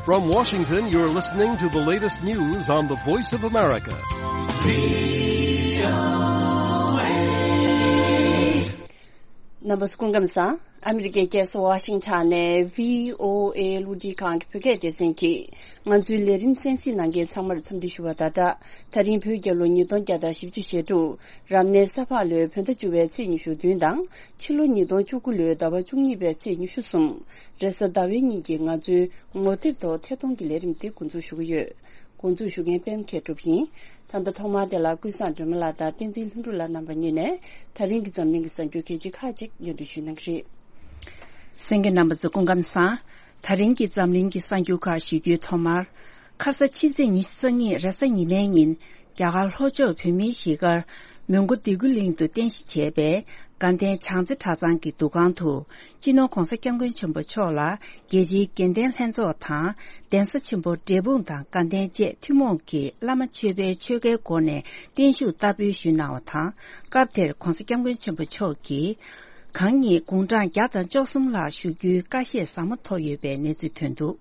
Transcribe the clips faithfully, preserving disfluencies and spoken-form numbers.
From Washington, you're listening to the latest news on the Voice of America. རྣམ་པ་ཚོ་སྐུ་ཁམས་བཟང་། ཨ་མི་རི་ཀའི་རྒྱལ་ས་ཝ་ཤིང་ཊོན་ནས་བྷི་ཨོ་ཨེ་རླུང་འཕྲིན་ཁང་གི་བོད་སྐད་སྡེ་ཚན་གྱིས་ང་ཚོའི་ལས་རིམ་གསན་གཟིགས་གནང་མཁན་ཚང་མར་འཚམས་འདྲི་ཞུ་བ་དང་སྦྲགས། ད་རིང་བོད་རྒྱལ་ལོ་ཉིས་སྟོང་བརྒྱ་དང་བཞི་བཅུ་ཞེ་དྲུག་རབ་གནས་ས་ཕག་ལོའི་བོད་ཟླ་བཅུ་པའི་ཚེས་ཉི་ཤུ་བདུན་དང་། ཕྱི་ལོ་ཉིས་སྟོང་བཅུ་དགུ་ལོའི་ཟླ་བ་བཅུ་གཉིས་པའི་ཚེས་ཉི་ཤུ་གསུམ། རེས་གཟའ་ཟླ་བའི་ཉིན་གྱི་ང་ཚོའི་ངོ་དེབ་ཐོག་ཐད་གཏོང་གི་ལས་རིམ་འདི་འགོ་འཛུགས་ཞུ་གི་ཡོད། འགོ་འཛུགས་ཞུ་མཁན་པད་མ་མཁས་གྲུབ་ཡིན། ད་ལྟ་ཐོག་མར་དེ་ལ་ཀུན་བཟང་སྒྲོལ་མ་ལགས་དང་བསྟན་འཛིན་ལྷུན་གྲུབ་ལགས་རྣམ་པ་གཉིས་ནས་ད་རིང་གི་འཛམ་གླིང་གི་གསར་འགྱུར་གལ་ཆེ་ཁག་ཅིག་སྙན་སྒྲོན་ཞུ་གནང་གི་རེད། གསན་མཁན་རྣམ་པ་ཚོ་སྐུ་ཁམས་བཟང་། ད་རིང་གི་འཛམ་གླིང་གི་གསར་འགྱུར་ཁག་ཞུ་རྒྱུའི་ཐོག་མར། ཁ་ས་ཕྱི་ཚེས་ཉི་ཤུ་རྩ་གཉིས་རེས་གཟའ་ཉི་མའི་ཉིན། རྒྱ་གར་ལྷོ་ཕྱོགས་བོད་མིའི་གཞིས་སྒར་མོན་གྷོ་སྡེ་དགུ་གླིང་དུ་རྟེན་གཞི་བྱས་པའི་དགའ་ལྡན་བྱང་རྩེ་གྲྭ་ཚང་གི་འདུ་ཁང་དུ། སྤྱི་ནོར་༧གོང་ས་༧སྐྱབས་མགོན་ཆེན་པོ་མཆོག་ལ་རྒྱལ་སྤྱིའི་དགེ་ལྡན་ལྷན་ཚོགས་དང་། གདན་ས་ཆེན་པོ་འབྲས་སྤུངས་དང་དགའ་ལྡན་བཅས་ཐུན་མོང་གི་བླ་མ་མཆོད་པའི་ཆོ་གའི་སྒོ་ནས་བརྟན་བཞུགས་བསྟར་འབུལ་ཞུས་གནང་བ་དང་། སྐབས་དེར་༧གོང་ས་༧སྐྱབས་མགོན་ཆེན་པོ་མཆོག་གིས། གང་ཉིད་དགུང་གྲངས་བརྒྱ་དང་བཅུ་གསུམ་ལྷག་བཞུགས་རྒྱུའི་བཀའ་བཞེས་ཟབ་མོ་ཐོབ་ཡོད་པའི་གནས་ཚུལ་ཐོན་འདུག་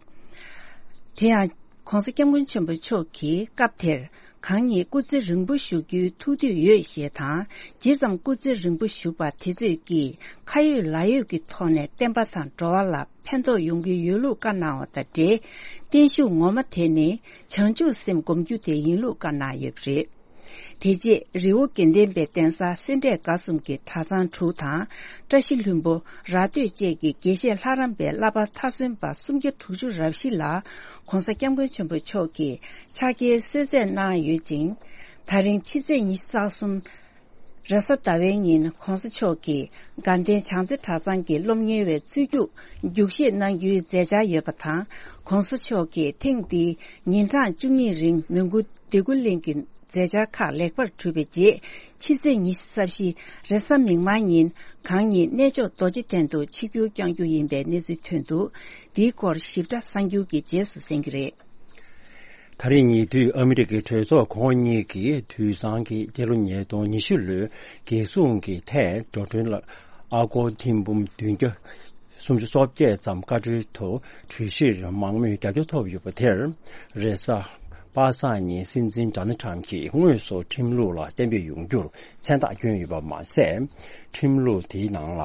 དེ་ཡང་༧གོང་ས་༧སྐྱབས་མགོན་ཆེན་པོ་མཆོག་གིས་སྐབས་དེར། གང་ཉིད་སྐུ་ཚེ་རིང་པོ་བཞུགས་རྒྱུའི་ཐུགས་འདོད་ཡོད་ཞེས་དང་། ཇི་ཙམ་སྐུ་ཚེ་རིང་པོ་བཞུགས་པ་དེ་ཚོས་ཀྱིས་ཁ་ཡོད་ལག་ཡོད་ཀྱི་ཐོག་ནས་བསྟན་པ་དང་འགྲོ་བ་ལ་ཕན་ཐོགས་ཡོང་གི་ཡོད་ལུགས་བཀའ་གནང་བ་དང་འབྲེལ། བརྟན་བཞུགས་ངོ་མ་དེ་ནི་བྱང་ཆུབ་སེམས་སྒོམ་རྒྱུ་དེ་ཡིན་ལུགས་བཀའ་གནང་ཡོད་པ་རེད། དེ་རྗེས་རི་བོ་དགེ་ལྡན་པའི་གདན་ས་སེ་འབྲས་དགའ་གསུམ་གྱི་གྲྭ་ཚང་དྲུག་དང་། བཀྲ་ཤིས་ལྷུན་པོ། ར་སྟོད་བཅས་ཀྱི་དགེ་བཤེས་ལྷ་རམས་པའི་བསླབ་པ་མཐར་སོན་པ་སུམ་བརྒྱ་དྲུག་ཅུ་རེ་བཞི་ལ་༧གོང་ས་༧སྐྱབས་མགོན་ཆེན་པོ་མཆོག་གིས་ཕྱག་འཁྱེར་གསོལ་སྩལ་གནང་ཡོད་ཅིང་། ད་རིང་ཕྱི་ཚེས་ཉི་ཤུ་རྩ་གསུམ་རེས་གཟའ་ཟླ་བའི་ཉིན་༧གོང་ས་མཆོག་གིས་དགའ་ལྡན་བྱང་རྩེ་གྲྭ་ཚང་གི་སློབ་གཉེར་བའི་ཚུལ་རྒྱུགས་རྒྱུགས་བཞེས་གནང་རྒྱུའི་མཛད་འཆར་ཡོད་པ་དང་།༧གོང་ས་མཆོག་གིས་ཐེངས་འདིའི་ཉིན་གྲངས་བཅུ་གཉིས་རིང་མོན་གྷོ་སྡེ་དགུ་གླིང་གི་མཛད་འཆར་ཁག་ལེགས་པར་གྲུབ་པའི་རྗེས། ཕྱི་ཚེས་ཉི་ཤུ་རྩ་བཞི་རེས་གཟའ་མིག་དམར་ཉིན་གང་ཉིད་གནས་མཆོག་རྡོ་རྗེ་གདན་དུ་ཆིབས་བསྒྱུར་བསྐྱང་རྒྱུ་ཡིན་པའི་གནས་ཚུལ་ཐོན་འདུག་འདིའི་སྐོར་ཞིབ་ཕྲ་གསར་འགྱུར་གྱི་རྗེས་སུ་གསན་གྱི་རེད། ད་རེས་ཉེ་དུས་ཨ་མི་རི་ཀའི་གྲོས་ཚོགས་གོང་འོག་གཉིས་ཀྱིས་དུས་སང་གི་སྤྱི་ལོ་ཉིས་སྟོང་ཉི་ཤུ་ལོའི་རྒྱལ་སྲུང་གི་ཐད་འགྲོ་གྲོན་ལ་ཨ་སྒོར་ཐེར་འབུམ་བདུན་བརྒྱ་སུམ་ཅུ་སོ་བརྒྱད་ཙམ་བཀའ་འཁྲོལ་དུ་གྲོས་གཞིར་མང་མོས་རྒྱབ་སྐྱོར་ཐོབ་ཡོད་པ་དེར། རེས་གཟའ་པ་སངས་ཉིན་སྲིད་འཛིན་ཌོ་ནལ་ཊམ་གྱིས་དངོས་སུ་ཁྲིམས་ལུགས་ལ་གཏན་འབེབས་ཡོང་རྒྱུར་མཚན་རྟགས་བསྐྱོན་ཡོད་པ་མ་ཟད། ཁྲིམས་ལུགས་དེའི་ནང་ལ་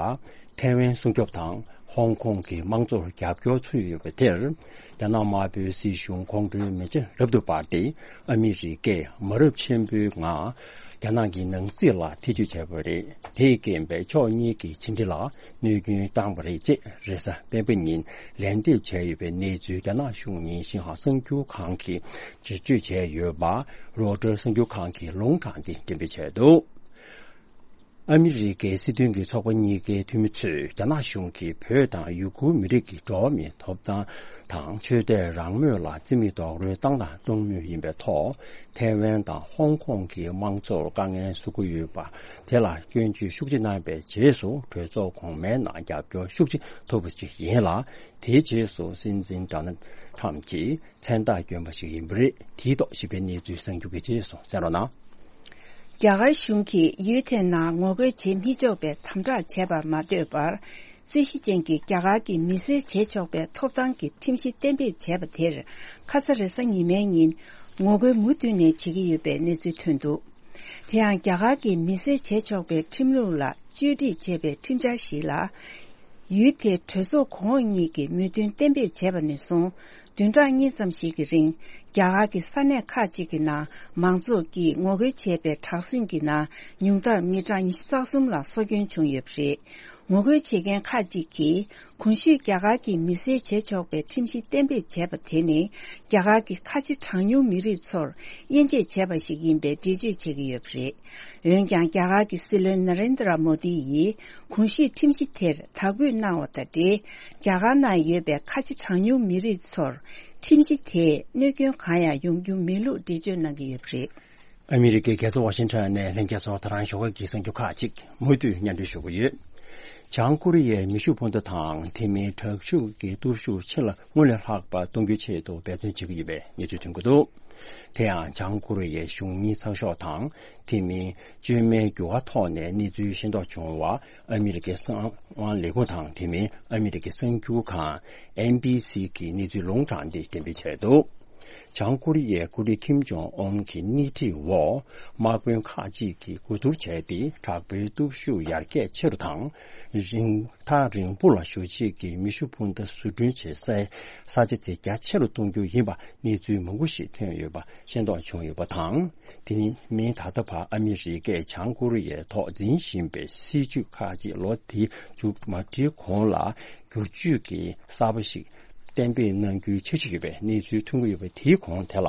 ཐའེ་ཝན་སྲུང་སྐྱོབ་དང་ཧོང་ཀོང་གི་དམངས་གཙོར་རྒྱབ་སྐྱོར་ཚུད་ཡོད་པ་དེར། རྒྱ་ནག་དམར་པོའི་སྲིད་གཞུང་ཁོང་ཁྲོའི་མེ་ལྕེ་རབ་ཏུ་འབར་ཏེ། ཨ་མི་རི་ཀས་མ་རབས་ཆེན་པོའི་ངང་རྒྱ་ནག་གི་ནང་སྲིད་ལ་ཐེ་ཇུས་བྱས་པ་རེད། དེས་རྐྱེན་པས་ཕྱོགས་གཉིས་ཀྱི་ཕྱི་འབྲེལ་ལ་གནོད་སྐྱོན་བཏང་བ་རེད་ཅེས་རེས་གཟའ་སྤེན་པ་ཉིན་ལན་འདེབས་བྱས་ཡོད་པའི་གནས་ཚུལ་རྒྱ་ནག་གཞུང་ཉིན་ཤིན་ཧྭ་གསར་འགྱུར་ཁང་གིས་འགྲེལ་བརྗོད་བྱས་ཡོད་པ། རོའི་ཊར་གསར་འགྱུར་ཁང་གིས་ལུང་དྲངས་ཏེ་འགྲེམས་སྤེལ་བྱས་འདུག་ཨ་མི་རི་ཀའི་སྲིད་དོན་གྱི་ཚོགས་པ་གཉིས་ཀའི་འཐུས་མི་ཚོས་རྒྱ་ནག་གཞུང་གིས་བོད་དང་ཡུ་གུར་མི་རིགས་ཀྱི་འགྲོ་བ་མིའི་ཐོབ་ཐང་དང་ཆོས་དད་རང་མོས་ལ་རྩིས་མེད་རྡོག་རོལ་བཏང་དང་གཏོང་མུས་ཡིན་པའི་ཐོག་ཐའེ་ཝན་དང་ཧོང་ཀོང་གི་དམངས་གཙོར་དཀའ་ངལ་བཟོ་གི་ཡོད་པ་དེ་ལ་སྐྱོན་བརྗོད་ཤུགས་ཆེ་གནང་བའི་རྗེས་སུ་གྲོས་ཚོགས་གོང་མའི་ནང་རྒྱབ་སྐྱོར་ཤུགས་ཆེ་ཐོབ་པ་ཞིག་ཡིན་ལ། དེའི་རྗེས་སུ་སྲིད་འཛིན་ཌོ་ནལ་ཊམ་གྱིས་མཚན་རྟགས་བསྐྱོན་པ་ཞིག་ཡིན་པ་རེད། དེའི་ཐོག་ཞིབ་ཕྲའི་གནས་ཚུལ་གསར་འགྱུར་གྱི་རྗེས་སུ་གསན་རོགས་གནང་། རྒྱ་གར་གཞུང་གིས་ཡུལ་དེའི་ནང་ངོ་རྒོལ་བྱེད་མི་ཆོག་པའི་དམ་དྲག་བྱས་པར་མ་ལྟོས་པར། རྩོད་གཞི་ཅན་གྱི་རྒྱ་གར་གྱི་མི་སེར་བྱེད་ཆོག་པའི་ཐོབ་ཐང་གི་ཁྲིམས་གཞི་གཏན་འབེབས་བྱས་པ་དེར། ཁ་ས་རེས་གཟའ་ཉི་མའི་ཉིན་ངོ་རྒོལ་མུ་མཐུད་ནས་བྱེད་ཀྱི་ཡོད་པའི་གནས་ཚུལ་ཐོན་འདུག་དེ་ཡང་རྒྱ་གར་གྱི་མི་སེར་བྱེད་ཆོག་པའི་ཁྲིམས་ལུགས་ལ་བཅོས་སྒྲིག་བྱས་པའི་ཁྲིམས་འཆར་ཞིག་ལ། ཡུལ་དེའི་གྲོས་ཚོགས་གོང་འོག་གཉིས་ཀྱིས་མོས་མཐུན་གཏན་འབེབས་བྱས་པ་ནས་བཟུང་། བདུན་ཕྲག་གཉིས་ཙམ་ཞིག་གི་རིང་རྒྱ་གར་གྱི་ས་གནས་ཁག་ཅིག་གི་ནང་མང་ཚོགས་ཀྱིས་ངོ་རྒོལ་བྱས་པའི་དྲག་ཟིང་གི་ནང་ཉུང་མཐར་མི་གྲངས་ཉི་ཤུ་རྩ་གསུམ་ལ་སྲོག་སྐྱོན་བྱུང་ཡོད་པ་རེད། ངོ་རྒོལ་བྱེད་མཁན་ཁག་ཅིག་གིས་གོང་ཞུས་རྒྱ་གར་གྱི་མི་སེར་བྱེད་ཆོག་པའི་ཁྲིམས་གཞི་གཏན་འབེབས་བྱས་པ་དེ་ནི་རྒྱ་གར་གྱི་ཁ་ཆེ་གྲངས་ཉུང་མི་རིགས་ཚོར་དབྱེ་འབྱེད་བྱས་པ་ཞིག་ཡིན་པའི་འགྲེལ་བརྗོད་བྱེད་ཀྱི་ཡོད་པ་རེད། འོན་ཀྱང་རྒྱ་གར་གྱི་སྲིད་བློན་ན་རེན་དྲ་མོ་དི་ཡིས་གོང་ཞུས་ཁྲིམས་གཞི་དེར་དག་འབུད་གནང་བ་དང་འབྲེལ། རྒྱ་གར་ནང་ཡོད་པའི་ཁ་ཆེ་གྲངས་ཉུང་མི་རིགས་ཚོར་ཁྲིམས་གཞི་དེས་གནོད་སྐྱོན་གང་ཡང་ཡོང་རྒྱུ་མེད་ལུགས་འགྲེལ་བརྗོད་གནང་གི་ཡོད་པ་རེད། ཨ་མི་རི་ཀའི་རྒྱལ་ས་ཝ་ཤིང་ཊོན་ནས་ལྷན་རྒྱས་ཚོར་ད་རང་ཞོགས་ཀས་ཀྱི་གསར་འགྱུར་ཁག་ཅིག་མུ་མཐུད་སྙན་སྒྲོན་ཞུ་གི་ཡོད། བྱང་ཀོ་རི་ཡའི་མེ་ཤུགས་འཕུར་མདའ་དང་དེ་མིན་དྲག་ཤུགས་ཀྱི་སྟོབས་ཤུགས་ཕྱི་ལ་སྔར་ལས་ལྷག་པ་གཏོང་རྒྱུའི་ཆེད་དུ་འབད་བརྩོན་བྱེད་ཀྱི་ཡོད་པའི་གནས་ཚུལ་ཐོན་གྱི་འདུག་དེ་ཡང་བྱང་ཀོ་རི་ཡའི་གཞུང་གཉིས་ཚགས་ཤོག་དང་དེ་མིན་བཅོས་མའི་འགྱུར་བ་ཐོག་ནས་གནས་ཚུལ་ཤེས་རྟོགས་བྱུང་བ་ཨ་མི་རི་ཀའི་གསང་བ་ལས་ཁུངས་དང་དེ་མིན་ཨ་མི་རི་ཀའི་གསར་འགྱུར་ཁང་ཨེན་བི་སི་གིས་གནས་ཚུལ་ལུང་དྲངས་ཏེ་འགྲེམས་སྤེལ་བྱས་འདུག་བྱང་ཀོ་རི་ཡའི་འགོ་ཁྲིད་ཁིམ་ཇོང་ཨོན་གྱི་སྣེ་ཁྲིད་འོག་དམག་དཔོན་ཁག་ཅིག་གིས་གོ་བསྡུར་བྱས་ཏེ་དྲག་པོའི་སྟོབས་ཤུགས་ཡར་རྒྱས་ཆེ་རུ་དང་། རིང་ཐག་རིང་པོ་ལ་བཞུར་བྱེད་ཀྱི་མེ་ཤུགས་འཕུར་མདའ་བཟོ་སྐྲུན་བྱེད་སའི་ས་ཆ་དེ་རྒྱ་ཆེ་རུ་གཏོང་རྒྱུ་ཡིན་པ་གནས་ཚུལ་མང་པོ་ཞིག་ཐོན་ཡོད་པ་ཤེས་རྟོགས་བྱུང་ཡོད་པ་དང་། དེ་ནི་མིན་ད་ལྟ་བར་ཨ་མི་རི་ཀས་བྱང་ཀོ་རི་ཡའི་ཐོག་འཛིན་བཞིན་པའི་སྲིད་བྱུས་ཁག་ཅིག་ལོ་དེ་མཇུག་མ་སྒྲིལ་གོང་ལ། བསྒྱུར་བཅོས་ཀྱི་གསར་པ་ཞིག་གཏན་འབེབས་གནང་རྒྱུའི་འཆར་གཞི་ཡོད་པའི་གནས་ཚུལ་ཐོན་གྱི་ཡོད་པ། དེའི་གོང་དེ་ལ་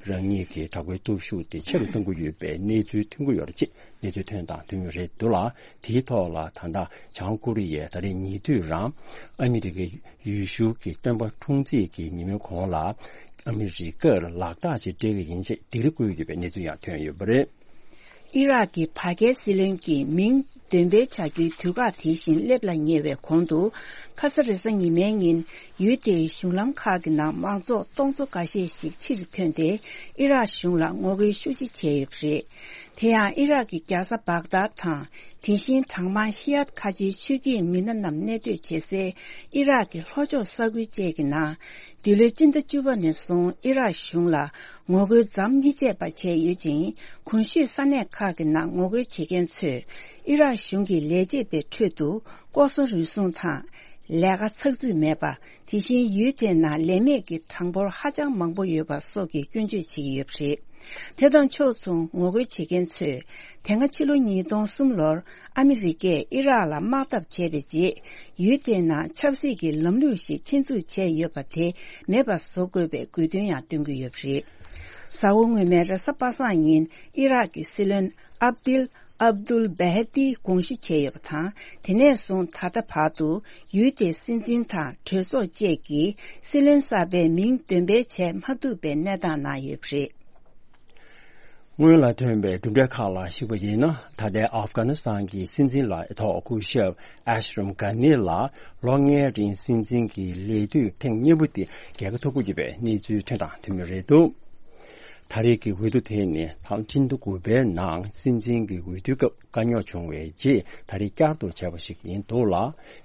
རང་ཉིད་ཀྱི་དྲག་པོའི་སྟོབས་ཤུགས་དེ་ཆེ་རུ་གཏོང་གི་ཡོད་པའི་གནས་ཚུལ་ཐོན་གྱི་ཡོད་རེད་ཅེས་གནས་ཚུལ་ཐོན་དང་ཐོན་མུས་རེད་འདུག་ལ། དེའི་ཐོག་ལ་ད་ལྟ་བྱང་ཀོ་རི་ཡས་ད་རེས་ཉེ་དུས་རང་ཨ་མི་རི་ཀའི་ཡུལ་ཤུལ་གྱི་སྟོན་པ་འཁྲུངས་ཚེས་ཀྱི་ཉིན་མོའི་གོང་ལ་ཨ་མི་རི་ཀར་ལག་རྟགས་ཅིག་སྤྲད་ཀྱི་ཡིན་ཅེས་སྡིགས་ར་བསྐུལ་ཡོད་པའི་གནས་ཚུལ་ཡང་ཐོན་ཡོད་པ་རེད། ཨི་རག་གི་བར་བརྒལ་སྲིད་བློན་གྱི་མིང་འདོན་སྤེལ་བྱ་རྒྱུའི་དུས་བཀག་དེ་བཞིན་སླེབས་ལ་ཉེ་བའི་གོང་དུ། ཁ་ས་རེས་གཟའ་ཉི་མའི་ཉིན་ཡུལ་དེའི་གཞུང་ལམ་ཁག་གི་ནང་མང་ཚོགས་སྟོང་ཚོ་འགའ་ཤས་ཤིག་ཕྱིར་ཐོན་ཏེ་ཨི་རག་གཞུང་ལ་ངོ་རྒོལ་ཤུགས་ཆེ་བྱས་ཡོད་པ་རེད། དེ་ཡང་ཨི་རག་གི་རྒྱལ་ས་བག་དཱད་དང་དེ་བཞིན་གྲངས་མང་ཤི་ཡཱཏ་ཁ་ཆེའི་ཆོས་བརྒྱུད་མི་སྣ་རྣམས་གནས་སྡོད་བྱེད་སའི་ཨི་རག་གི་ལྷོ་ཕྱོགས་ས་ཁུལ་བཅས་ཀྱི་ནང་། འདི་ལོའི་སྤྱི་ཟླ་བཅུ་པ་ནས་བཟུང་ཨི་རག་གཞུང་ལ་ངོ་རྒོལ་མཚམས་མི་ཆད་པ་བྱས་ཡོད་ཅིང་། གོང་ཞུས་ས་གནས་ཁག་གི་ནང་ངོ་རྒོལ་བྱེད་མཁན་ཚོས་ཨི་རག་གཞུང་གི་ལས་བྱེད་པའི་ཁྲོད་དུ་ལྐོག་ཟ་རུལ་སུངས་དང་། ལས་ཀ་ཚགས་ཚུད་མེད་པ། དེ་བཞིན་ཡུལ་དེའི་ནང་ལས་མེད་ཀྱི་གྲངས་འབོར་ཧ་ཅང་མང་པོ་ཡོད་པ་སོགས་ཀྱི་སྐྱོན་བརྗོད་བྱེད་ཀྱི་ཡོད་པ་རེད། དེ་དང་ཕྱོགས་མཚུངས་ངོ་རྒོལ་བྱེད་མཁན་ཚོས་དེ་སྔ་ཕྱི་ལོ་ཉིས་སྟོང་གསུམ་ལོར་ཨ་མི་རི་ཀས་ཨི་རག་ལ་དམག་འཐབ་བྱས་པའི་རྗེས། ཡུལ་དེའི་ནང་ཆབ་སྲིད་ཀྱི་ལམ་ལུགས་ཤིག་ཆེད་འཛུགས་བྱས་ཡོད་པ་དེ་མེད་པ་བཟོ་དགོས་པའི་དགོས་འདུན་ཡང་བཏོན་གྱི་ཡོད་པ་རེད། གཟའ་འཁོར་སྔོན་མའི་རེས་གཟའ་པ་སངས་ཉིན་ཨི་རག་གི་སྲིད་བློན་ཨབ་དིལ་ཨབ་དུལ་བྷེ་ཧ་ཏི་དགོངས་ཞུ་བྱས་ཡོད་པ་དང་། དེ་ནས་བཟུང་ད་ལྟ་བར་དུ་ཡུལ་དེའི་སྲིད་འཛིན་དང་གྲོས་ཚོགས་བཅས་ཀྱིས་སྲིད་བློན་གསར་པའི་མིང་འདོན་སྤེལ་བྱས་མ་ཐུབ་པའི་གནས་སྟངས་ནང་ཡོད་པ་རེད། སྔོན་ལ་ཐོན་པའི་གྲུབ་འབྲས་ཁག་ལ་གཞིགས་པ་ཡིན་ན། ད་ལྟའི་ཨབ་གྷ་ནི་སི་ཐན་གྱི་སྲིད་འཛིན་ལ་ཐོག་སྐུ་ཞབས་ཨེ་ཤི་རམ་གྷ་ནི་ལ་ལོ་ལྔའི་རིང་སྲིད་འཛིན་གྱི་ལས་དུས་ཐེངས་གཉིས་པོ་དེ་རྒྱལ་ཁ་ཐོབ་དགོས་ཀྱི་ཡོད་པའི་གནས་ཚུལ་ཐོན་དང་ཐོན་མུས་རེད་འདུག་ད་རེས་ཀྱི་འོས་བསྡུ་དེ་ནི་ཕྱི་ཟླ་དགུ་པའི་ནང་སྲིད་འཛིན་གྱི་འོས་བསྡུའི་སྐབས་དཀའ་རྙོག་བྱུང་བའི་རྗེས་ད་རེས་བསྐྱར་དུ་བྱས་པ་ཞིག་ཡིན་འདུག་ལ།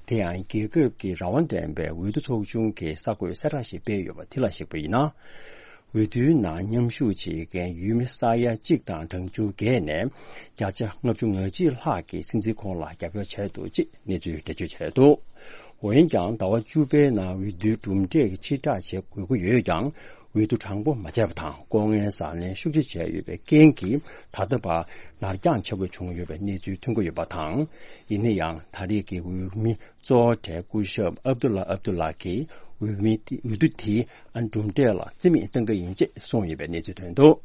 དེ་ཡང་རྒྱལ་ཁབ་ཀྱི་རང་དབང་ལྡན་པའི་འོས་བསྡུ་ཚོགས་ཆུང་གིས་གསར་འགོད་གསལ་བསྒྲགས་ཤིག་སྤེལ་ཡོད་པ་དེ་ལ་གཞིགས་པ་ཡིན་ན། འོས་བསྡུའི་ནང་མཉམ་ཞུགས་བྱེད་མཁན་ཡུལ་མི་ས་ཡ་གཅིག་དང་གྲངས་ཆུང་བརྒྱད་ནས་བརྒྱ་ཆ་ལྔ་བཅུ་ང་གཅིག་ལྷག་གིས་སྲིད་འཛིན་ཁོང་ལ་རྒྱབ་སྐྱོར་བྱས་འདུག་ཅེས་གནས་ཚུལ་འགྲེལ་བརྗོད་བྱས་འདུག་འོན་ཀྱང་ཟླ་བ་བཅུ་པའི་ནང་འོས་བསྡུའི་གྲུབ་འབྲས་ཀྱི་ཕྱིར་བསྒྲགས་བྱེད་དགོས་ཀྱི་ཡོད་ཀྱང་། འོས་བསྡུ་དྲང་པོ་མ་བྱས་པ་དང་ལྐོག་རྔན་ཟ་ལེན་ཤུགས་ཆེ་བྱས་ཡོད་པའི་རྐྱེན་གྱིས་ད་ལྟ་བར་ནར་འགྱངས་ཆེ་པོ་བྱུང་ཡོད་པའི་གནས་ཚུལ་ཐོན་གྱི་ཡོད་པ་དང་། ཡིན་ན་ཡང་ད་རེས་ཀྱི་འོས་མི་གཙོ་བོ་གྲས་སྐུ་ཞབས་ཨབ་དུ་ལ་ཨབ་དུ་ལ་གིས་འོས་མི་དེ་འོས་བསྡུ་དེའི་གྲུབ་འབྲས་ལ་རྩིས་མེད་གཏོང་གི་ཡིན་ཅེས་གསུངས་ཡོད་པའི་གནས་ཚུལ་ཐོན་འདུག་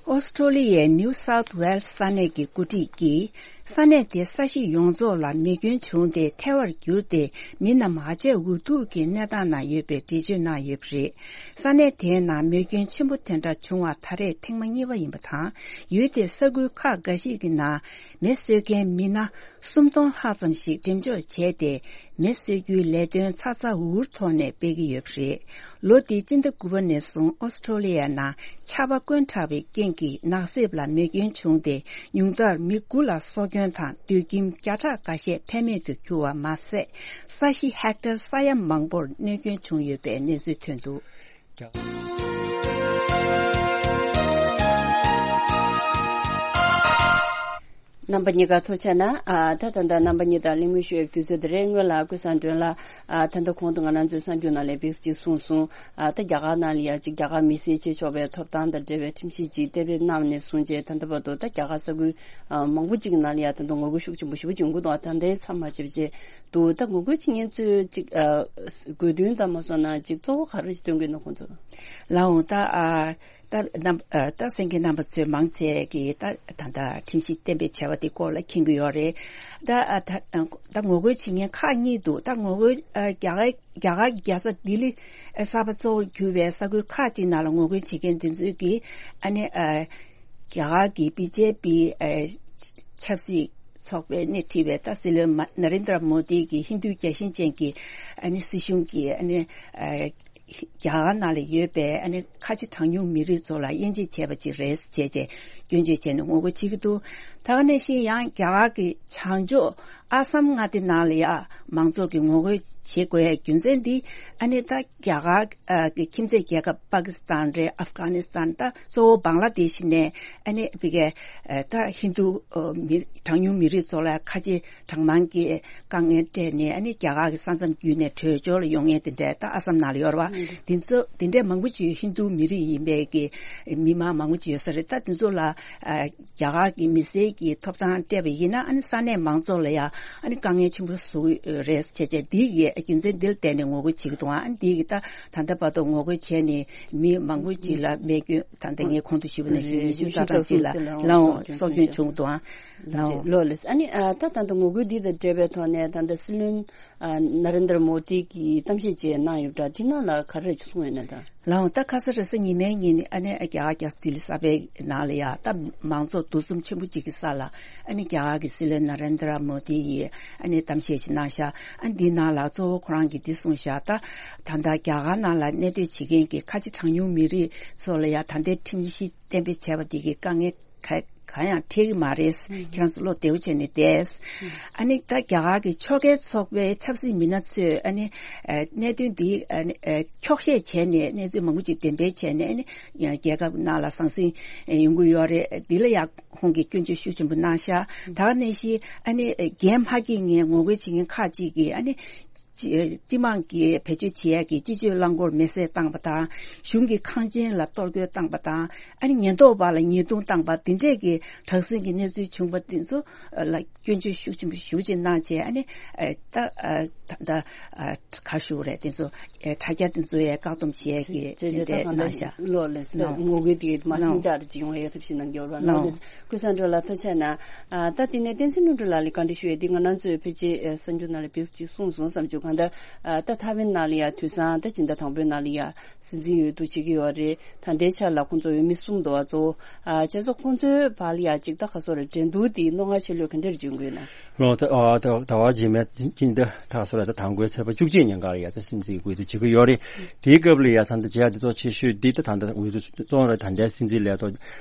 ཨོ་སི་ཁྲོ་ལི་ཡའི་ནིའུ་སའུཐ་ཝེལ་སི་ས་གནས་ཀྱི་འགོ་ཁྲིད་ཀྱིས་ས་གནས་དེའི་ས་གཞི་ཡོངས་རྫོགས་ལ་མེ་སྐྱོན་བྱུང་སྟེ་ཐལ་བར་གྱུར་ཏེ་མི་རྣམས་ཧ་ཅང་འུ་ཐུག་གི་གནས་སྟངས་ནང་ཡོད་པའི་འགྲེལ་བརྗོད་གནང་ཡོད་པ་རེད། ས་གནས་དེའི་ནང་མེ་སྐྱོན་ཆེན་པོ་དེ་འདྲ་བྱུང་བ་ད་རེས་ཐེངས་མ་གཉིས་པ་ཡིན་པ་དང་། ཡུལ་དེའི་ས་ཁུལ་ཁག་འགའ་ཞིག་གི་ནང་མེ་གསོད་མཁན་མི་སྣ་སུམ་སྟོང་ལྷག་ཙམ་ཞིག་འགྲེམས་འཇོག་བྱས་ཏེ། མེ་གསོད་རྒྱུའི་ལས་དོན་ཚ་ཚ་འུར་འུར་ཐོག་ནས་སྤེལ་གྱི་ཡོད་པ་རེད། ལོ་འདིའི་སྤྱི་ཟླ་དགུ་པ་ནས་བཟུང་ཨོ་སི་ཁྲོ་ལི་ཡ་ནང་ཆར་པ་བསྐོན་དྲགས་པའི་རྐྱེན་གྱིས་ནགས་གསེབ་ལ་མེ་སྐྱོན་བྱུང་སྟེ། ཉུང་མཐར་མི་དགུ་ལ་སྲོག་སྐྱོན་དང་སྡོད་ཁྱིམ་བརྒྱ་ཕྲག་འགའ་ཤས་ཕན་མེད་དུ་གྱུར་བ་མ་ཟད། ས་གཞི་ཧེག་ཊར་ས་ཡ་མང་པོར་གནོད་སྐྱོན་བྱུང་ཡོད་པའི་གནས་ཚུལ་ཐོན་འདུག་རྣམ་པ་གཉིས་ཀ་ཐུགས་རྗེ་གནང་། ཨ། ད་ད་ལྟ་རྣམ་པ་གཉིས་དང་གླེང་མོལ་ཞུ་ཡག་དུས་ཚོད་དེ་རེད། སྔོན་ལ་ཀུན་བཟང་སྒྲོན་ལགས། ཨ། ད་ལྟ་གོང་དུ་ང་རང་ཚོའི་གསར་འགྱུར་ནང་ལ་བེག་ཅིག་གསུངས་སོང་། ཨ། ད་རྒྱ་གར་ནང་ལ་ཡ་ཅིག་རྒྱ་གར་མི་སེར་བྱེད་ཆོག་པའི་ཐོབ་ཐང་དང་འབྲེལ་བའི་ཁྲིམས་གཞི་ཅིག་གཏན་འབེབས་གནང་ནས་བཟུང་རྗེས་ད་ལྟ་བར་དུ་ད་རྒྱ་གར་ས་ཁུལ་ཨ། མང་པོ་ཅིག་ནང་ལ་ཡ་ད་ལྟ་ངོ་རྒོལ་ཤུགས་ཆེན་པོ་ཞེ་པོ་ཅིག་ཡོང་གི་འདུག་ད་ལྟའི་མཚམས་མ་ཆད་པ་བྱས་འདུག་ད་ངོ་རྒོལ་བྱེད་མཁན་ཚོས་ཅིག་ཨ། དགོས་འདུན་དང་མ་སོང་ན་ཅིག་གཙོ་བོ་ག་རེ་ཞིག་སྟོན་གྱི་འདུག་ཁོང་ཚོ། ལགས་འོང་། ད་ཨ། ད་རྣམ་ཨ། ད་གསན་མཁན་རྣམ་པ་ཚོས་མང་ཆེ་གིས་ད་ད་ལྟ་ཁྲིམས་གཞི་གཏན་འབེབས་བྱས་པ་དེ་སྐོར་ལ་མཁྱེན་གྱི་ཡོད་རེད། ད་ཨ། ད་ད་ངོ་རྒོལ་བྱེད་མཁན་ཁག་གཉིས་འདུག་ད་ངོ་རྒོལ་ཨ། རྒྱ་གར་རྒྱ་གར་རྒྱལ་ས་ལྡི་ལི་ཨ། གསར་པ་གཙོ་བོར་གྱུར་བའི་ས་ཁུལ་ཁག་ཅིག་ནང་ལ་ངོ་རྒོལ་བྱེད་མཁན་དེ་ཚོས་ཀྱིས་ཨ་ནི་ཨ། རྒྱ་གར་གྱི་བི་ཇེ་པི་ཨ། ཆབ་སྲིད་ ཚོགས་པས་སྣེ་ཁྲིད་པའི་ད་སྲིད་བློན་མ་ན་རེན་དྲ་མོ་དི་གི་ཧིན་རྡུའི་རྒྱལ་ཞེན་ཅན་གྱི་ཨ་ནི་སྲིད་གཞུང་གི་ཨ་ནི་ཨ་རྒྱ་གར་ནང་ལ་ཡོད་པའི་ཨ་ནི་ཁ་ཆེ་གྲངས་ཉུང་མི་རིགས་ཚོ་ལ་དབྱེ་འབྱེད་བྱས་པ་ཅིག་རེད་ཅེས་བྱས་སྐྱོན་བརྗོད་བྱས་ནས་ངོ་རྒོལ་བྱེད་ཀྱི་འདུག་ད་ག་ནང་བཞིན་ཡང་རྒྱ་གར་གྱི་བྱང་ཕྱོགས་ཨ་སམ་མངའ་སྡེ་ནང་ལ་ཡང་མང་ཚོགས་ཀྱིས་ངོ་རྒོལ་བྱེད་དགོས་ཡའི་རྒྱུ་མཚན་འདི་ཨ་ནི་ད་རྒྱ་གར་གྱི་ཁྱིམ་མཚེས་རྒྱལ་ཁབ་པ་ཀི་སི་ཐན་རེད། ཨབ་གྷ་ནི་སི་ཐན། ད་གཙོ་བོ་བང་ལ་དེ་ཤི་ནས་ཨ་ནི་བི་གའི་ད་ཧིན་རྡུ་མི་གྲངས་ཉུང་མི་རིགས་ཚོ་ལ་ཁ་ཆེ་གྲངས་མང་གི་དཀའ་ངལ་སྤྲད་ནས་ཨ་ནི་རྒྱ་གར་གྱི་ས་མཚམས་བརྒྱུད་ནས་བྲོས་བྱོལ་ལ་ཡོང་མཁན་དེ་འདྲ་ད་ཨ་སམ་ནང་ལ་ཡོད་རེད་བ། དེ་ཚོ་དེ་འདྲའི་མང་པོ་ཅིག་ཧིན་རྡུ་མི་རིགས་ཡིན་པའི་གི་མི་མང་མང་པོ་ཅིག་ཡོད་ས་རེད། ད་དེ་ཚོ་ལ་རྒྱ་གར་གྱི་མི་སེར་གྱི་ཐོབ་ཐང་སྤྲད་པ་ཡིན་ན་ཨ་ནི་ས་གནས་མང་ཚོགས་ལ་ཡང་ཨ་ནི་དཀའ་ངལ་ཆེན་པོ་བཟོ་གི་རེད་བྱས་བྱས་འདི་གི་རྒྱུ་མཚན་འདི་ལ་བརྟེན་ནས་ངོ་རྒོལ་བྱེད་ཀྱི་འདུག་ཨ་ནི་འདི་གི་ད་ད་ལྟ་བར་དུ་ངོ་རྒོལ་བྱས་ནས་མི་མང་པོ་ཅིག་ལ་རྨས་སྐྱོན་ད་ལྟ་ངས་གོང་དུ་ཞུས་པ་ནང་བཞིན་ཉི་ཤུ་རྩ་གྲངས་ཅིག་ལ་ལའང་སྲོག་སྐྱོན་བྱུང་འདུག་ཨ་ལའང་ལོ་ལེས། ཨ་ནི་ད་ད་ལྟ་ངོ་རྒོལ་འདི་དང་འབྲེལ་བའི་ཐོག་ནས་ད་ལྟ་སྲིད་བློན་ཨ་ན་རེན་དྲ་མོ་དི་གིས་གཏམ་བཤད་ཅིག་གནང་ཡོད་པ་འདྲ། དེ་ནང་ལ་ག་རེ་གསུངས་ཡོད་ན་ད། ལའང་ད་ཁ་ས་རེས་གཟའ་ཉི་མའི་ཉིན་ཨ་ནི་རྒྱ་གར་རྒྱལ་ས་ལྡི་ལི་གསར་པའི་ནང་ལ་ཡ་ད་མང་ཚོགས་འདུ་འཛོམས་ཆེན་པོ་ཅིག་གི་ས་ལ་ཨ་ནི་རྒྱ་གར་གྱི་སྲིད་བློན་ན་རེན་དྲ་མོ་དི་ཡིས་ཨ་ནི་གཏམ་བཤད་ཅིག་གནང་ཤག་ཨ་འདི་ནང་ལ་གཙོ་བོ་ཁོ་རང་གིས་འདི་གསུངས་ཤག་ད་ད་ལྟ་རྒྱ་གར་ནང་ལ་གནས་སྡོད་བྱེད་མཁན་གྱི་ཁ་ཆེ་གྲངས་ཉུང་མི་རིགས་ཚོ་ལ་ཡ་ད་ལྟའི་ཁྲིམས་གཞི་གཏན་འབེབས་བྱས་པ་འདི་གི་དཀའ་ངལ་ག་གང་ཡང་འཕྲད་ཀྱི་མ་རེད། ཁྱེད་རང་ཚོ་བློ་བདེ་པོ་བྱས་ནས་བསྡད། ཨ་ནི་ད་རྒྱ་གར་གྱི་ཕྱོགས་འགལ་ཚོགས་པའི་ཆབ་སྲིད་མི་སྣ་ཚོས་ཨ་ནི་ཨ་གནད་དོན་འདི་ཨ་ནི་ཨ་འཁྱོག་བཤད་བྱས་ནས་གནས་ཚུལ་མང་པོ་ཅིག་འགྲེམས་སྤེལ་བྱས་ནས་ཨ་ནི་རྒྱལ་ཁབ་ནང་ལ་ཟང་ཟིང་ཡོང་གི་ཡོད་རེད། འདི་ལ་ཡང་ཁོང་གིས་སྐྱོན་བརྗོད་ཤུགས་ཆེན་པོ་གནང་ཤག་ད་ག་ནང་བཞིན་ཨ་ནི་འགན་མ་འཁྱེར་མཁན་ངོ་རྒོལ་བྱེད་མཁན་ཁག་ཅིག་གིས་ཨ་ནི་སྤྱི་སྤྱི་དམངས་ཀྱིས་བེད་སྤྱོད་བྱེད་ཡག་གི་སྤྱི་སྤྱོད་རླངས་འཁོར་མེ་བསྲེགས་བཏང་པ་དང་། གཞུང་གི་ཁང་ཆེན་ལ་གཏོར་རྒོལ་བཏང་པ་དང་། ཨ་ནི་ཉེན་རྟོག་པ་ལ་ཉེས་རྡུང་བཏང་པ་འདི་འདྲས་ཀྱི་དྲག་ཟིང་གི་གནས་ཚུལ་བྱུང་པ་འདི་ཚོ་ལ་སྐྱོན་བརྗོད་ཤུགས་ཆེན་པོ་ཞེ་པོ་ཅིག་གནང་བྱས། ཨ་ནི་ཨ་ད་ཨ་ད་ད་ཨ་ག་ཞུ་རེད། དེ་ཚོ་ཨ་དྲ་རྒྱ་འདི་ཚོ་ཡ་བཀག་སྡོམ་བྱེད་ཡས་ཀྱི་ཅེས་དེ་ཅེས་ད་འདྲས་གང་གནང་ཤག་ལོ་ལས་ད་ནོ། ངོ་རྒོལ་དེ་མ་ལྷིང་འཇགས་ཅིག་ཡོང་བའི་ཐབས་ཤེས་གནང་གི་ཡོད་ར། ལོ་ལོ་ལས་ཀུན་བཟང་སྒྲོལ་ལགས་ཐུགས་རྗེ་གནང་། ཨ་ད་དེ་ནས་བསྟན་འཛིན་ལྷུན་གྲུབ་ལགས་ལ་བཀའ་འདྲི་ཞུ་ཡས་དེ་ང་རང་ཚོའི་ཕལ་ཆེར་ཨ་གསར་འགྱུར་ནང་ལ་བེད་ཅིག་གསུངས་སོང་བསམ་བྱུང་། གང་ལྟར་ཨ་ད་ཐའེ་ཝན་ནང་ལ་ཡ་དུས་སང་ད་སྤྱི་ཟླ་དང་པོའི་ནང་ལ་ཡ་སྲིད་འཛིན་འོས་བསྡུ་བྱེད་ཀྱི་ཡོད་རེད། ད་ལྟའི་ཆར་ལ་ཁོང་ཚོ་འོས་མི་གསུམ་འདུག་བ། གཙོ་བོ་ཨ་བྱས་ཙང་ཁོང་ཚོའི་བར་ལ་ཡ་ཅིག་ད་ག་སོ་རེ་འགྲན་བསྡུར་དེ་རྣོ་ངར་ཆེ་ལོས་ག་འདྲ་རེ་བྱུང་དགོས་ན། ལོ་ད་ཨ་ད་ཟླ་བ་རྗེས་མའི་སྤྱི་ཟླ་ད་ག་སོ་རེ་ད་དང་པོའི་ཚེས་པ་བཅུ་གཅིག་ཉིན་ག་ལ་ཡ་ད་སྲིད་འཛིན་འོས་བསྡུ་བྱེད་ཀྱི་ཡོད་རེད། དེའི་སྐབས་ལ་ཡ་ད་ལྟ་བྱེད་ཡ་དེ་ཚོ་ཆེ་ཤོས་འདི་ད་ད་ལྟ་འོས་བསྡུ་བཙོང་ར་ད་ལྟའི་སྲིད་འཛིན་ལས་ཐོག་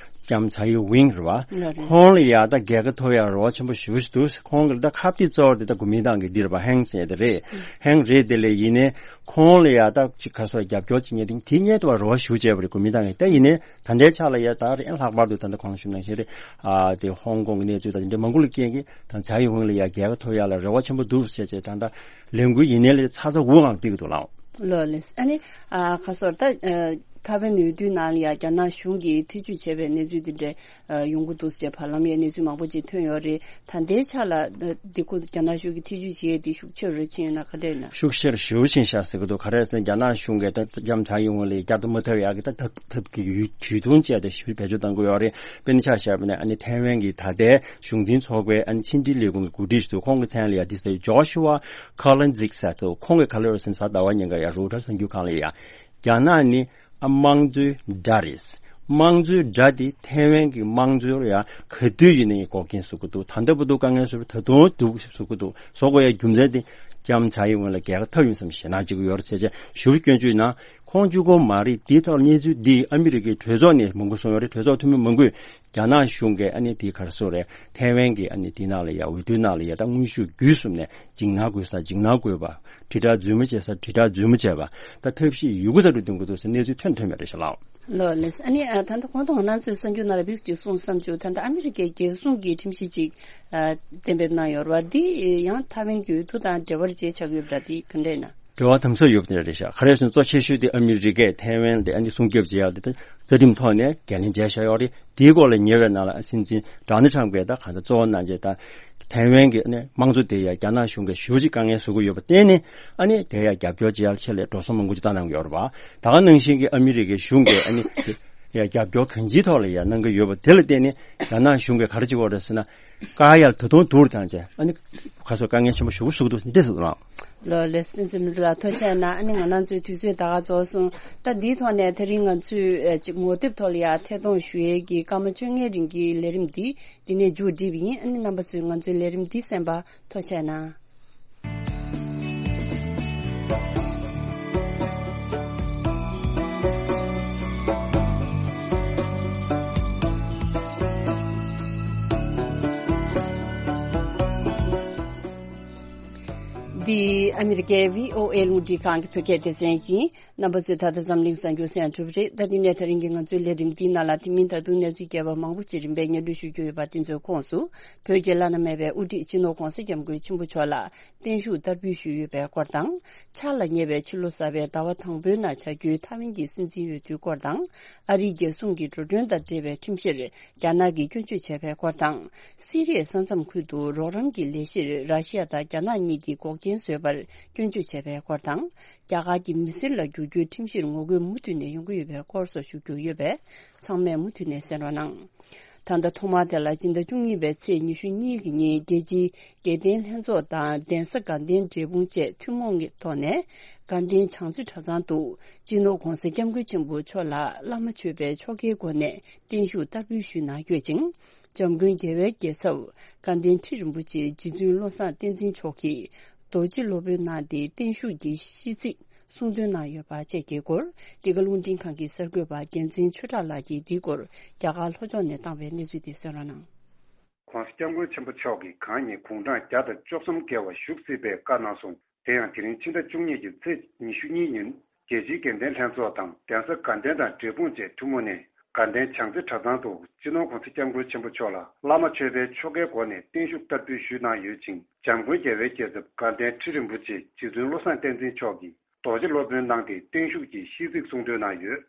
ལྕམ་ཚའེ་ཝིང་རེད་བ། ལགས་རེད། ཁོང་ལ་ཡ་ད་རྒྱལ་ཁ་ཐོབ་ཡ་རོགས་ཆེན་པོ་ཞེ་པོ་ཞིག་འདུག་ཁོང་གི་ད་ཁ་གཏད་གཙོ་བོ་དེ་ད་གོ་མིན་ཏང་གི་འདི་རེད་པ། ཧེང་ཟེར་ཡ་དེ་རེད། ཧེང་རེད། དེ་ལས་ཡིན་ནའི་ཁོང་ལ་ཡ་ད་ཅིག་ག་སོ་རྒྱབ་སྐྱོར་བྱེད་མཁན་དེ་དེ་སྔོན་དུ་བ་རོགས་ཞེ་པོ་བྱས་པ་རེད་གོ་མིན་ཏང་གི། ད་ཡིན་ནའི་ད་ལྟའི་ཆ་ལ་ཡ་ད་རེད་ལྷག་པར་དུ་ད་ལྟ་གོང་ཞུས་ནང་བཞིན་རེད། ཨ་དེ་ཧོང་ཀོང་གི་གནས་ཚུལ་ད་དེ་འདྲ་མང་པོ་ལ་རྐྱེན་གྱིས་ད་ཚའེ་ཝིང་ལ་ཡ་རྒྱལ་ཁ་ཐོབ་ཡ་ལ་རེ་བ་ཆེན་པོ་འདུག་ཟེར་བྱས་ད་ལྟ་ལས་འགུལ་ཡིན་ནའི་ལས་ཚ་ཚ་འུར་འུར་ངང་སྤེལ་གྱི་འདུག་ལགས། ལོ་ལེས། ཨ་ནི་ཨ་ཁ་སོར་ད་ཨ་ཐའེ་ཝན་འོས་བསྡུའི་ནང་ལ་ཡ་རྒྱ་ནག་གཞུང་གིས་ཐེ་ཇུས་བྱས་པའི་གནས་ཚུལ་འདི་འདྲ་ཨ་ཡོང་གི་འདུག་ཟེར་བར་ལམ་ཡ་གནས་ཚུལ་མང་པོ་ཅིག་ཐོན་ཡོད་རེད། ད་ལྟའི་ཆ་ལ་ཨ་འདི་ཁོ་རྒྱ་ནག་གཞུང་གིས་ཐེ་ཇུས་བྱས་ཏེ་ཤུགས་ཆེ་རུ་ཕྱིན་ཡོད་ན་ག་འདྲ་ཡིན་ན། ཤུགས་ཆེ་རུ་ཞེ་པོ་ཕྱིན་ཤག་ཟེར་གྱི་འདུག་ག་རེ་ཟེར་ན་རྒྱ་ནག་གཞུང་གིས་ད་ལྕམ་ཚའེ་ཝིན་ལ་བསྐྱར་དུ་མ་ཐོབ་ཡག་གི་ད་ཐབས་ཐབས་ཀྱི་ཡུལ་ཇུས་ཐུང་བཅས་ཏེ་ཞུ་བེད་སྤྱོད་གཏང་གི་ཡོད་རེད། དཔེར་ན་ཆ་བཞག་པ་ན་ཨ་ནི་ཐའེ་ཝན་གྱི་ད་ལྟའི་གཞུང་འཛིན་ཚོགས་པའི་ཨ་ནི་ཕྱི་འབྲེལ་ལས་ཁུངས་ཀྱི་འགོ་ཁྲིད་ཞིག་འདུག་ཁོང་གི་མཚན་ལ་ཡ་དེ་ཟེར་ཇོ་ཤུ་ཝ་ཁ་ལན་ཛིག་ཟེར་འདུག་ཁོང་གིས་ག་ལེར་ཟེར་ན་གཟའ་ཟླ་བ་ཉིན་ཀ་ཡ་རོའི་ཊར་གསར་འགྱུར་ཁང་ལ་ཡ། རྒྱ་ནག་ནི་ཨ་དམངས་གཙོའི་དགྲ་རེད། དམངས་གཙོའི་དགྲ་དེ་ཐའེ་ཝན་གྱི་དམངས་གཙོ་ལ་ཡང་ག་དུས་ཡིན་ནའི་འགོག་རྐྱེན་བཟོ་གི་འདུག་ད་ལྟ་བར་དུ་དཀའ་ངལ་བཟོས་པ་ད་དུང་སྡུག་བཟོ་གི་འདུག་བཟོ་དགོས་ཡ་རྒྱུ་མཚན་དེ་ལྕམ་ཚའེ་ཝེན་ལ་རྒྱལ་ཁ་ཐོབ་ཡིན་བསམ་ཞེད་སྣང་བྱེད་ཀྱི་ཡོད་རེད་ཟེར་བྱས་ཞུ་བ་སྐྱོན་བརྗོད་གནང་། ཁོང་གཅིག་པོ་མ་རེད། དེའི་ཐོག་གནས་ཚུལ་འདི་ཨ་མི་རི་ཀའི་གྲོས་ཚོགས་ནས་མང་པོ་གསུངས་ཡོད་རེད། གྲོས་ཚོགས་འཐུས་མི་མང་པོས་རྒྱ་ནག་གཞུང་གིས་ཨ་ནི་དེའི་ག་རེ་ཟེར་རེད། ཐའེ་ཝན་གྱི་ཨ་ནི་དེའི་ནང་ལ་ཡ་འོས་བསྡུའི་ནང་ལ་ཡ་ད་དངོས་ཤུགས་བརྒྱུད་གསུམ་ནས་འཇིགས་སྣང་དགོས་ས་འཇིགས་སྣང་དགོས་པ། དྲིལ་བསྒྲགས་རྫུན་མ་བྱེད་ས་དྲིལ་བསྒྲགས་རྫུན་མ་བྱས་པ། ད་ཐབས་ཤེས་ཡོད་རྒུ་ས་རུ་འདོན་དགོས་འདུག་ཟེར་གནས་ཚུལ་ཐོན་ཐོན་པ་རེད་ཤག་ལགས། ལོ་ལེས། ཨ་ནི་ཨ་ད་ལྟ་གོང་དུ་ང་རང་ཚོའི་གསར་འགྱུར་ནང་ལ་བིགས་ཀྱིས་གསུངས་བསམ་བྱུང་། ད་ལྟ་ཨ་མི་རི་ཀའི་རྒྱལ་སྲུང་གི་ཁྲིམས་གཞི་ཅིག་ཨ་གཏན་འབེབས་གནང་ཡོད་རེད་བ། འདི་ཡང་ཐའེ་ཝན་གྱི་འོས་བསྡུ་དང་འབྲེལ་བ་ཅིག་ཆགས་ཀྱི་ཡོད་པ་འདྲ། འདི་ག་འདྲ་ཡིན་ན། འབྲེལ་བ་དམ་ཟབ་ཡོད་པ་དེ་འདྲ་རེད་ཤག་ག་རེ་ཟེར་ན་གཙོ་ཆེ་ཤོས་དེ་ཨ་མི་རི་ཀས་ཐའེ་ཝན་དེ་ཨ་ནི་སྲུང་སྐྱོབ་བྱེད་ཡག་དེ་ད་རྩ་ཁྲིམས་ཐོག་ནས་འགན་ལེན་བྱས་བཞག་ཡོད་རེད། དེའི་སྐོར་ལ་ཉེ་བའི་ནང་ལ་སྲིད་འཛིན་ཌོ་ནལ་ཊམ་གྱིས་ད་གང་ལྟར་གཙོ་བོ་གནང་བྱས་ད་ཐའེ་ཝན་གྱི་ཨ་ནི་དམངས་གཙོ་དེ་ཡ་རྒྱ་ནག་གཞུང་གིས་ཞེ་པོ་ཅིག་དཀའ་ངལ་བཟོ་གི་ཡོད་པར་བརྟེན་ནས་ཨ་ནི་དེ་ཡ་རྒྱབ་སྐྱོར་བྱེད་ཡག་ཆེད་ལས་འགྲོ་སོང་མང་པོ་ཅིག་བཏང་གནང་གི་ཡོད་རེད་བ། ད་ག་ནང་བཞིན་གྱི་ཨ་མི་རི་ཀའི་གཞུང་གིས་ཨ་ནི། ཡ་རྒྱབ་སྐྱོར་གང་ཅིའི་ཐོག་ལ་ཡ་གནང་གི་ཡོད་པ་དེ་ལ་བརྟེན་ནས་རྒྱ་ནག་གཞུང་གིས་ག་རེ་བྱེད་ཀྱི་ཡོད་རེད་ཟེར་ན། བཀག་ཡ་ལ་ད་དུང་སྡུག་རུ་བཏང་བྱས་ཨ་ནི་ཁ་སོ་དཀའ་ངལ་ཆེན་པོ་ཞེ་པོ་བཟོ་གི་འདུག་འདི་ཟེར་རང་། ལོ་ལེ་སི་ཏན་སི་མི་ལ་ཐུགས་རྗེ་གནང་། ཨ་ནི་ང་རང་ཚོའི་དུས་ཚོད་ད་ག་རྫོགས་སོང་། ད་འདིའི་ཐོག་ནས་དེ་རིང་ང་ཚོས་ཨ་ཅིག་ངོ་དེབ་ཐོག་ལ་ཡ་ཐད་གཏོང་ཞུ་ཡས་ཀྱི་སྐར་མ་བཅོ་ལྔའི་རིང་གི་ལས་རིམ་འདི་འདི་ནས་མཇུག་སྒྲིལ་བ་ཡིན། ཨ་ནི་རྣམ་པ་ཚོས་ང་ཚོའི་ལས་རིམ་འདི་གསན་པ་ཐུགས་རྗེ་གནང་། འདི་ཨ་མི་རི་ཀའི་བྷི་ཨོ་ཨེ་རླུང་འཕྲིན་ཁང་གི་བོད་སྐད་སྡེ་ཚན་ཡིན། རྣམ་པ་ཚོས་ད་ལྟ་འཛམ་གླིང་གསར་འགྱུར་གསན་གྲུབ་རེད། ད་འདི་ནས་ད་རིང་གི་ང་ཚོའི་ལས་རིམ་འདིའི་ནང་ལ་དེ་མིན་ད་དུང་གནས་ཚུལ་རྒྱས་པ་མང་པོ་ཅིག་རིམ་པས་སྙན་སྒྲོན་ཞུ་རྒྱུ་ཡོད་པ་དེ་ཚོའི་ཁོངས་སུ། བོད་ཀྱི་བླ་ན་མེད་པའི་དབུ་ཁྲིད་སྤྱི་ནོར་༧གོང་ས་༧སྐྱབས་མགོན་ཆེན་པོ་མཆོག་ལ་བརྟན་བཞུགས་བསྟར་འབུལ་ཞུས་ཡོད་པའི་སྐོར་དང་། ཆར་ལ་ཉེ་བའི་ཕྱི་ལོ་གསར་པའི་ཟླ་བ་དང་པོའི་ནང་བྱ་རྒྱུའི་ཐའེ་ཝན་གྱི་སྲིད་འཛིན་འོས་བསྡུའི་སྐོར་དང་། ཨ་རིའི་རྒྱལ་སྲུང་གི་འགྲོ་གྲོན་དང་འབྲེལ་བའི་ཁྲིམས་གཞིར་རྒྱ་ནག་གིས་སྐྱོན་བརྗོད་བྱས་པའི་སྐོར་དང་། སི་རི་ཡའི་ས་མཚམས་ཁུལ་དུ་རོགས་རམ་གྱི་ལས་གཞིར་ར་ཤི་ཡ་དང་རྒྱ་ནག་གཉིས་ཀྱིས་འགོག་རྐྱེན་བཟོས་པར་སྐྱོན་བརྗོད་བྱས་པའི་སྐོར་དང་། རྒྱ་གར་གྱི་མི་སེར་ལ་བསྒྱུར་རྒྱུའི་ཁྲིམས་གཞིར་ངོ་རྒོལ་མུ་མཐུད་ནས་ཡོང་གི་ཡོད་པའི་སྐོར་སོགས་ཞུ་རྒྱུ་ཡོད་པས། ཚང་མས་མུ་མཐུད་ནས་གསན་རོགས་གནང་། ད་ལྟ་ཐོག་མར་དེ་ལ་སྤྱི་ཟླ་བཅུ་གཉིས་པའི་ཚེས་ཉི་ཤུ་གཉིས་ཀྱི་ཉིན་རྒྱལ་སྤྱིའི་དགེ་ལྡན་ལྷན་ཚོགས་དང་གདན་ས་དགའ་ལྡན་འབྲས་སྤུངས་བཅས་ཐུན་མོང་གི་ཐོག་ནས་དགའ་ལྡན་བྱང་རྩེ་གྲྭ་ཚང་དུ་སྤྱི་ནོར་༧གོང་ས་༧སྐྱབས་མགོན་ཆེན་པོ་མཆོག་ལ་བླ་མ་མཆོད་པའི་ཆོ་གའི་སྒོ་ནས་བརྟན་བཞུགས་བསྟར་འབུལ་ཞུས་གནང་ཡོད་ཅིང་། འཇམ་མགོན་རྒྱལ་བའི་རྒྱལ་ཚབ་དགའ་ལྡན་ཁྲི་རིན་པོ་ཆེ་རྗེ་བཙུན་བློ་བཟང་བསྟན་འཛིན་མཆོག་གིས་རྡོ་རྗེ་སློབ་དཔོན་གནང་སྟེ་བརྟན་བཞུགས་ཀྱི་ཤིས་ཚིག་གསུང་འདོན་གནང་ཡོད་པ་བཅས་ཀྱི་སྐོར། འདི་ག་རླུང་འཕྲིན་ཁང་གི་གསར་འགོད་པ་རྒྱལ་མཚན་ཆོས་གྲགས་ལགས་ཀྱིས་འདིའི་སྐོར་རྒྱ་གར་ལྷོ་ཕྱོགས་ནས་བཏང་བའི་གནས་ཚུལ་དེ་གསན་རོགས་གནང་། ༧གོང་ས་༧སྐྱབས་མགོན་ཆེན་པོ་མཆོག་གིས་གང་ཉིན་དགུང་གྲངས་བརྒྱ་དང་བཅུ་གསུམ་བརྒལ་བ་བཞུགས་སྲིད་པའི་བཀའ་གནང་སོང་། དེ་ཡང་དེ་རིང་ཕྱི་ཟླ་བཅུ་གཉིས་ཀྱི་ཚེས་ཉི་ཤུ་གཉིས་ཉིན་རྒྱལ་སྤྱིའི་དགེ་ལྡན་ལྷན་ཚོགས་དང་གདན་ས་དགའ་ལྡན་དང་འབྲས་སྤུངས་བཅས་ཐུན་མོང་ནས་དགའ་ལྡན་བྱང་རྩེ་གྲྭ་ཚང་དུ་སྤྱི་ནོར་༧གོང་ས་༧སྐྱབས་མགོན་ཆེན་པོ་མཆོག་ལ་བླ་མ་མཆོད་པའི་ཆོ་གའི་སྒོ་ནས་བརྟན་བཞུགས་བསྟར་འབུལ་ཞུས་གནང་ཡོད་ཅིང་། འཇམ་མགོན་རྒྱལ་བའི་རྒྱལ་ཚབ་དགའ་ལྡན་ཁྲི་རིན་པོ་ཆེ་རྗེ་བཙུན་བློ་བཟང་བསྟན་འཛིན་མཆོག་གིས་རྡོ་རྗེ་སློབ་དཔོན་གནང་སྟེ་བརྟན་བཞུགས་ཀྱི་ཤིས་ཚིག་གསུང་འདོན་གནང་ཡོད།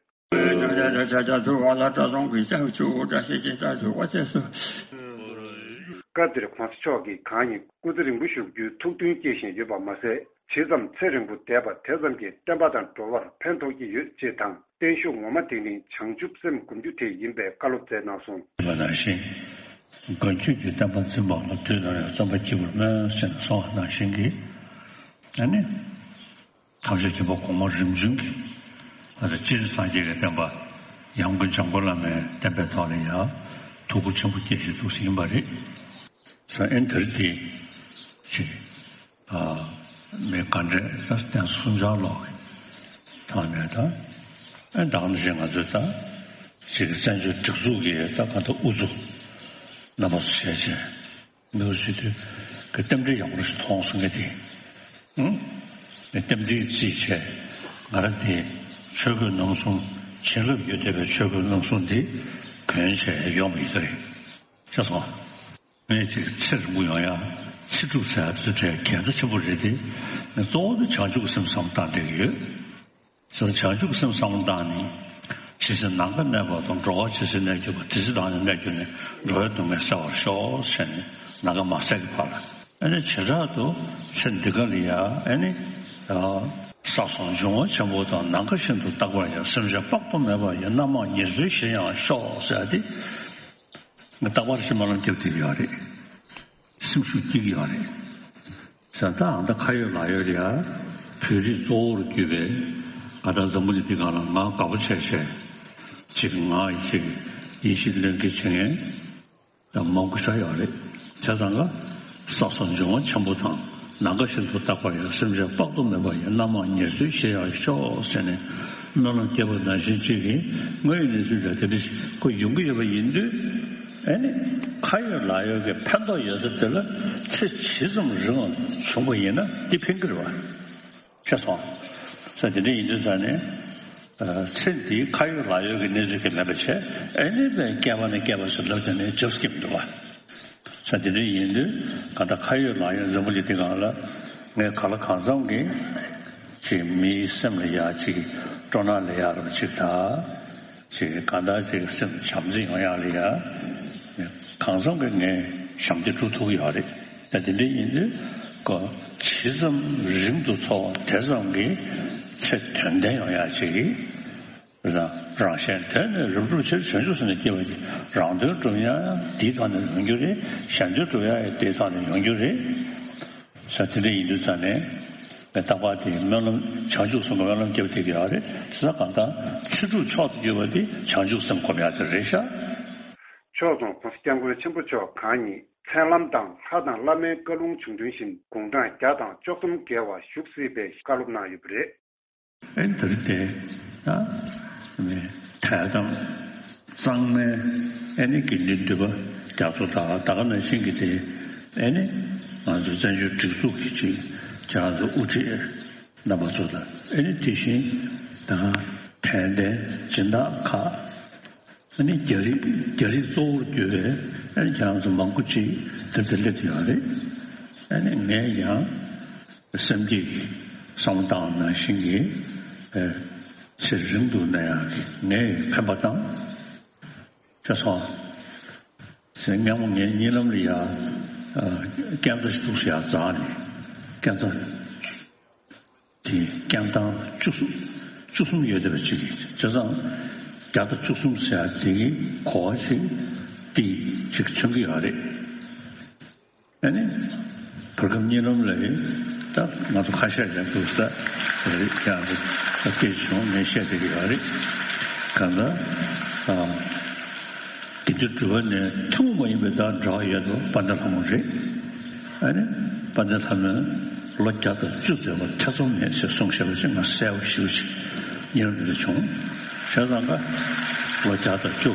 སྐབས་དེར་༧གོང་ས་༧སྐྱབས་མགོན་ཆེན་པོ་མཆོག་གིས་གང་ཉིད་སྐུ་ཚེ་རིང་པོ་བཞུགས་རྒྱུའི་ཐུགས་འདུན་སྐྱེས་བཞིན་ཡོད་པ་མ་ཟད། ཇི་ཙམ་ཚེ་རིང་པོ་བསྡད་པ་དེ་ཙམ་གྱིས་བསྟན་པ་དང་འགྲོ་བར་ཕན་ཐོགས་ཀྱི་ཡོད་ཅེས་དང་། བརྟན་བཞུགས་ངོ་མ་དེ་ནི་བྱང་ཆུབ་སེམས་སྒོམ་རྒྱུ་དེ་ཡིན་པའི་བཀའ་སློབ་སྩལ་གནང་སོང་། ནང་བཞིན། མགོན་ཁྱོད་ཀྱི་བསྟན་པ་འཛིན་པ་ལ་དུས་ནམ་ཡང་བརྩོན་པ་སྐྱེ་བར་སྨོན་ཟེར་ནས་གསུངས་པ་ནང་བཞིན་གྱི། ཨ་ནི། ཐམས་ཅད་མཁྱེན་པ་གོང་མ་རིམ་བྱོན་གྱི་ང་ཚོ་སྤྱིར་སངས་རྒྱས་ཀྱི་བསྟན་པ་ཡང་སྒོས་འཇམ་མགོན་བླ་མའི་བསྟན་པའི་ཐོག་ལ་ཡང་ཐུགས་ཁུར་ཆེན་པོ་བསྐྱེད་བཞིན་འདུག་ཟིན་པ་རེད། ས་ཨེན་དེར་དེ་ཅིག་ཨ་མི་ག་འདྲས་ད་བསྟན་སྲུང་བྱ་ལོག་གི་ཐོག་ནས་ད་ཨེ་ད་ག་ནང་བཞིན་ང་ཚོས་ད་ཅིག་བཙན་བྱོལ་སྒྲིག་འཛུགས་ཀྱི་ད་ག་ད་དབུ་ཚུགས་རྣམ་པ་ཚོ་བྱས་བྱས། འདུག་ཟེར་དུས་ཀྱི་རྟེན་འབྲེལ་ཡག་པོ་ཞིག་མཐོང་སོང་གི་དེ། ཨང་། རྟེན་འབྲེལ་རྩིས་བྱས་ང་རང་དེ་ཆོས་གོས་རྣམ་གསུམ་བྱིན་རླབས་ཡོད་བསྡད་པའི་ཆོས་གོས་རྣམ་གསུམ་དེ་གོན་བྱས་ཡོང་བ་ཡིན་ས་རེད། ཤེས་སོང་། ངས་ཅིག་ཚེ་རིང་པོ་ཡོང་ཡ་ཚེ་སྒྲུབ་ཟེར་ཡ་དེ་ཚོ་གལ་གནད་ཆེན་པོ་རེད་དེ། ངས་གཙོ་བོ་དེ་བྱང་ཆུབ་སེམས་བསམ་བཏང་བསྡད་ཀྱི་ཡོད། སོ་བྱང་ཆུབ་སེམས་བསམ་བློ་བཏང་ནས། ཇི་སྲིད་ནམ་མཁའ་གནས་པ་དང་། འགྲོ་བ་ཇི་སྲིད་གནས་གྱུར་པ། དེ་སྲིད་རང་ཡང་གནས་གྱུར་ནས། འགྲོ་བའི་སྡུག་བསྔལ་སེལ་བར་ཤོག་ཟེར་ནས་ནམ་མཁའ་མ་ཟད་ཀྱི་བར་ལ། ཨ་ནི་བྱེ་བྲག་ཏུ་ཚེ་འདི་ག་ལ་ཡ་ཨ་ནི། ས་གསུམ་འབྱུང་བ་ཆེན་པོ་དང་། ནམ་མཁའ་བཞིན་དུ་རྟག་པར་ཡང་། སེམས་ཅན་དཔག་ཏུ་མེད་པ་ཡི། རྣམ་མང་ཉེར་འཚོའི་གཞིར་ཡང་ཤོག་ཟེར་ཏེ། ང་རྟག་པར་ཅིག་སྨོན་ལམ་རྒྱབ་བསྡད་ཀྱི་ཡོད་རེད། སེམས་ཤུགས་སྐྱེ་གི་ཡོད་རེད། ས་ད་ཨ་ད་ཁ་ཡོད་ལག་ཡོད་རེད་ཡ། བོད་རིགས་གཙོ་བོར་གྱུར་པའི་ཨ་ད་འཛམ་བུ་གླིང་འདི་སྒང་ལ་ང་དགའ་པོ་བྱས་བྱས་ཅིག་ང་ཡི་ཅིག་ཡིད་ཆེས་བློས་འགེལ་བྱེད་མཁན་ཡང་མང་པོ་ཞིག་ཡོད་རེད། བྱས་ཙང་ཀ་ས་གསུམ་འབྱུང་བ་ཆེན་པོ་དང་། ནམ་མཁའ་བཞིན་དུ་རྟག་པར་ཡང་། སེམས་ཅན་དཔག་ཏུ་མེད་པ་ཡི། རྣམ་མང་ཉེར་འཚོའི་གཞིར་ཡང་ཤོག་ཟེར་ནས་སྨོན་ལམ་བརྒྱབ་པ་ནང་བཞིན་ཅིག་གིས་དངོས་ཡོད་གནས་ཚུལ་འདྲ་དེ་འདྲ་ཞིག་ཁོ་ཡོང་གི་ཡོད་པ་ཡིན་དུས། ཨ་ནི་ཁ་ཡོད་ལག་ཡོད་ཀྱི་ཕན་ཐོགས་ཡོད་ས་དེ་ལ་ཚེ་ཇི་ཙམ་རིང་བ་བྱུང་བ་ཡིན་ན་འདི་ཕན་གྱི་རེད་བ། ཤེས་སོང་། ས་དེ་འདྲ་ཡིན་དུས་ས་ནས། ཚེ་འདིའི་ཁ་ཡོད་ལག་ཡོད་ཀྱི་གནས་ཚུལ་གྱི་མེད་པ་བྱས། ཨ་ནི་བས་བསྐལ་པ་ནས་བསྐལ་པ་ཞིག་ལབ་ཀྱང་ནས་འཇབ་སྐྱེ་མི་འདུག་བ། ས་དེ་འདྲ་ཡིན་དུས་གང་ལྟར་ཁ་ཡོད་ལག་ཡོད་འཛམ་བུ་གླིང་འདི་སྒང་ལ་ངས་ག་ལ་གང་འཚམ་གྱིས་ཅིག་མིའི་སེམས་ལ་ཡ་ཅིག་སྤྲོ་སྣང་ལ་ཡ་རུ་ཅིག་ད་ཅིག་གང་ལྟར་ཅིག་སེམས་བྱམས་བརྩེ་ཡོང་ཡག་ལ་ཡ་གང་འཚམ་གྱིས་ངས་ཞབས་འདེགས་སྒྲུབ་ཐུབ་ཀྱི་ཡོད་རེད། ད་དེ་འདྲ་ཡིན་དུས་ཀོ་ཇི་ཙམ་རིང་དུ་འཚོ་བ་དེ་ཙམ་གྱིས་ཚེ་དོན་ལྡན་ཡོང་ཡག་ཅིག་གིས། རང་རང་གཞན་དོན་ནི་རབ་བསྒྲུབ་ཕྱིར། བྱང་ཆུབ་སེམས་ལ་སྐྱེ་བ་ཡི། རང་དོན་སྒྲུབ་ཡང་དེའི་ཐོག་ནས་ཡོང་རྒྱུ་རེད། གཞན་དོན་སྒྲུབ་ཡང་དེའི་ཐོག་ནས་ཡོང་རྒྱུ་རེད། ས་དེ་འདྲ་ཡིན་དུས་ཙང་ནས་རྟག་པར་དེ་སྨོན་ལམ་བྱང་ཆུབ་སེམས་ཀྱི་སྨོན་ལམ་བརྒྱབ་བསྡད་ཀྱི་ཡོད་རེད། དེ་ས་གང་ལྟར་ཚེ་སྒྲུབ་མཆོག་ཏུ་གྱུར་པ་དེ་བྱང་ཆུབ་སེམས་སྒོམ་ཡག་དེ་རེད་ཤག་ཕྱོགས་མཚུངས་༸གོང་ས་༸སྐྱབས་མགོན་ཆེན་པོ་མཆོག་གང་ཉིད་མཚན་ལམ་དང་ལྷ་དང་བླ་མའི་བཀའ་ལུང་བྱུང་དོན་བཞིན་དགུང་གྲངས་བརྒྱ་དང་བཅུ་གསུམ་བརྒལ་བ་བཞུགས་སྲིད་པའི་བཀའ་སློབ་གནང་ཡོད་པ་རེད། ཨེ་འདིར་དེ་ད་ནི་དད་དམ་གཙང་མའི་ཨེ་ནི་དགེ་འདུན་འདུས་པ་རྒྱ་མཚོ་དང་ད་ག་ནང་བཞིན་གྱི་དེ་ཨེ་ནི་ང་ཚོ་བཙན་བྱོལ་སྒྲིག་འཛུགས་ཀྱི་ཅིག་ཁྱེད་རང་ཚོ་དབུ་ཁྲིད་རྣམ་པ་ཚོ་དང་ཨེ་ནི་དེ་བཞིན་ད་ག་དད་ལྡན་སྦྱིན་བདག་ཁག་ཨ་ནི་རྒྱ་རིགས་རྒྱ་རིགས་གཙོ་བོར་གྱུར་པའི་ཨ་ནི་ཁྱེད་རང་ཚོ་མང་པོ་ཅིག་དེར་དེ་སླེབས་ཡོད་རེད། ཨ་ནི་ངས་ཀྱང་སེམས་ཀྱི་བསམ་སྟངས་ནང་བཞིན་གྱི་ཨ་ཚེ་རིང་དུ་གནས་ཡག་གི་ངས་ཕན་པ་དང་། ཅེས་སོང་། ཟེར་སྔ་མོ་ངའི་གཉིད་ལམ་ལ་ཡ་ཨ་རྐྱང་རྩ་ཞིག་འདུག་ཟེར་ཡ་རྩ་ནས་རྐྱང་རྩ། དེ་རྐྱང་ཐང་བཅུ་གསུམ་བཅུ་གསུམ་ཡོད་བསྡད་པ་ཅིག་གིས་བྱས་ཙང་བརྒྱ་དང་བཅུ་གསུམ་ཟེར་ཡ་དེ་གི་གོ་བ་ཞིག་དེ་ཅིག་མཚོན་གྱི་ཡོད་རེད། ཨ་ནི་བར་སྐབས་གཉིད་ལམ་ལ་ཡིན་ད་ང་ཚོ་ཁ་ཤས་ཀྱང་འདུག་ས་རེད་ཀྱང་རེད་ད་སྐད་ཆ་བྱུང་ངས་བཤད་བསྡད་ཀྱི་ཡོད་རེད་གང་ལྟར་ཨ། དགེ་འདུན་གྲུབ་པ་ནས་ཐུན་མོང་མ་ཡིན་པའི་བདག་འདྲ་བ་ཡོད་དོ་དཔལ་ལྡན་ལྷ་མོ་རེད། ཨ་ནི་དཔལ་ལྡན་ལྷ་མོས་ལོ་བརྒྱ་དང་བཅུ་འཛེགས་པ་ཐེ་ཚོམ་མེད་ཟེར་གསུངས་བཞག་པ་ཅིག་ང་གསལ་པོ་ཞེ་པོ་ཅིག་ཉེ་རབས་འདི་འདྲ་བྱུང་། བྱས་ཙང་ཀ་ལོ་བརྒྱ་དང་བཅུ་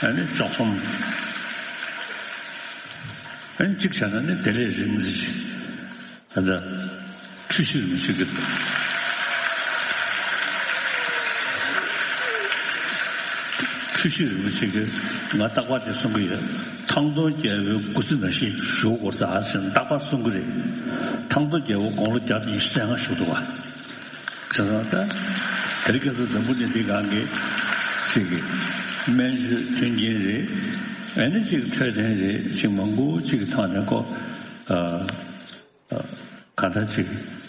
ཨ་ནི་བཅུ་གསུམ་ཨ་ནི་གཅིག་བྱས་ན་ནི་དེ་ལས་རིང་ཙམ་ཅིག་ད་ལྟ་འཁྲུལ་ཞིག་རིན་པོ་ཆེ་གི་འཁྲུལ་ཞིག་རིན་པོ་ཆེ་གི་ང་རྟག་པར་དེ་གསུང་གི་ཡོད། ཐང་སྟོང་རྒྱལ་པོའི་སྐུ་ཚེ་ནང་བཞིན་བཞུགས་དགོས་ད་ཟེར་རྟག་པར་གསུང་གི་རེད། ཐང་སྟོང་རྒྱལ་པོ་དགུང་ལོ་བརྒྱ་དང་ཉི་ཤུ་རྩ་ལྔ་བཞུགས་འདུག་བ། བྱས་ཙང་ད་དེ་རིང་ཁ་སང་འཛམ་བུ་གླིང་འདི་སྒང་གི་ཅིག་གི་སྨན་བཅོས་མཐུན་རྐྱེན་རེད། ཨ་ནི་ཅིག་འཕྲོད་བསྟེན་རེད་ཅིག་མང་པོ་ཅིག་གི་ཐོག་ནས་ཁོ་ཨ། གང་ལྟར་ཅིག་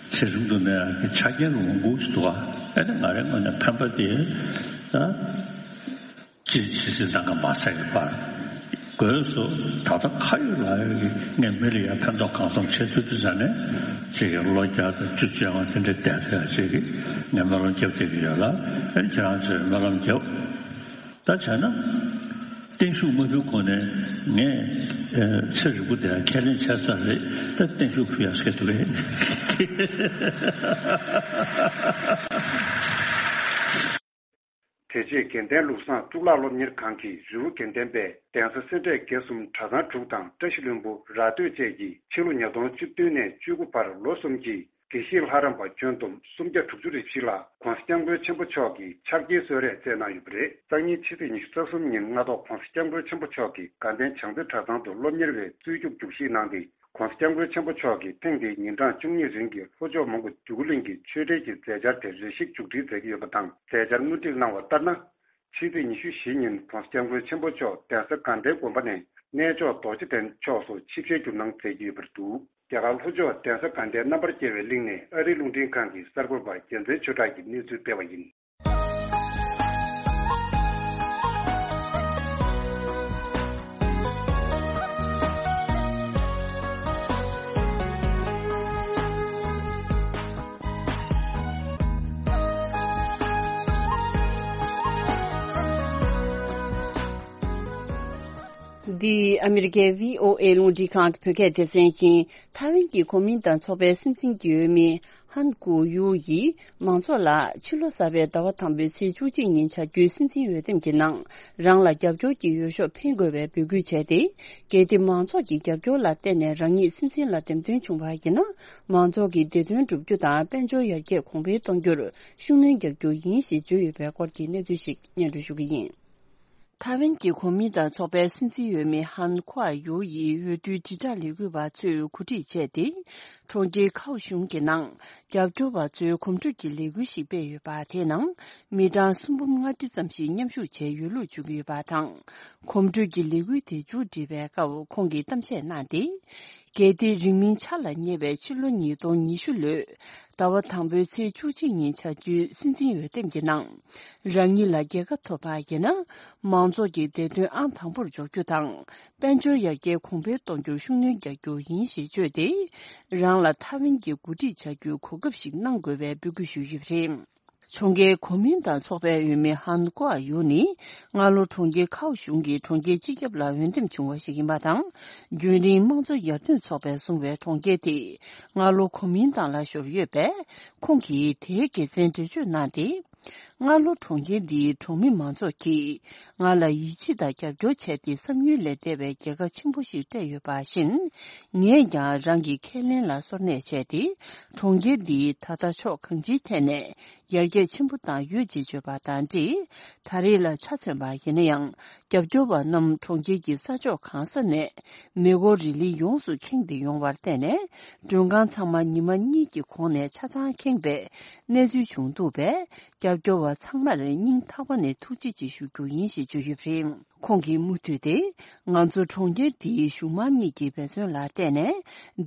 ཚེ་རིང་དུ་གནས་ཡག་གི་ཆ་རྐྱེན་རུ་མང་པོ་ཞིག་འདུག་ཨ། ཨེ་ནི་ང་རའི་ངོས་ནས་ཕན་པ་དེ་ད་ཅི་ཇི་སྲིད་ལྟ་ག་མ་ཚད་ཀྱི་བར་དགོས་སུ་ད་ལྟ་ཁ་ཡོད་ལག་ཡོད་ཀྱི་ངས་མི་ལ་ཡང་ཕན་ཐོགས་གང་འཚམ་བྱེད་ཐུབ་དུས་ཙང་ནས་ཅིག་གི་ལོ་བརྒྱ་དང་བཅུ་བཅོ་ལྔ་དེ་འདྲ་བསྡད་ཐུབ་ཡག་ཅིག་གི་ངས་སྨོན་ལམ་རྒྱབ་བསྡད་ཀྱི་ཡོད་ལ། ཨེ་ནི་ཁྱེད་རང་ཚོས་སྨོན་ལམ་རྒྱབ། ད་བྱས་ན། བརྟན་བཞུགས་མ་ཕུལ་གོང་ནས་ངས་ཨ་ཚེ་རིང་པོ་དེ་ཁས་ལེན་བྱས་ཚར་རེད་ད་བརྟན་བཞུགས་ཕུལ་ཡག་སྐད་འདུག་གས། དེ་རྗེས་དགེ་ལྡན་ལུགས་བཟང་གཙུག་ལག་སློབ་གཉེར་ཁང་གི་རི་བོ་དགེ་ལྡན་པས་གདན་ས་སེ་འབྲས་དགེ་གསུམ་གྲྭ་ཚང་དྲུག་དང་བཀྲ་ཤིས་ལྷུན་པོ་ར་སྟོད་བཅས་ཀྱིས་ཕྱི་ལོ་ཉིས་སྟོང་བཅུ་བདུན་ནས་བཅུ་དགུ་བར་ལོ་གསུམ་གྱི་དགེ་བཤེས་ལྷ་རམས་པ་ཁྱོན་བསྡོམས་སུམ་བརྒྱ་དྲུག་ཅུ་རེ་བཞི་ལ་༸གོང་ས་༸སྐྱབས་མགོན་ཆེན་པོ་མཆོག་གིས་ཕྱག་འཁྱེར་གསོལ་རས་སྩལ་གནང་ཡོད་པ་རེད། སང་ཉིན་ཕྱི་ཚེས་ཉི་ཤུ་རྩ་གསུམ་ཉིན་སྔ་ཐོག་༸གོང་ས་༸སྐྱབས་མགོན་ཆེན་པོ་མཆོག་གིས་དགའ་ལྡན་བྱང་རྩེ་གྲྭ་ཚང་དུ་སློབ་གཉེར་བའི་རྩོད་རྒྱུགས་རྒྱུགས་གཞིས་གནང་སྟེ། ༸གོང་ས་༸སྐྱབས་མགོན་ཆེན་པོ་མཆོག་གིས་ཐེངས་འདིའི་ཉིན་གྲངས་བཅུ་གཉིས་རིང་གི་ལྷོ་ཕྱོགས་མོན་གྷོ་འདོད་རྒུ་གླིང་གི་ཆོས་འབྲེལ་གྱི་མཛད་འཆར་དེ་རེ་ཞིག་མཇུག་སྒྲིལ་མཛད་ཀྱི་ཡོད་པ་དང་། མཛད་འཆར་དངོས་བྲིས་གནང་བ་ལྟར་ན། ཕྱི་ཚེས་ཉི་ཤུ་བཞི་ཉིན་༸གོང་ས་༸སྐྱབས་མགོན་ཆེན་པོ་མཆོག་གདན་ས་དགའ་ལྡན་དགོན་པ་ནས་གནས་མཆོག་རྡོ་རྗེ་གདན་ཕྱོགས་སུ་ཆིབས་ཞལ་བསྒྱུར་གནང་མཛད་ཀྱི་ཡོད་པར་འདུག་རྒྱ་གར་ལྷོ་ཕྱོགས་གདན་ས་དགའ་ལྡན་རྣམ་པར་རྒྱལ་བའི་གླིང་ནས་ཨ་རིའི་རླུང་འཕྲིན་ཁང་གི་གསར་འགོད་པ་རྒྱལ་མཚན་ཆོས་གྲགས་ཀྱིས་གནས་ཚུལ་སྤེལ་བ་ཡིན། འདི་ཨ་མི་རི་ཀའི་བྷི་ཨོ་ཨེ་རླུང་འཕྲིན་ཁང་གི་བོད་སྐད་སྡེ་ཚན་ཡིན། ཐའེ་ཝན་གྱི་གོ་མིན་ཏང་ཚོགས་པའི་སྲིད་འཛིན་གྱི་འོས་མི་ཧན་གུ་ཡུའུ་ཡིས་མང་ཚོགས་ལ་ཕྱི་ལོ་གསར་པའི་ཟླ་བ་དང་པོའི་ཚེས་བཅུ་གཅིག་ཉིན་བྱ་རྒྱུའི་སྲིད་འཛིན་འོས་འདེམས་ཀྱི་ནང་རང་ལ་རྒྱབ་སྐྱོར་གྱི་འོས་ཤོག་འཕེན་དགོས་པའི་འབོད་སྐུལ་བྱས་ཏེ། གལ་ཏེ་མང་ཚོགས་ཀྱི་རྒྱབ་སྐྱོར་ལ་བརྟེན་ནས་རང་ཉིད་སྲིད་འཛིན་ལ་འདེམས་ཐོན་བྱུང་བ་ཡིན་ན། མང་ཚོགས་ཀྱི་བདེ་དོན་བསྒྲུབ་རྒྱུ་དང་དཔལ་འབྱོར་ཡར་རྒྱས་གོང་འཕེལ་གཏོང་རྒྱུར་ཤུགས་སྣོན་རྒྱག་རྒྱུ་ཡིན་ཞེས་བརྗོད་ཡོད་པའི་སྐོར་གྱི་གནས་ཚུལ་ཞིག་སྙན་སྒྲོན་ཞུ་གི་ཡིན། ཐའེ་ཝན་གྱི་གོ་མིན་ཏང་ཚོགས་པའི་སྲིད་འཛིན་འོས་མི་ཧན་ཁུའ་ཡུའུ་ཡིས་འོས་བསྡུའི་དྲིལ་བསྒྲགས་ལས་འགུལ་བ་ཚོས་གོ་སྒྲིག་བྱས་ཏེ། གྲོང་ཁྱེར་ཁའོ་ཞུང་གི་ནང་རྒྱབ་སྐྱོར་བ་ཚོའི་གོམ་བགྲོད་ཀྱི་ལས་འགུལ་ཞིག་སྤེལ་ཡོད་པ། དེའི་ནང་མི་གྲངས་སུམ་འབུམ་ལྔ་ཁྲི་ཙམ་ཞིག་མཉམ་ཞུགས་བྱས་ཡོད་ལུགས་བརྗོད་ཀྱི་ཡོད་པ་དང་། གོམ་བགྲོད་ཀྱི་ལས་འགུལ་དེ་མཇུག་སྒྲིལ་བའི་སྐབས་ཁོང་གིས་གཏམ་བཤད་གནང་སྟེ། རྒྱལ་དེ་རིང་མིན་འཆར་ལ་ཉེ་བའི་ཕྱི་ལོ་ཉིས་སྟོང་ཉི་ཤུ་ལོའི་ཟླ་བ་དང་པོའི་ཚེས་བཅུ་གཅིག་ཉིན་བྱ་རྒྱུའི་སྲིད་འཛིན་འོས་འདེམས་ཀྱི་ནང་། རང་ཉིད་ལ་རྒྱལ་ཁ་ཐོབ་པ་ཡིན་ན། མང་ཚོགས་ཀྱི་བདེ་དོན་ཨང་དང་པོར་འཇོག་རྒྱུ་དང་། དཔལ་འབྱོར་ཡར་རྒྱས་གོང་འཕེལ་གཏོང་རྒྱུར་ཤུགས་སྣོན་རྒྱག་རྒྱུ་ཡིན་ཞེས་བརྗོད་དེ། རང་ལ་ཐའེ་ཝན་གྱི་འགོ་ཁྲིད་བྱ་རྒྱུའི་གོ་སྐབས་ཤིག་གནང་དགོས་པའི་འབོད་སྐུལ་ཞུས་ཡོད་པ་རེད། གྲོང་ཁྱེར་གོ་མིན་ཏང་ཚོགས་པའི་འོས་མི་ཧན་ཀོ་ཨ་ཡུ་ནི། སྔ་ལོ་གྲོང་ཁྱེར་ཁའོ་ཞུང་གི་གྲོང་ཁྱེར་སྤྱི་ཁྱབ་ལ་འོས་འདེམས་བྱུང་བ་ཞིག་ཡིན་པ་དང་། རྒྱུན་རིང་དམངས་གཙོ་ཡར་ཐོན་ཚོགས་པས་བཟུང་བའི་གྲོང་ཁྱེར་དེ། སྔ་ལོ་གོ་མིན་ཏང་ལ་ཤོར་ཡོད་པས། ཁོང་གིས་དེའི་དགེ་མཚན་འགྲེལ་བརྗོད་གནང་སྟེ། སྔ་ལོ་གྲོང་ཁྱེར་འདིའི་གྲོང་མི་མང་ཚོགས་ཀྱིས་ང་ལ་ཡིད་ཆེས་དང་རྒྱབ་སྐྱོར་བྱས་ཏེ། བསམ་ཡུལ་ལས་འདས་པའི་རྒྱལ་ཁ་ཆེན་པོ་ཞིག་སྤྲད་ཡོད་པ་བཞིན། ངས་ཀྱང་རང་གི་ཁས་ལེན་ལ་སོར་གནས་བྱས་ཏེ། གྲོང་ཁྱེར་འདིའི་ད་ལྟ་ཕྱོགས་གང་ཅིའི་ཐད་ནས་ཡར་རྒྱས་ཆེན་པོ་བཏང་ཡོད་ཅེས་བརྗོད་པ་དང་འབྲེལ། ད་རེས་ལ་ཆ་མཚོན་པ་ཡིན་ན་ཡང་། རྒྱབ་སྐྱོར་བ་རྣམས་གྲོང་ཁྱེར་གྱི་ས་ཕྱོགས་གང་ས་ནས་མེ་འཁོར་རི་ལི་ཡོངས་སུ་ཁེངས་ཏེ་ཡོང་བར་བརྟེན་ནས། མགྲོན་ཁང་ཚང་མ་ཉི་མ་གཉིས་ཀྱི་གོང་ནས་ཆ་ཚང་ཁེངས་པའི་གནས་ཚུལ་བྱུང་འདུག་པས། རྒྱབ་སྐྱོར་བ་ཚང་མར་སྙིང་ཐག་པ་ནས་ཐུགས་རྗེ་ཆེ་ཞུ་རྒྱུ་ཡིན་ཞེས་བརྗོད་ཡོད་པ་རེད། ཁོང་གིས་མུ་མཐུད་དེ། ང་ཚོ་གྲོང་ཁྱེར་འདིའི་གཞུང་མང་གཉིས་ཀྱི་འབད་བརྩོན་ལ་བརྟེན་ནས།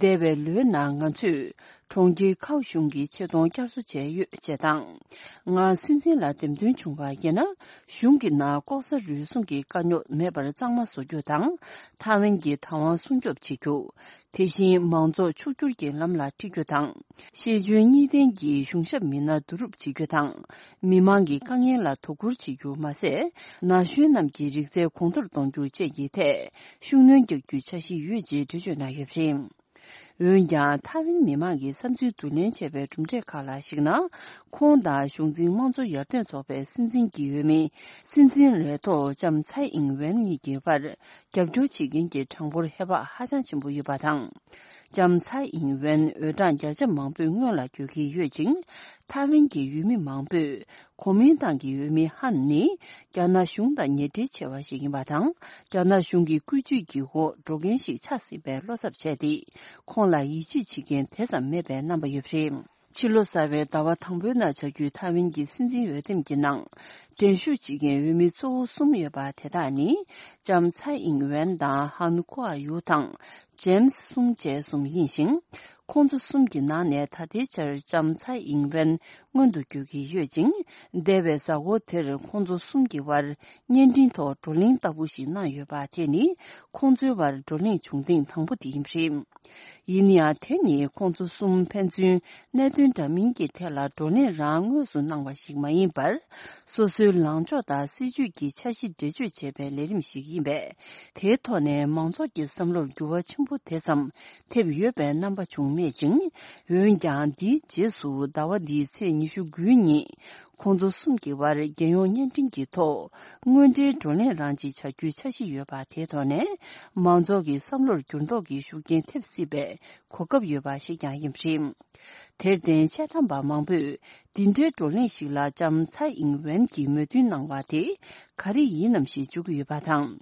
འདས་པའི་ལོའི་ནང་ང་ཚོས་གྲོང་ཁྱེར་ཁའོ་གཞུང་གི་ཆེ་མཐོང་བསྐྱར་གསོ་བྱས་ཡོད་ཅེས་དང་། ང་སྲིད་འཛིན་ལ་འདེམས་ཐོན་བྱུང་བ་ཡིན་ན། གཞུང་གི་ནང་ལྐོག་ཟ་རུལ་སུངས་ཀྱི་དཀའ་རྙོག་མེད་པར་གཙང་མ་བཟོ་རྒྱུ་དང་། ཐའེ་ཝན་གྱི་བདག་དབང་སྲུང་སྐྱོབ་བྱེད་རྒྱུ། དེ་བཞིན་མང་ཚོགས་ཕྱུག་འགྱུར་གྱི་ལམ་ལ་ཁྲིད་རྒྱུ་དང་། ཤེས་འཇོན་གཉིས་ལྡན་གྱི་གཞུང་ཞབས་མི་སྣ་བསྡུ་རུབ་བྱེད་རྒྱུ་དང་། མི་མང་གི་དཀའ་ངལ་ལ་དོ་ཁུར་བྱེད་རྒྱུ་མ་ཟད། ན་གཞོན་རྣམས་ཀྱི་རིག་རྩལ་གོང་མཐོར་གཏོང་རྒྱུ་བཅས་ཀྱི་ཐད་ཤུགས་སྣོན་རྒྱག་རྒྱུའི་འཆར་གཞི་ཡོད་ཅེས་འགྲེལ་བརྗོད་གནང་ཡོད་པ་རེད། འོན་ཀྱང་། ཐའེ་ཝན་མི་མང་གི་བསམ་ཚུལ་བསྡུ་ལེན་བྱས་པའི་གྲུབ་འབྲས་ཁག་ལ་གཞིགས་ན། ཁོང་དང་གཞུང་འཛིན་དམངས་གཙོ་ཡར་ཐོན་ཚོགས་པའི་སྲིད་འཛིན་གྱི་འོས་མི་སྲིད་འཛིན་ལས་ཐོག་ལྕམ་ཚའེ་ཨིང་ཝེན་གཉིས་ཀྱི་བར། རྒྱབ་སྐྱོར་བྱེད་མཁན་གྱི་གྲངས་འབོར་ཧེ་བག་ཧ་ཅང་ཆེན་པོ་ཡོད་པ་དང་། ལྕམ་ཚའེ་ཨིང་ཝེན་འོས་གྲངས་བརྒྱ་ཆ་མང་པོས་སྔོན་ལ་བསྐྱོད་ཀྱི་ཡོད་ཅིང་། ཐའེ་ཝན་གྱི་འོས་མི་མང་པོས་གོ་མིན་ཏང་གི་འོས་མི་ཧན་ནི་རྒྱ་ནག་གཞུང་དང་ཉེ་འབྲེལ་ཆེ་བ་ཞིག་ཡིན་པ་དང་། རྒྱ་ནག་གཞུང་གི་བཀོད་ཇུས་ཀྱི་འོག་འགྲོ་མཁན་ཞིག་ཆགས་སྲིད་པའི་བློ་འཚབ་བྱས་ཏེ། ཁོང་ལ་ཡིད་ཆེས་བྱེད་མཁན་དེ་ཙམ་མེད་པའི་རྣམ་པ་ཡོད་པ་རེད། ཕྱི་ལོ་གསར་བའི་ཟླ་བ་དང་པོའི་ནང་བྱ་རྒྱུའི་ཐའེ་ཝན་གྱི་སྲིད་འཛིན་འོས་འདེམས་ཀྱི་ནང་། འགྲན་ཞུགས་བྱེད་མཁན་འོས་མི་གཙོ་བོ་གསུམ་ཡོད་པ་དེ་དག་ནི། ལྕམ་ཚའེ་ཨིང་ཝེན་དང་། ཧན་ཀོ་ཨ་ཡུ་དང་། ཇེམ་སི་སུང་བཅས་གསུམ་ཡིན་ཞིང་། ཁོང་ཚོ་གསུམ་གྱི་ནང་ནས་ད་ལྟའི་ཆར་ལྕམ་ཚའེ་ཨིང་ཝེན་སྔོན་དུ་བསྐྱོད་ཀྱི་ཡོད་ཅིང་། འདས་པའི་གཟའ་འཁོར་དེར་ཁོང་ཚོ་གསུམ་གྱི་བར་བརྙན་འཕྲིན་ཐོག་བགྲོ་གླེང་ལྟ་བུ་ཞིག་གནང་ཡོད་པ། དེ་ནི་ཁོང་ཚོའི་བར་བགྲོ་གླེང་བྱུང་ཐེངས་དང་པོ་དེ་ཡིན་པ་རེད། ཡིན་ཡང་། དེ་ནི་ཁོང་ཚོ་གསུམ་ཕན་ཚུན་གནད་དོན་འདྲ་མིན་གྱི་ཐད་ལ་བགྲོ་གླེང་རང་དངོས་སུ་གནང་བ་ཞིག་མ་ཡིན་པར། སོ་སོའི་ལངས་ཕྱོགས་དང་སྲིད་ཇུས་ཀྱི་འཆར་གཞི་འགྲེལ་བརྗོད་བྱེད་པའི་ལས་རིམ་ཞིག་ཡིན་པས། དེའི་ཐོག་ནས་མང་ཚོགས་ཀྱི་བསམ་བློར་འགྱུར་བ་ཆེན་པོ་དེ་ཙམ་ཐེབས་ཡོད་པའི་རྣམ་པ་བྱུང་མེད་ཅིང་། འོན་ཀྱང་། འདིའི་རྗེས་སུ་ཟླ་བ་འདིའི་ཚེས་ཉི་ཤུ་དགུ་ཉིན། ཁོང་ཚོ་གསུམ་གྱི་བར་རྒྱལ་ཡོངས་བརྙན་འཕྲིན་གྱི་ཐོག་དངོས་འབྲེལ་བགྲོ་གླེང་རང་ཅིག་བྱ་རྒྱུའི་འཆར་གཞི་ཡོད་པ། དེའི་ཐོག་ནས་མང་ཚོགས་ཀྱི་བསམ་བློར་འགྱུར་ལྡོག་གི་ཤུགས་རྐྱེན་ཐེབས་སྲིད་པའི་གོ་སྐབས་ཡོད་པ་ཞིག་ཀྱང་ཡིན་པ་རེད། དེར་བརྟེན། དཔྱད་གཏམ་པ་མང་པོས་འདི་འདྲའི་བགྲོ་གླེང་ཞིག་ལ་ལྕམ་ཚའེ་ཨིང་ཝེན་གྱིས་མོས་མཐུན་གནང་བ་དེ་ག་རེ་ཡིན་ནམ་ཞེས་དཔྱད་ཀྱི་ཡོད་པ་དང་།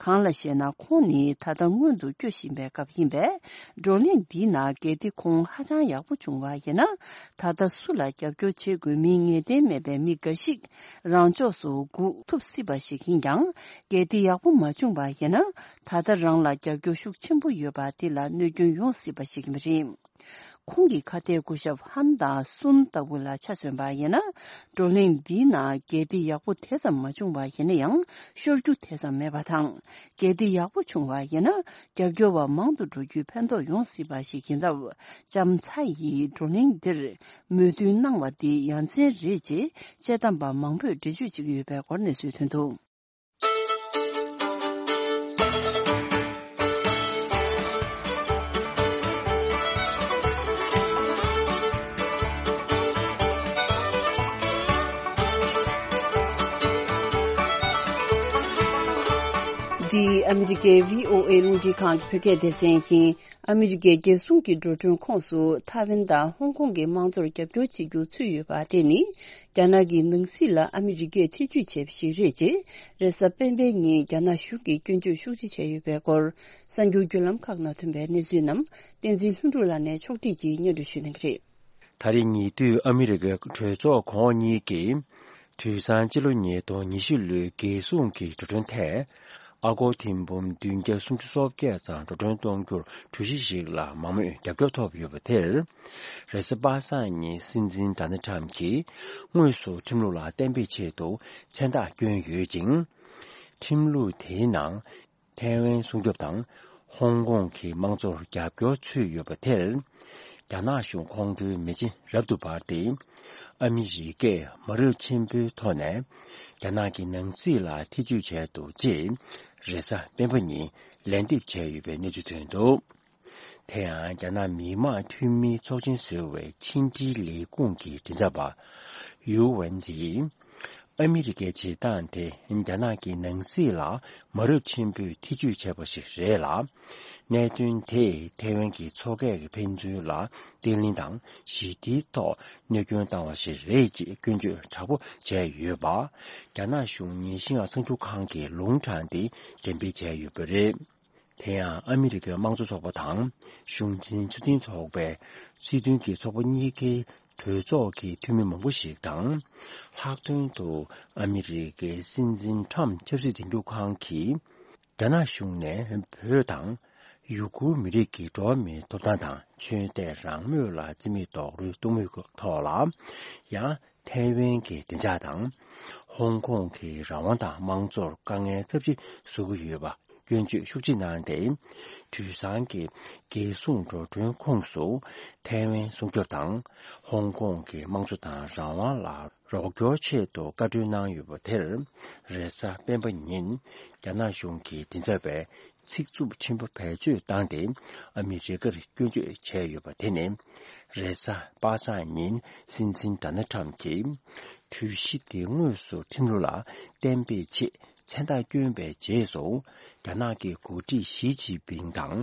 གང་ལ་ཞེ་ན། ཁོང་ནི་ད་ལྟ་སྔོན་དུ་བསྐྱོད་བཞིན་པའི་སྐབས་ཡིན་པས། བགྲོ་གླེང་འདིའི་ནང་གལ་ཏེ་ཁོང་ཧ་ཅང་ཡག་པོ་བྱུང་བ་ཡིན་ན། ད་ལྟ་སུ་ལ་རྒྱབ་སྐྱོར་བྱེད་དགོས་མིན་ངེས་གཏན་མེད་པའི་མི་འགའ་ཞིག་རང་ཕྱོགས་སུ་སྒུག་ཐུབ་སྲིད་པ་ཞིག་ཡིན་ཀྱང་། གལ་ཏེ་ཡག་པོ་མ་བྱུང་བ་ཡིན་ན། ད་ལྟ་རང་ལ་རྒྱབ་སྐྱོར་ཤུགས་ཆེན་པོ་ཡོད་པ་དེ་ལ་གནོད་སྐྱོན་ཡོང་སྲིད་པ་ཞིག་ཡིན་པ་རེད། ཁོང་གི་ཁ་གཏད་སྐུ་ཞབས་ཧན་དང་སུན་ལྟ་བུ་ལ་ཆ་མཚོན་པ་ཡིན་ན། བགྲོ་གླེང་འདིའི་ནང་གལ་ཏེ་ཡག་པོ་དེ་ཙམ་མ་བྱུང་བ་ཡིན་ན་ཡང་། ཤོར་རྒྱུ་དེ་ཙམ་མེད་པ་དང་། གལ་ཏེ་ཡག་པོ་བྱུང་བ་ཡིན་ན། རྒྱབ་སྐྱོར་བ་མང་དུ་འགྲོ་རྒྱུའི་ཕན་ཐོགས་ཡོང་སྲིད་པ་ཞིག་ཡིན་སྟབས། ལྕམ་ཚའེ་ཡིས་བགྲོ་གླེང་འདིར་མོས་མཐུན་གནང་བ་འདི་ཡ་མཚན་རེད་ཅེས་དཔྱད་གཏམ་པ་མང་པོས་འགྲེལ་བརྗོད་བྱེད་ཀྱི་ཡོད་པའི་སྐོར་གནས་ཚུལ་ཐོན་འདུག། འདི་ཨ་མི་རི་ཀའི་བྷི་ཨོ་ཨེ་རླུང་འཕྲིན་ཁང་གི་བོད་སྐད་སྡེ་ཚན་ཡིན། ཨ་མི་རི་ཀའི་རྒྱལ་སྲུང་གི་འགྲོ་གྲོན་ཁོངས་སུ་ཐའེ་ཝན་དང་ཧོང་ཀོང་གི་དམངས་གཙོར་རྒྱབ་སྐྱོར་བྱེད་རྒྱུ་ཚུད་ཡོད་པ་དེ་ནི། རྒྱ་ནག་གི་ནང་སྲིད་ལ་ཨ་མི་རི་ཀས་ཐེ་ཇུས་བྱས་པ་ཞིག་རེད་ཅེས། རེས་གཟའ་སྤེན་པའི་ཉིན་རྒྱ་ནག་གཞུང་གིས་སྐྱོན་བརྗོད་ཤུགས་ཆེ་བྱས་ཡོད་པའི་སྐོར། གསར་འགྱུར་བརྒྱུད་ལམ་ཁག་ནང་ཐོན་པའི་གནས་ཚུལ་རྣམས་བསྟན་འཛིན་ལྷུན་གྲུབ་ལགས་ནས་ཕྱོགས་སྒྲིག་གིས་སྙན་སྒྲོན་ཞུ་གནང་གི་རེད། ད་རེས་ཉེ་དུས་ཨ་མི་རི་ཀའི་གྲོས་ཚོགས་གོང་འོག་གཉིས་ཀྱིས། དུས་སང་སྤྱི་ལོ་ཉིས་སྟོང་ཉི་ཤུ་ལོའི་རྒྱལ་སྲུང་གི་འགྲོ་གྲོན་ཐད། ཨ་སྒོར་ཐེར་འབུམ་བདུན་བརྒྱ་སུམ་ཅུ་སོ་བརྒྱད་ཙམ་འགྲོ་གྲོན་གཏོང་རྒྱུར་གྲོས་གཞི་ཞིག་ལ་མང་མོས་རྒྱབ་སྐྱོར་ཐོབ་ཡོད་པ་དེར། རེས་གཟའ་པ་སངས་ཉིན་སྲིད་འཛིན་ཌོ་ནལ་ཌི་ཊརམ་གྱིས་དངོས་སུ་ཁྲིམས་ལུགས་ལ་གཏན་འབེབས་ཆེད་དུ་མཚན་རྟགས་བསྐྱོན་ཡོད་ཅིང་། ཁྲིམས་ལུགས་དེའི་ནང་། ཐའེ་ཝན་སྲུང་སྐྱོབ་དང་། ཧོང་ཀོང་གི་དམངས་གཙོར་རྒྱབ་སྐྱོར་ཚུད་ཡོད་པ་དེར། རྒྱ་ནག་གཞུང་ཁོང་ཁྲོའི་མེ་ལྕེ་རབ་ཏུ་འབར་ཏེ། ཨ་མི་རི་ཀས་མ་རབས་ཆེན་པོའི་ཐོག་ནས། རྒྱ་ནག་གི་ནང་སྲིད་ལ་ཐེ་ཇུས་བྱས་འདུག་ཅེས། རེས་གཟའ་སྤེན་པ་ཉིན་ལན་འདེབས་བྱས་ཡོད་པའི་གནས་ཚུལ་ཐོན་འདུག་དེ་ཡང་རྒྱ་ནག་མི་དམངས་འཐུས་མིའི་ཚོགས་ཆེན་ཟུར་པའི་ཕྱི་འབྲེལ་ལས་ཁུངས་ཀྱི་མགྲིན་ཚབ་པ། ཡུའུ་ཝེན་ཛི་ཡིས། ཨ་མི་རི་ཀའི་བྱེད་སྟངས་དེ་རྒྱ་ནག་གི་ནང་སྲིད་ལ་མ་རབས་ཆེན་པོས་ཐེ་ཇུས་བྱས་པ་ཞིག་རེད་ལ། གནད་དོན་དེས་ཐའེ་ཝན་གྱི་མཚོ་ཁ་གི་ཕན་ཚུན་ལ་བརྟན་ལྷིང་དང་ཞི་བདེའི་ཐོག་གནོད་སྐྱོན་བཏང་བ་ཞིག་རེད་ཅེས་སྐྱོན་བརྗོད་དྲག་པོ་བྱས་ཡོད་པ། རྒྱ་ནག་གཞུང་ཉིན་ཤིན་ཧྭ་གསར་འགྱུར་ཁང་གིས་ལུང་དྲངས་ཏེ་འགྲེམས་སྤེལ་བྱས་ཡོད་པ་རེད། དེ་ཡང་ཨ་མི་རི་ཀའི་དམངས་གཙོ་ཚོགས་པ་དང་གཞུང་འཛིན་ཚོགས་ཆེན་ཚོགས་པའི་སྲིད་དོན་གྱི་ཚོགས་པ་གཉིས་ཀའི་གྲོས་ཚོགས་ཀྱི་འཐུས་མི་མང་པོ་ཞིག་དང་། ལྷག་དོན་དུ་ཨ་མི་རི་ཀའི་སྲིད་འཛིན་ཊརམ་ཆབ་སྲིད་འཛིན་སྐྱོང་ཁང་གིས་རྒྱ་ནག་གཞུང་ནས་བོད་དང་ཡུ་གུར་མི་རིགས་ཀྱི་འགྲོ་བ་མིའི་ཐོབ་ཐང་དང་ཆོས་དད་རང་མོས་ལ་བརྩི་མེད་རྡོག་རོལ་གཏོང་མུས་ཐོག་ལ་ཡང་། ཐའེ་ཝན་གྱི་བདེ་འཇགས་དང་། ཧོང་ཀོང་གི་རང་དབང་དང་དམངས་གཙོར་དཀའ་ངལ་ཚབས་ཆེ་བཟོ་གི་ཡོད་པ་སྐྱོན་བརྗོད་ཤུགས་ཆེ་གནང་སྟེ། དུས་སང་གི་རྒྱལ་སྲུང་འགྲོ་གྲོན་ཁོངས་སུ་ཐའེ་ཝན་སྲུང་སྐྱོབ་དང་། ཧོང་ཀོང་གི་དམངས་གཙོ་དང་རང་དབང་ལ་རོགས་སྐྱོར་ཆེད་དུ་བཀའ་འཁྲོལ་གནང་ཡོད་པ་དེར། རེས་གཟའ་སྤེན་པ་ཉིན་རྒྱ་ནག་གཞུང་གི་མགྲིན་ཚབ་པས། ཚིག་རྩུབ་ཆེན་པོ་བེད་སྤྱོད་བཏང་སྟེ་ཨ་མི་རི་ཀར་སྐྱོན་བརྗོད་བྱས་ཡོད་པ་དེ་ནི། རེས་གཟའ་པ་སངས་ཉིན་སྲིད་འཛིན་ཌོ་ནལ་ཊརམ་གྱིས་གྲོས་གཞི་དེ་དངོས་སུ་ཁྲིམས་ལུགས་ལ་གཏན་འབེབས་ཆེད་མཚན་རྟགས་བསྐྱོན་པའི་རྗེས་སུ། རྒྱ་ནག་གི་འགོ་ཁྲིད་ཞི་ཅིན་ཕིང་དང་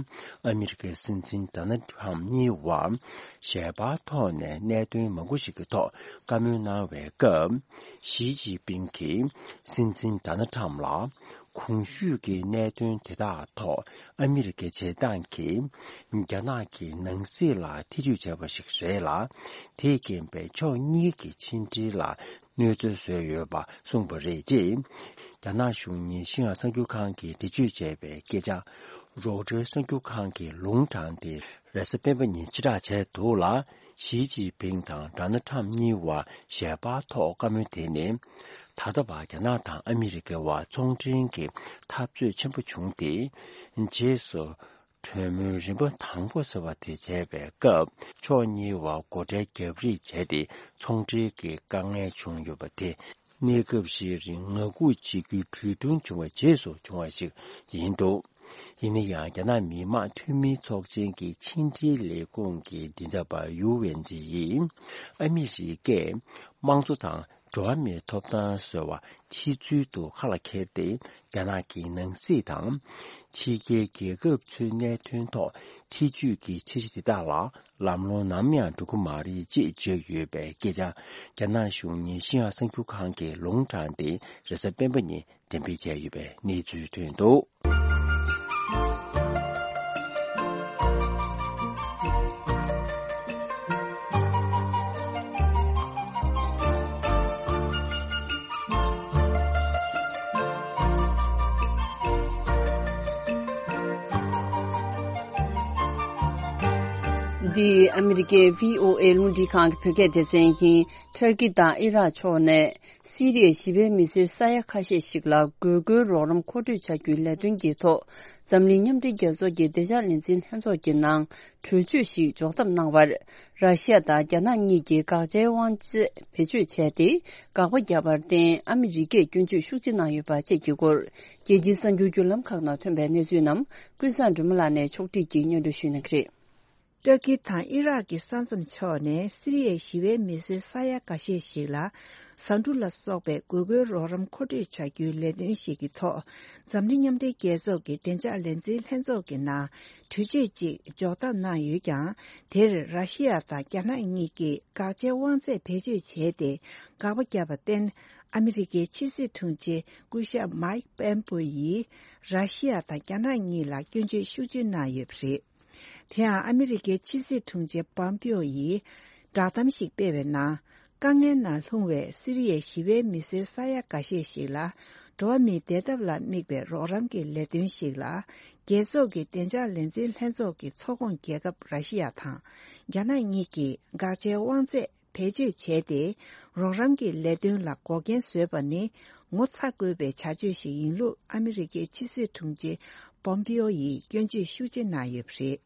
ཨ་མི་རི་ཀའི་སྲིད་འཛིན་ཌོ་ནལ་ཊརམ་གཉིས་བར་ཞལ་པར་ཐོག་ནས་གནད་དོན་མང་པོ་ཞིག་གི་ཐོག་བཀའ་མོལ་གནང་བའི་སྐབས། ཞི་ཅིན་ཕིང་གིས་སྲིད་འཛིན་ཌོ་ནལ་ཊརམ་ལ། གོང་ཞུས་ཀྱི་གནད་དོན་དེ་དག་ཐོག་ཨ་མི་རི་ཀའི་བྱེད་སྟངས་ཀྱིས་རྒྱ་ནག་གི་ནང་སྲིད་ལ་ཐེ་ཇུས་བྱས་པ་ཞིག་རེད་ལ། དེས་རྐྱེན་པས་ཕྱོགས་གཉིས་ཀྱི་ཕྱི་འབྲེལ་ལ་གནོད་འཚེ་བཟོས་ཡོད་པ་གསུངས་པ་རེད་ཅེས། རྒྱ་ནག་གཞུང་ཉིན་ཤིན་ཧྭ་གསར་འགྱུར་ཁང་གིས་འགྲེལ་བརྗོད་བྱས་པའི་སྐད་ཆ། རོའི་ཊར་གསར་འགྱུར་ཁང་གིས་ལུང་དྲངས་ཏེ། རེས་གཟའ་སྤེན་པ་ཉིན་ཕྱིར་བསྒྲགས་བྱས་འདུག་ལ། ཞི་ཅིན་ཕིང་དང་ཌོ་ནལ་ཊརམ་གཉིས་བར་ཞལ་པར་ཐོག་བཀའ་མོལ་དེ་ནི། ད་ལྟ་བར་རྒྱ་ནག་དང་ཨ་མི་རི་ཀའི་བར་ཚོང་འབྲེལ་གྱི་འཐབ་རྩོད་ཆེན་པོ་བྱུང་སྟེ། རྗེས་སུ་གྲོས་མོལ་རིམ་པ་དང་པོ་ཟེར་བ་དེ་བྱས་པའི་སྐབས། ཕྱོགས་གཉིས་བར་སྒོ་ཁྲལ་བརྒྱབ་རེས་བྱས་ཏེ། ཚོང་འབྲེལ་གྱི་དཀའ་ངལ་བྱུང་ཡོད་པ་དེ། གནས་སྐབས་ཤིག་རིང་ངང་སྒུག་བྱེད་རྒྱུའི་གྲོས་མཐུན་བྱུང་བའི་རྗེས་སུ་བྱུང་བ་ཞིག་ཡིན་འདུག་ཡིན་ན་ཡང་། རྒྱ་ནག་མི་དམངས་འཐུས་མིའི་ཚོགས་ཆེན་གྱི་ཕྱི་འབྲེལ་ལས་ཁུངས་ཀྱི་མགྲིན་ཚབ་པ་ཡུའུ་ཝེན་ཛི་ཡིས། ཨ་མི་རི་ཀས་དམངས་གཙོ་དང་འགྲོ་བ་མིའི་ཐོབ་ཐང་ཟེར་བ་ཕྱི་ཚུལ་དུ་ཁ་ལ་འཁྱེར་ཏེ། རྒྱ་ནག་གི་ནང་སྲིད་དང་། ཕྱི་རྒྱལ་རྒྱལ་ཁབ་ཚོའི་གནད་དོན་ཐོག་ཐེ་ཇུས་ཀྱི་འཆར་གཞི་དེ་དག་ལ། ལམ་ལྷོང་ནམ་ཡང་འགྲོ་གི་མ་རེད་ཅེས་བརྗོད་ཡོད་པའི་སྐད་ཆ། རྒྱ་ནག་གཞུང་ཉིན་ཤིན་ཧྭ་གསར་འགྱུར་ཁང་གིས་ལུང་དྲངས་ཏེ། རེས་གཟའ་སྤེན་པ་ཉིན་འགྲེམས་སྤེལ་བྱས་ཡོད་པའི་གནས་ཚུལ་ཐོན་འདུག་འདི་ཨ་མི་རི་ཀའི་བྷི་ཨོ་ཨེ་རླུང་འཕྲིན་ཁང་གི་བོད་སྐད་སྡེ་ཚན་ཡིན། ཏུར་ཀི་དང་ཨི་རག་ཕྱོགས་ནས་སི་རི་ཡའི་ཞི་བའི་མི་སེར་ས་ཡ་ཁ་ཤས་ཤིག་ལ་དགོས་མཁོའི་རོགས་རམ་མཁོ་སྤྲོད་བྱ་རྒྱུའི་ལས་དོན་གྱི་ཐོག་འཛམ་གླིང་མཉམ་འབྲེལ་རྒྱལ་ཚོགས་ཀྱི་བདེ་འཇགས་ལས་འཛིན་ལྷན་ཚོགས་ཀྱི་ནང་གྲོས་ཆོད་ཞིག་འཇོག་ཐབས་གནང་བར། ར་ཤི་ཡ་དང་རྒྱ་ནག་གཉིས་ཀྱིས་དགག་བྱའི་དབང་ཚད་བེད་སྤྱོད་བྱས་ཏེ། དགག་པ་བརྒྱབ་པར་བརྟེན། ཨ་མི་རི་ཀས་སྐྱོན་བརྗོད་ཤུགས་ཆེ་གནང་ཡོད་པ་བཅས་ཀྱི་སྐོར། རྒྱལ་སྤྱིའི་གསར་འགྱུར་བརྒྱུད་ལམ་ཁག་ནང་ཐོན་པའི་གནས་ཚུལ་རྣམས། ཀུན་བཟང་སྒྲོལ་མ་ལགས་ནས་ཕྱོགས་སྒྲིག་གིས་སྙན་སྒྲོན་ཞུ་གནང་གི་རེད། ཏུར་ཀི་དང་ཨི་རག་གི་ས་མཚམས་ཕྱོགས་ནས་སི་རི་ཡའི་ཞི་བའི་མི་སེར་ས་ཡ་འགའ་ཤས་ཤིག་ལ་ཟ་འབྲུ་ལ་སོགས་པའི་དགོས་མཁོའི་རོགས་རམ་མཁོ་སྤྲོད་བྱ་རྒྱུའི་ལས་དོན་ཞིག་གི་ཐོག་འཛམ་གླིང་མཉམ་འབྲེལ་རྒྱལ་ཚོགས་ཀྱི་བདེ་འཇགས་ལས་འཛིན་ལྷན་ཚོགས་ཀྱི་ནང་གྲོས་ཆོད་ཅིག་འཇོག་ཐབས་གནང་ཡོད་ཀྱང་། དེར་ར་ཤི་ཡ་དང་རྒྱ་ནག་གཉིས་ཀྱིས་དགག་བྱའི་དབང་ཚད་བེད་སྤྱོད་བྱས་ཏེ་དགག་པ་བརྒྱབ་པར་བརྟེན། ཨ་མི་རི་ཀའི་ཕྱི་སྲིད་དྲུང་ཆེ་སྐུ་ཞབས་མའིག་པེམ་པོ་ཡིས་ར་ཤི་ཡ་དང་རྒྱ་ནག་གཉིས་ལ་སྐྱོན་བརྗོད་ཤུགས་ཆེ་གནང་ཡོད་པ་རེད། དེ་ཡང་ཨ་མི་རི་ཀའི་ཕྱི་སྲིད་དྲུང་ཆེ་པོམ་པིའོ་ཡིས་བསྒྲགས་གཏམ་ཞིག་སྤེལ་བའི་ནང་། དཀའ་ངལ་ནང་ལྷུང་བའི་སི་རི་ཡའི་ཞི་བའི་མི་སེར་ས་ཡ་འགའ་ཤས་ཤིག་ལ་འགྲོ་བ་མིའི་བདེ་ཐབས་ལ་དམིགས་པའི་རོགས་རམ་གྱི་ལས་དོན་ཞིག་ལ། རྒྱལ་ཚོགས་ཀྱི་བདེ་འཇགས་ལས་འཛིན་ལྷན་ཚོགས་ཀྱི་ཚོགས་ཁོངས་རྒྱལ་ཁབ་ར་ཤི་ཡ་དང་རྒྱ་ནག་གཉིས་ཀྱིས་དགག་བྱའི་དབང་ཚད་བེད་སྤྱོད་བྱས་ཏེ། རོགས་རམ་གྱི་ལས་དོན་ལ་འགོག་རྐྱེན་བཟོས་པ་ནི་ངོ་ཚ་དགོས་པའི་བྱ་སྤྱོད་ཞིག་ཡིན་ལུགས་ཨ་མི་རི་ཀའི་ཕྱི་སྲིད་དྲུང་ཆེ་པོམ་པིའོ་ཡིས་སྐྱོན་བརྗོད་ཤུགས་ཆེ་གནང་ཡོད་པ་རེད།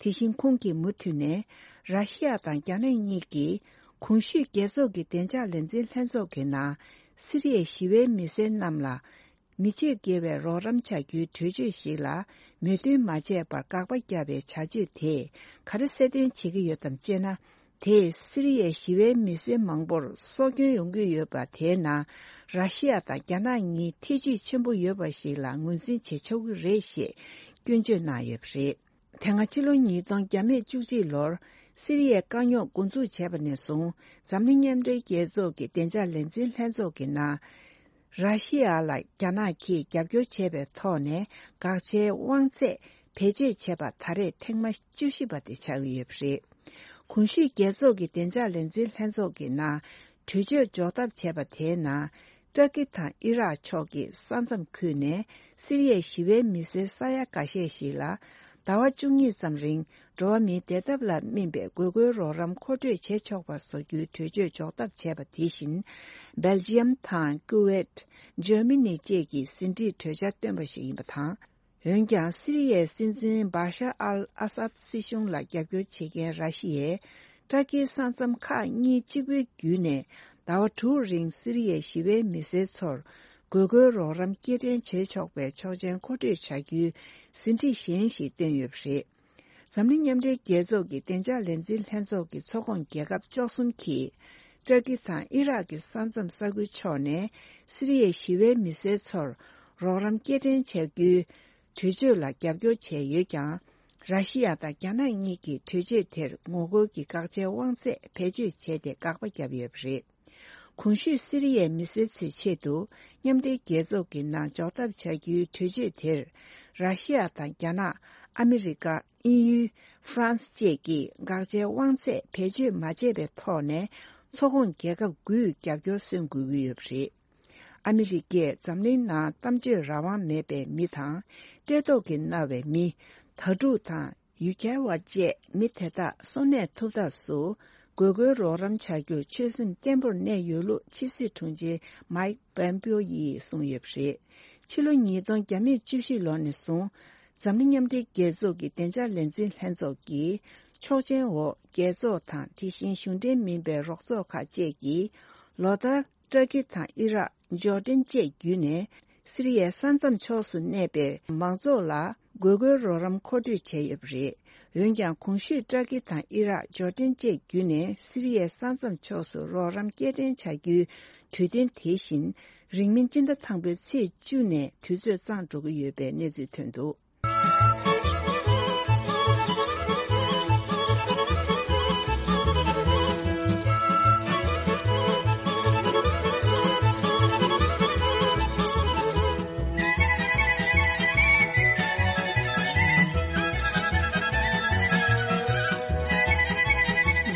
དེ་བཞིན་ཁོང་གིས་མུ་མཐུད་ནས། ར་ཤི་ཡ་དང་རྒྱ་ནག་གཉིས་ཀྱིས་གོང་ཞུས་རྒྱལ་ཚོགས་ཀྱི་བདེ་འཇགས་ལས་འཛིན་ལྷན་ཚོགས་ཀྱི་ནང་སི་རི་ཡའི་ཞི་བའི་མི་སེར་རྣམས་ལ་མི་སྤྱོད་དགེ་བའི་རོགས་རམ་བྱ་རྒྱུའི་གྲོས་ཆོད་ཞིག་ལ་མོས་མཐུན་མ་བྱས་པར་དགག་པ་བརྒྱབ་པའི་བྱ་སྤྱོད་དེས་ག་རེ་གསལ་སྟོན་བྱེད་ཀྱི་ཡོད་དམ་ཅེ་ན། དེས་སི་རི་ཡའི་ཞི་བའི་མི་སེར་མང་པོར་སྲོག་སྐྱོན་ཡོང་གི་ཡོད་པ་དེའི་ནང་ར་ཤི་ཡ་དང་རྒྱ་ནག་གཉིས་ཐེ་བྱུས་ཆེན་པོ་ཡོད་པ་ཞིག་ལ་ངོས་འཛིན་བྱེད་ཆོག་གི་རེད་ཞེས་སྐྱོན་བརྗོད་གནང་ཡོད་པ་རེད། དེ་སྔ་ཕྱི་ལོ་ཉིས་སྟོང་བཅུ་གཅིག་ལོར་སི་རི་ཡའི་དཀའ་རྙོག་འགོ་འཛུགས་བྱས་པ་ནས་བཟུང་། འཛམ་གླིང་མཉམ་འབྲེལ་རྒྱལ་ཚོགས་ཀྱི་བདེ་འཇགས་ལས་འཛིན་ལྷན་ཚོགས་ཀྱི་ནང་། ར་ཤི་ཡ་ལ་རྒྱ་ནག་གིས་རྒྱབ་སྐྱོར་བྱས་པའི་ཐོག་ནས་དགག་བྱའི་དབང་ཚད་བེད་སྤྱོད་བྱས་པ་ད་རེས་ཐེངས་མ་བཅུ་བཞི་པ་དེ་ཆགས་ཀྱི་ཡོད་པ་རེད། གོང་ཞུས་རྒྱལ་ཚོགས་ཀྱི་བདེ་འཇགས་ལས་འཛིན་ལྷན་ཚོགས་ཀྱི་ནང་གྲོས་ཆོད་འཇོག་ཐབས་བྱས་པ་དེའི་ནང་། ཏུར་ཀི་དང་ཨི་རག་ཕྱོགས་ཀྱི་ས་མཚམས་ཁུལ་ནས་སི་རི་ཡའི་ཞི་བའི་མི་སེར་ས་ཡ་འགའ་ཤས་ཤིག་ལ་ཟླ་བ་བཅུ་གཉིས་ཙམ་རིང་འགྲོ་བ་མིའི་བདེ་ཐབས་ལ་སྨིན་པའི་དགོས་མཁོའི་རོགས་རམ་མཁོ་སྤྲོད་བྱེད་ཆོག་པ་བཟོ་རྒྱུའི་གྲོས་ཆོད་འཇོག་ཐབས་བྱས་པ་དེ་བཞིན། སྦེལ་ཇི་ཡམ་དང་ཀུ་ཝེད། འཇར་མ་ནི་བཅས་ཀྱིས་ཟིན་བྲིས་གྲོས་འཆར་བཏོན་པ་ཞིག་ཡིན་པ་དང་། འོན་ཀྱང་སི་རི་ཡའི་སྲིད་འཛིན་བཱ་ཤར་ཨལ་ཨ་སཱད་སྲིད་གཞུང་ལ་རྒྱབ་སྐྱོར་བྱེད་མཁན་ར་ཤི་ཡས། ཏུར་ཀིའི་ས་མཚམས་ཁག་གཉིས་གཅིག་པུའི་བརྒྱུད་ནས་ཟླ་བ་དྲུག་རིང་སི་རི་ཡའི་ཞི་བའི་མི་སེར་ཚོར་དགོས་མཁོའི་རོགས་རམ་སྐྱེལ་འདྲེན་བྱེད་ཆོག་པའི་ཆོག་མཆན་མཁོ་སྤྲོད་བྱ་རྒྱུའི་ཟིན་བྲིས་གཞན་ཞིག་བཏོན་ཡོད་པ་རེད། འཛམ་གླིང་མཉམ་འབྲེལ་རྒྱལ་ཚོགས་ཀྱི་བདེ་འཇགས་ལས་འཛིན་ལྷན་ཚོགས་ཀྱི་ཚོགས་ཁོངས་རྒྱལ་ཁབ་བཅུ་གསུམ་གྱིས། ཏུར་ཀི་དང་ཨི་རག་གི་ས་མཚམས་ས་ཁུལ་ཕྱོགས་ནས་སི་རི་ཡའི་ཞི་བའི་མི་སེར་ཚོར་རོགས་རམ་སྐྱེལ་འདྲེན་བྱ་རྒྱུའི་གྲོས་ཆོད་ལ་རྒྱབ་སྐྱོར་བྱས་ཡོད་ཀྱང་། ར་ཤི་ཡ་དང་རྒྱ་ནག་གཉིས་ཀྱིས་གྲོས་ཆོད་དེར་ངོ་རྒོལ་གྱི་དགག་བྱའི་དབང་ཚད་བེད་སྤྱོད་བྱས་ཏེ་དགག་པ་བརྒྱབ་ཡོད་པ་རེད། གོང་ཞུས་སི་རི་ཡའི་མི་སེར་ཚོའི་ཆེད་དུ་མཉམ་འབྲེལ་རྒྱལ་ཚོགས་ཀྱི་ནང་འཇོག་ཐབས་བྱ་རྒྱུའི་གྲོས་ཆོད་དེར། ར་ཤི་ཡ་དང་རྒྱ་ནག་ཨ་མི་རི་ཀ་དབྱིན་ཡུལ། ཧྥ་རན་སི་བཅས་ཀྱིས་དགག་བྱའི་དབང་ཚད་བེད་སྤྱོད་མ་བྱས་པའི་ཐོག་ནས་ཚོགས་ཁོངས་རྒྱལ་ཁབ་དགུས་རྒྱབ་སྐྱོར་སོན་དགོས་ཀྱི་ཡོད་པ་རེད། ཨ་མི་རི་ཀས་འཛམ་གླིང་ནང་གཏམ་བརྗོད་རང་དབང་མེད་པའི་མི་དང་། བཀྲེས་ལྟོགས་ཀྱིས་མནར་བའི་མི། དྭ་ཕྲུག་དང་ཡུལ་གྱར་བ་བཅས་མི་དེ་དག་གསོན་གནས་ཐུབ་ཐབས་སུ་དགོས་མཁོའི་རོགས་རམ་བྱ་རྒྱུར་ཆོད་སེམས་བརྟན་པོར་གནས་ཡོད་ལུགས་ཕྱི་སྲིད་དྲུང་ཆེ་མའིག་པོམ་པིའོ་ཡིས་གསུངས་ཡོད་པ་རེད། ཕྱི་ལོ་ཉིས་སྟོང་བརྒྱ་མེད་བཅུ་བཞི་ལོ་ནས་བཟུང་། འཛམ་གླིང་མཉམ་འབྲེལ་རྒྱལ་ཚོགས་ཀྱི་བདེ་འཇགས་ལས་འཛིན་ལྷན་ཚོགས་ཀྱི་ཆོག་མཆན་འོག་རྒྱལ་ཚོགས་དང་དེ་བཞིན་གཞུང་འབྲེལ་མིན་པའི་རོགས་ཚོགས་ཁག་བཅས་ཀྱིས་ལོ་ལྟར་ཏུར་ཀི་དང་ཨི་རག་ཇོར་ཌན་བཅས་བརྒྱུད་ནས་སི་རི་ཡའི་ས་མཚམས་ཕྱོགས་སུ་གནས་པའི་མང་ཚོགས་ལ་དགོས་མཁོའི་རོགས་རམ་མཁོ་སྤྲོད་བྱས་ཡོད་པ་རེད། འོན་ཀྱང་གོང་ཞུས་ཏུར་ཀི་དང་ཨི་རག་ཇོར་ཌན་བཅས་བརྒྱུད་ནས་སི་རི་ཡའི་ས་མཚམས་ཕྱོགས་སུ་རོགས་རམ་སྐྱེལ་འདྲེན་བྱ་རྒྱུའི་གྲོས་མཐུན་དེ་བཞིན་རིང་མིན་སྤྱི་ཟླ་དང་པོའི་ཚེས་བཅུ་ནས་དུས་ཚོད་གཙང་འགྲོ་གི་ཡོད་པའི་གནས་ཚུལ་ཐོན་འདུག།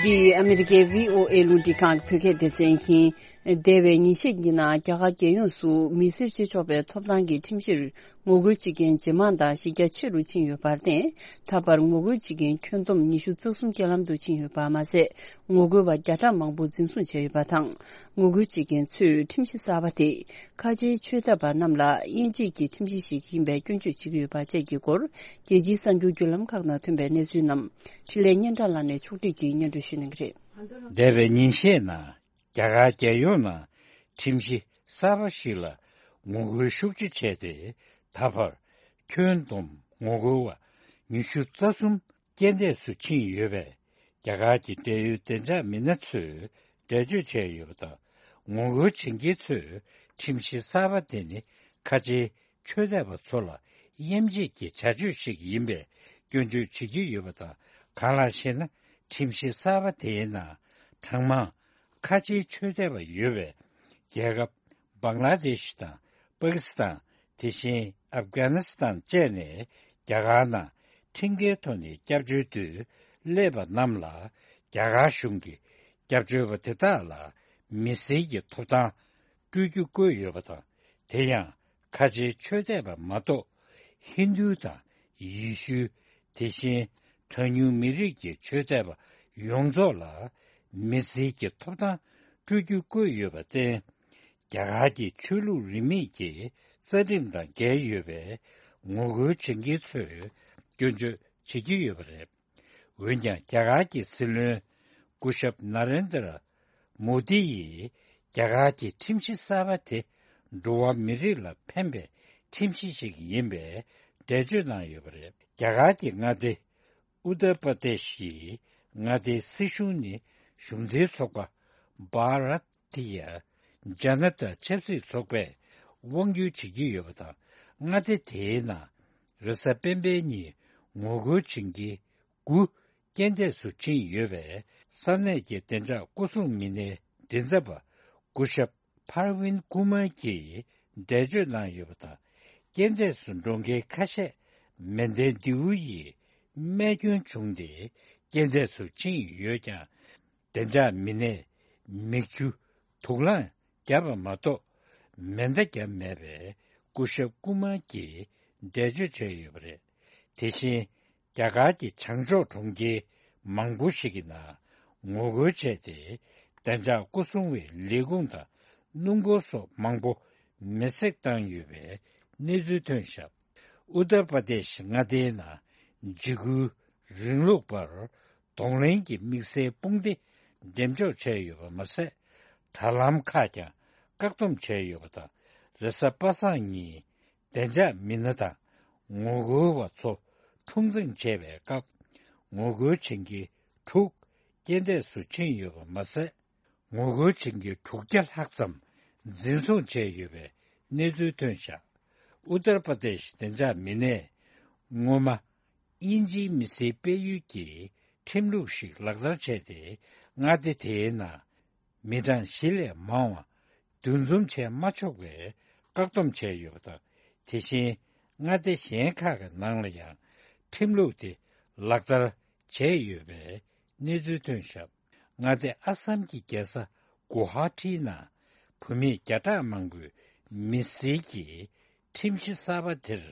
འདི་ཨ་མི་རི་ཀའི་བྷི་ཨོ་ཨེ་རླུང་འཕྲིན་ཁང་གི་བོད་སྐད་སྡེ་ཚན་ཡིན། འདས་པའི་ཉིན་ཤས་ཀྱི་ནང་རྒྱ་གར་རྒྱལ་ཡོངས་སུ་མི་སེར་བྱེད་ཆོག་པའི་ཐོབ་ཐང་གི་ཁྲིམས་གཞིར་ངོ་རྒོལ་བྱེད་མཁན་ཇེ་མང་དང་གཞི་རྒྱ་ཆེ་རུ་ཕྱིན་ཡོད་པར་བརྟེན། ད་བར་ངོ་རྒོལ་བྱེད་མཁན་ཁྱོན་བསྡོམས་ཉི་ཤུ་རྩ་གསུམ་བརྒྱ་ལམ་དུ་ཕྱིན་ཡོད་པ་མ་ཟད། ངོ་རྒོལ་བ་བརྒྱ་ཕྲག་མང་པོ་འཛིན་བཟུང་བྱས་ཡོད་པ་དང་། ངོ་རྒོལ་བྱེད་མཁན་ཚོས་ཁྲིམས་གཞི་གསར་པ་དེ་ཁ་ཆེའི་ཆོས་དད་པ་རྣམས་ལ་དབྱེ་འབྱེད་ཀྱི་ཁྲིམས་གཞི་ཞིག་ཡིན་པའི་སྐྱོན་བརྗོད་བྱེད་ཀྱི་ཡོད་པ་བཅས་ཀྱི་སྐོར། རྒྱལ་སྤྱིའི་གསར་འགྱུར་བརྒྱུད་ལམ་ཁག་ནང་ཐོན་པའི་གནས་ཚུལ་རྣམས་འཕྲིན་ལས་སྙན་གྲགས་ལགས་ནས་ཕྱོགས་སྒྲིག་གིས་སྙན་སྒྲོན་ཞུ་གནང་གི་རེད། འདས་པའི་ཉིན་ཤས་ནང་། རྒྱ་གར་རྒྱལ་ཡོངས་ནང་ཁྲིམས་གཞི་གསར་པ་ཞིག་ལ་ངོ་རྒོལ་ཤུགས་ཆེ་བྱས་ཏེ། ད་བར་ཁྱོན་བསྡོམས་ངོ་རྒོལ་བ་ཉི་ཤུ་རྩ་གསུམ་ རྐྱེན་འདས་སུ་ཕྱིན་ཡོད་པས། རྒྱ་གར་གྱི་འབྲེལ་ཡོད་བདེ་འཇགས་མི་སྣ་ཚོས་འགྲེལ་བརྗོད་བྱས་ཡོད་པ་དང་། ངོ་རྒོལ་བྱེད་མཁན་ཚོས་ཁྲིམས་གཞི་གསར་པ་དེ་ནི་ཁ་ཆེའི་ཆོས་དད་པ་ཚོ་ལ་དབྱེ་འབྱེད་ཀྱི་བྱ་སྤྱོད་ཞིག་ཡིན་པའི་སྐྱོན་བརྗོད་བྱེད་ཀྱི་ཡོད་པ་དང་། གང་ལགས་ཤེ་ན། ཁྲིམས་གཞི་གསར་པ་དེའི་ནང་གྲངས་མང་ཁ་ཆེའི་ཆོས་དད་པ་ཡོད་པའི་རྒྱལ་ཁབ་བང་ལ་དེ་ཤི་དང་། པ་ཀི་སི་ཐན། དེ་བཞིན་ཨབ་གྷ་ནི་སི་ཐན་བཅས་ནས་རྒྱ་གར་ནང་ཁྲིམས་འགལ་ཐོག་ནས་སྐྱབས་བཅོལ་དུ་སླེབས་པ་རྣམས་ལ། རྒྱ་གར་གཞུང་གིས་སྐྱབས་བཅོལ་བ་དེ་དག་ལ་མི་སེར་གྱི་ཐོབ་ཐང་སྤྲོད་རྒྱུ་བཀོད་ཡོད་པ་དང་། དེ་ཡང་ཁ་ཆེའི་ཆོས་དད་པ་མ་གཏོགས། ཧིན་རྡུ་དང་ཡེ་ཤུ། དེ་བཞིན་གྲངས་ཉུང་མི་རིགས་ཀྱི་ཆོས་དད་པ་ཡོངས་རྫོགས་ལ་མི་སེར་གྱི་ཐོབ་ཐང་སྤྲོད་རྒྱུ་བཀོད་ཡོད་པར་བརྟེན། རྒྱ་གར་གྱི་ཆོས་ལུགས་རིས་མེད་ཀྱི་རྩ་ཁྲིམས་དང་འགལ་ཡོད་པའི་ངོ་རྒོལ་བྱེད་མཁན་ཚོས་སྐྱོན་བརྗོད་བྱེད་ཀྱི་ཡོད་པ་རེད། འོན་ཀྱང་། རྒྱ་གར་གྱི་སྲིད་བློན་སྐུ་ཞབས་ན་རེན་དྲ་མོ་དི་ཡིས། རྒྱ་གར་གྱི་ཁྲིམས་གཞི་གསར་པ་དེ་འགྲོ་བ་མི་རིགས་ལ་ཕན་པའི་ཁྲིམས་གཞི་ཞིག་ཡིན་པའི་འགྲེལ་བརྗོད་གནང་ཡོད་པ་རེད། རྒྱ་གར་གྱི་མངའ་སྡེ་ཨུ་ཏར་པ་དེ་ཤི་ཡི་མངའ་སྡེའི་སྲིད་གཞུང་ནི་གཞུང་འཛིན་ཚོགས་པ་བྷ་ར་ཏི་ཡ་ཇ་ན་ཏ་ཆབ་སྲིད་ཚོགས་པས་དབང་སྒྱུར་བྱེད་ཀྱི་ཡོད་པ་དང་། མངའ་སྡེ་དེའི་ནང་རེས་གཟའ་སྤེན་པའི་ཉིན་ངོ་རྒོལ་བྱེད་མཁན་དགུ་རྐྱེན་འདས་སུ་ཕྱིན་ཡོད་པས། ས་གནས་ཀྱི་བདེ་འཇགས་སྐོར་སྲུང་མི་སྣའི་མགྲིན་ཚབ་པ་སྐུ་ཞབས་པར་ཝིན་ཀུ་མར་གྱིས་འགྲེལ་བརྗོད་གནང་ཡོད་པ་དང་། རྐྱེན་འདས་སུ་འགྲོ་མཁན་ཁ་ཤས་མེ་མདའི་མདེའུ་ཡིས་རྨས་སྐྱོན་བྱུང་སྟེ་རྐྱེན་འདས་སུ་ཕྱིན་ཡོད་ཀྱང་། བདེ་འཇགས་མི་སྣས་མིག་ཆུ་དུག་རླངས་བརྒྱབ་པ་མ་གཏོགས། མེ་མདའ་བརྒྱབ་མེད་པའི་སྐུ་ཞབས་ཀུ་མར་གྱིས་འགྲེལ་བརྗོད་བྱས་ཡོད་པ་རེད། དེ་བཞིན། རྒྱ་གར་གྱི་བྱང་ཕྱོགས་གྲོང་ཁྱེར་མང་པོ་ཞིག་གི་ནང་ངོ་རྒོལ་བྱས་ཏེ། བདེ་འཇགས་སྐོར་སྲུང་བའི་ལས་ཁུངས་དང་སྣུམ་འཁོར་སོགས་མང་པོ་མེ་བསྲེགས་བཏང་ཡོད་པའི་གནས་ཚུལ་ཐོན་བཞག་ཨུ་ཏར་པ་དེ་ཤི་མངའ་སྡེའི་ནང་འཇིགས་སྐུལ་རིང་ལུགས་པར་གདོང་ལེན་གྱི་དམིགས་བསལ་དཔུང་སྡེ་འགྲེམས་འཇོག་བྱས་ཡོད་པ་མ་ཟད། དྲ་ལམ་ཁག་ཀྱང་བཀག་སྡོམ་བྱས་ཡོད་པ་དང་། རེས་གཟའ་པ་སངས་ཉིན། བདེ་འཇགས་མི་སྣ་དང་ངོ་རྒོལ་བ་ཚོ་འཁྲུག་འཛིང་བྱས་པའི་སྐབས། ངོ་རྒོལ་བྱེད་མཁན་དྲུག་རྐྱེན་འདས་སུ་ཕྱིན་ཡོད་པ་མ་ཟད། ངོ་རྒོལ་བྱེད་མཁན་དྲུག་བརྒྱ་ལྷག་ཙམ་འཛིན་བཟུང་བྱས་ཡོད་པའི་གནས་ཚུལ་ཐོན་བཞག་ཨུ་ཏར་པ་དེ་ཤི་བདེ་འཇགས་མི་སྣས། སྔོན་མ། དབྱིན་ཇིའི་མི་སེར་སྤེལ་ཡུལ་གྱི་ཁྲིམས་ལུགས་ཤིག་ལག་བསྟར་བྱས་ཏེ། མངའ་སྡེ་དེའི་ནང་མི་གྲངས་བཞི་ལས་མང་བ་འདུ་འཛོམས་བྱས་མ་ཆོག་པའི་བཀག་སྡོམ་བྱས་ཡོད་པ་དང་། དེ་བཞིན་མངའ་སྡེ་གཞན་ཁག་གི་ནང་ལ་ཡང་ཁྲིམས་ལུགས་དེ་ལག་བསྟར་བྱས་ཡོད་པའི་གནས་ཚུལ་ཐོན་བཞག་མངའ་སྡེ་ཨ་སམ་གྱི་རྒྱལ་ས་གུ་ཧ་ཊིའི་ནང་བོད་མི་བརྒྱ་ཕྲག་མང་པོས་མི་སེར་གྱི་ཁྲིམས་གཞི་གསར་པ་དེར་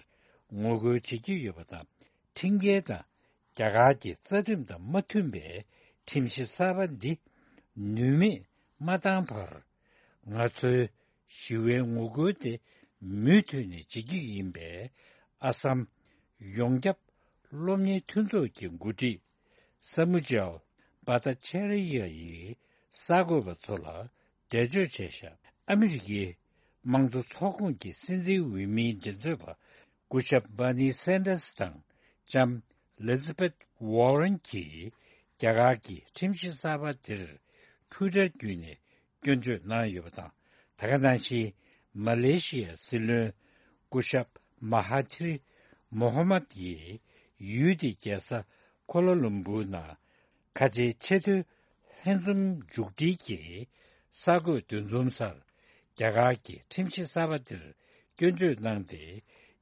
ངོ་རྒོལ་བྱེད་ཀྱི་ཡོད་པ་དང་། ཁྲིམས་འགལ་དང་། རྒྱ་གར་གྱི་རྩ་ཁྲིམས་དང་མ་མཐུན་པའི་ཁྲིམས་གཞི་གསར་པ་འདི་ནུས་མེད་མ་བཏང་བར། ང་ཚོའི་ཞི་བའི་ངོ་རྒོལ་དེ་མུ་མཐུད་ནས་བྱེད་ཀྱི་ཡིན་པས། ཨ་སམ་ཡོངས་ཁྱབ་སློབ་གཉེར་མཐུན་ཚོགས་ཀྱི་འགོ་ཁྲིད་ས་མུ་ཇལ་བྷ་ཏ་ཆེ་རི་ཡ་ཡིས་གསར་འགོད་པ་ཚོ་ལ་འགྲེལ་བརྗོད་བྱས་ཤག་ཨ་མི་རི་ཀའི་དམངས་གཙོ་ཚོགས་ཁོངས་ཀྱི་སྲིད་འཛིན་འོས་མིའི་མགྲིན་ཚབ་པ་སྐུ་ཞབས་བྷར་ནི་སན་ཏར་སི་དང་ལྕམ་ཨི་ལི་ཛ་བྷེཐ་ཝོ་རན་གྱིས་རྒྱ་གར་གྱི་ཁྲིམས་གཞི་གསར་པ་དེར་ཊུའི་ཊར་བརྒྱུད་ནས་སྐྱོན་བརྗོད་གནང་ཡོད་པ་དང་། ད་ག་ནང་བཞིན་མ་ལེ་ཤི་ཡའི་སྲིད་བློན་སྐུ་ཞབས་མ་ཧ་ཐིར་མོ་ཧ་མད་ཡིས་ཡུལ་དེའི་རྒྱལ་ས་ཀོ་ལ་ལུམ་བུར་ནང་ཁ་ཆེའི་ཆེས་མཐོའི་ལྷན་འཛོམས་མཇུག་སྒྲིལ་གྱི་གསར་འགོད་འདུ་འཛོམས་སར་རྒྱ་གར་གྱི་ཁྲིམས་གཞི་གསར་པ་དེར་སྐྱོན་བརྗོད་གནང་སྟེ།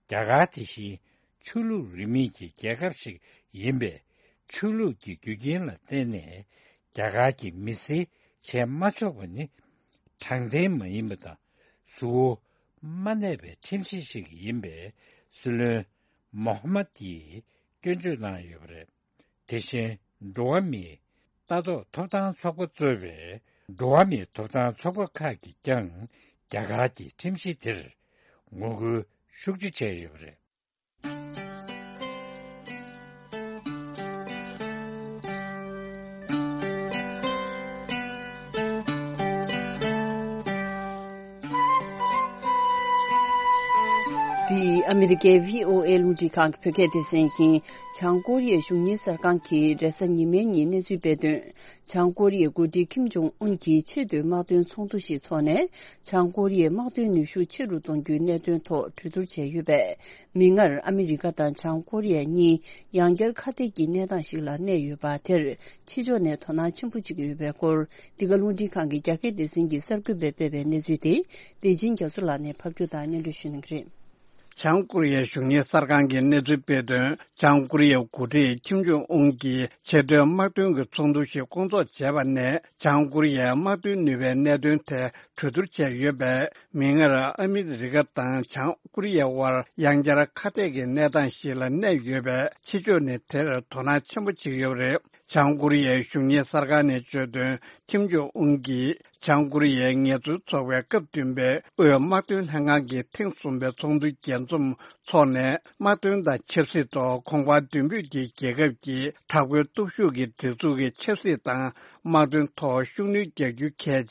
རྒྱ་གར་དེ་བཞིན་ཆོས་ལུགས་རིས་མེད་ཀྱི་རྒྱལ་ཁབ་ཞིག་ཡིན་པས། ཆོས་ལུགས་ཀྱི་རྒྱུ་རྐྱེན་ལ་བརྟེན་ནས་རྒྱ་གར་གྱི་མི་སེར་བྱས་མ་ཆོག་པ་ནི་དྲང་བདེན་མ་ཡིན་པ་དང་། གཟུ་བོ་མ་གནས་པའི་ཁྲིམས་གཞི་ཞིག་ཡིན་པས། སྲིད་བློན་མོ་ཧ་མད་ཡིས་སྐྱོན་བརྗོད་གནང་ཡོད་པ་རེད། དེ་བཞིན་འགྲོ་བ་མིའི་ལྟ་རྟོག་ཐོབ་ཐང་ཚོགས་པ་གཙོས་པའི་འགྲོ་བ་མིའི་ཐོབ་ཐང་ཚོགས་པ་ཁག་གིས་ཀྱང་རྒྱ་གར་གྱི་ཁྲིམས་གཞི་དེར་ངོ་རྒོལ་ཤུགས་ཆེ་བྱས་ཡོད་པ་རེད། འདི་ཨ་མི་རི་ཀའི་བྷི་ཨོ་ཨེ་རླུང་འཕྲིན་ཁང་གི་བོད་སྐད་སྡེ་ཚན་ཡིན། བྱང་ཀོ་རི་ཡའི་གཞུང་གཉེར་གསར་ཁང་གིས་རེས་གཟའ་ཉི་མའི་ཉིན་གནས་ཚུལ་སྤེལ་དོན། བྱང་ཀོ་རི་ཡའི་འགོ་ཁྲིད་ཁིམ་ཇོང་ཨུན་གྱིས་ཆེས་མཐོའི་དམག་དོན་ཚོགས་འདུ་ཞིག་འཚོགས་ནས། བྱང་ཀོ་རི་ཡའི་དམག་དོན་ནུས་ཤུགས་ཆེ་རུ་གཏོང་རྒྱུའི་གནད་དོན་ཐོག་གྲོས་བསྡུར་བྱས་ཡོད་པས། མིག་སྔར་ཨ་མི་རི་ཀ་དང་བྱང་ཀོ་རི་ཡ་གཉིས་ཡང་བསྐྱར་ཁ་གཏད་ཀྱི་གནས་སྟངས་ཤིག་ལ་གནས་ཡོད་པ་དེར། ཕྱི་ཕྱོགས་ནས་དོ་སྣང་ཆེན་པོ་བྱེད་ཀྱི་ཡོད་པའི་སྐོར། འདི་ག་རླུང་འཕྲིན་ཁང་གི་རྒྱ་སྐད་སྡེ་ཚན་གྱི་གསར་འགོད་པས་སྤེལ་བའི་གནས་ཚུལ་དེ། བདེ་ཆེན་རྒྱ་མཚོ་ལགས་ནས་ཕབ་སྒྱུར་དང་སྙན་སྒྲོན་ཞུ་གནང་གི་རེད། བྱང་ཀོ་རི་ཡའི་གཞུང་གཉེར་གསར་ཁང་གིས་གནས་ཚུལ་སྤེལ་དོན། བྱང་ཀོ་རི་ཡའི་འགོ་ཁྲིད་ཁིམ་ཇོང་ཨུན་གྱིས་ཆེས་མཐོའི་དམག་དོན་གྱི་ཚོགས་འདུ་ཞིག་སྐོང་ཚོགས་བྱས་པ་ནས། བྱང་ཀོ་རི་ཡའི་དམག་དོན་ནུས་པའི་གནད་དོན་ཐད་གྲོས་བསྡུར་བྱས་ཡོད་པས། མིག་སྔར་ཨ་མི་རི་ཀ་དང་བྱང་ཀོ་རི་ཡའི་དབར་ཡང་བསྐྱར་ཁ་གཏད་ཀྱི་གནས་སྟངས་ཤིག་ལ་གནས་ཡོད་པས། ཕྱི་ཕྱོགས་ནས་དེར་དོ་སྣང་ཆེན་པོ་བྱེད་ཀྱི་ཡོད་པ་རེད། བྱང་ཀོ་རི་ཡའི་གཞུང་གཉེར་གསར་ཁང་ནས་བརྗོད་དོན། ཁིམ་ཇོང་ཨུན་གྱིས་བྱང་ཀོ་རི་ཡའི་ངལ་རྩོལ་ཚོགས་པའི་སྐབས་བདུན་པའི་དབུས་དམག་དོན་ལྷན་ཁང་གི་ཐེངས་གསུམ་པའི་ཚོགས་འདུ་རྒྱས་འཛོམས་འཚོགས་ནས། དམག་དོན་དང་ཆབ་སྲིད་ཐོག་གོང་འཕེལ་མདུན་སྤོས་ཀྱི་རྒྱལ་ཁབ་ཀྱི་དྲག་པོའི་སྟོབས་ཤུགས་ཀྱི་སྒྲིག་འཛུགས་ཀྱི་ཆབ་སྲིད་དང་དམག་དོན་ཐོག་ཤུགས་སྣོན་རྒྱག་རྒྱུ་གལ་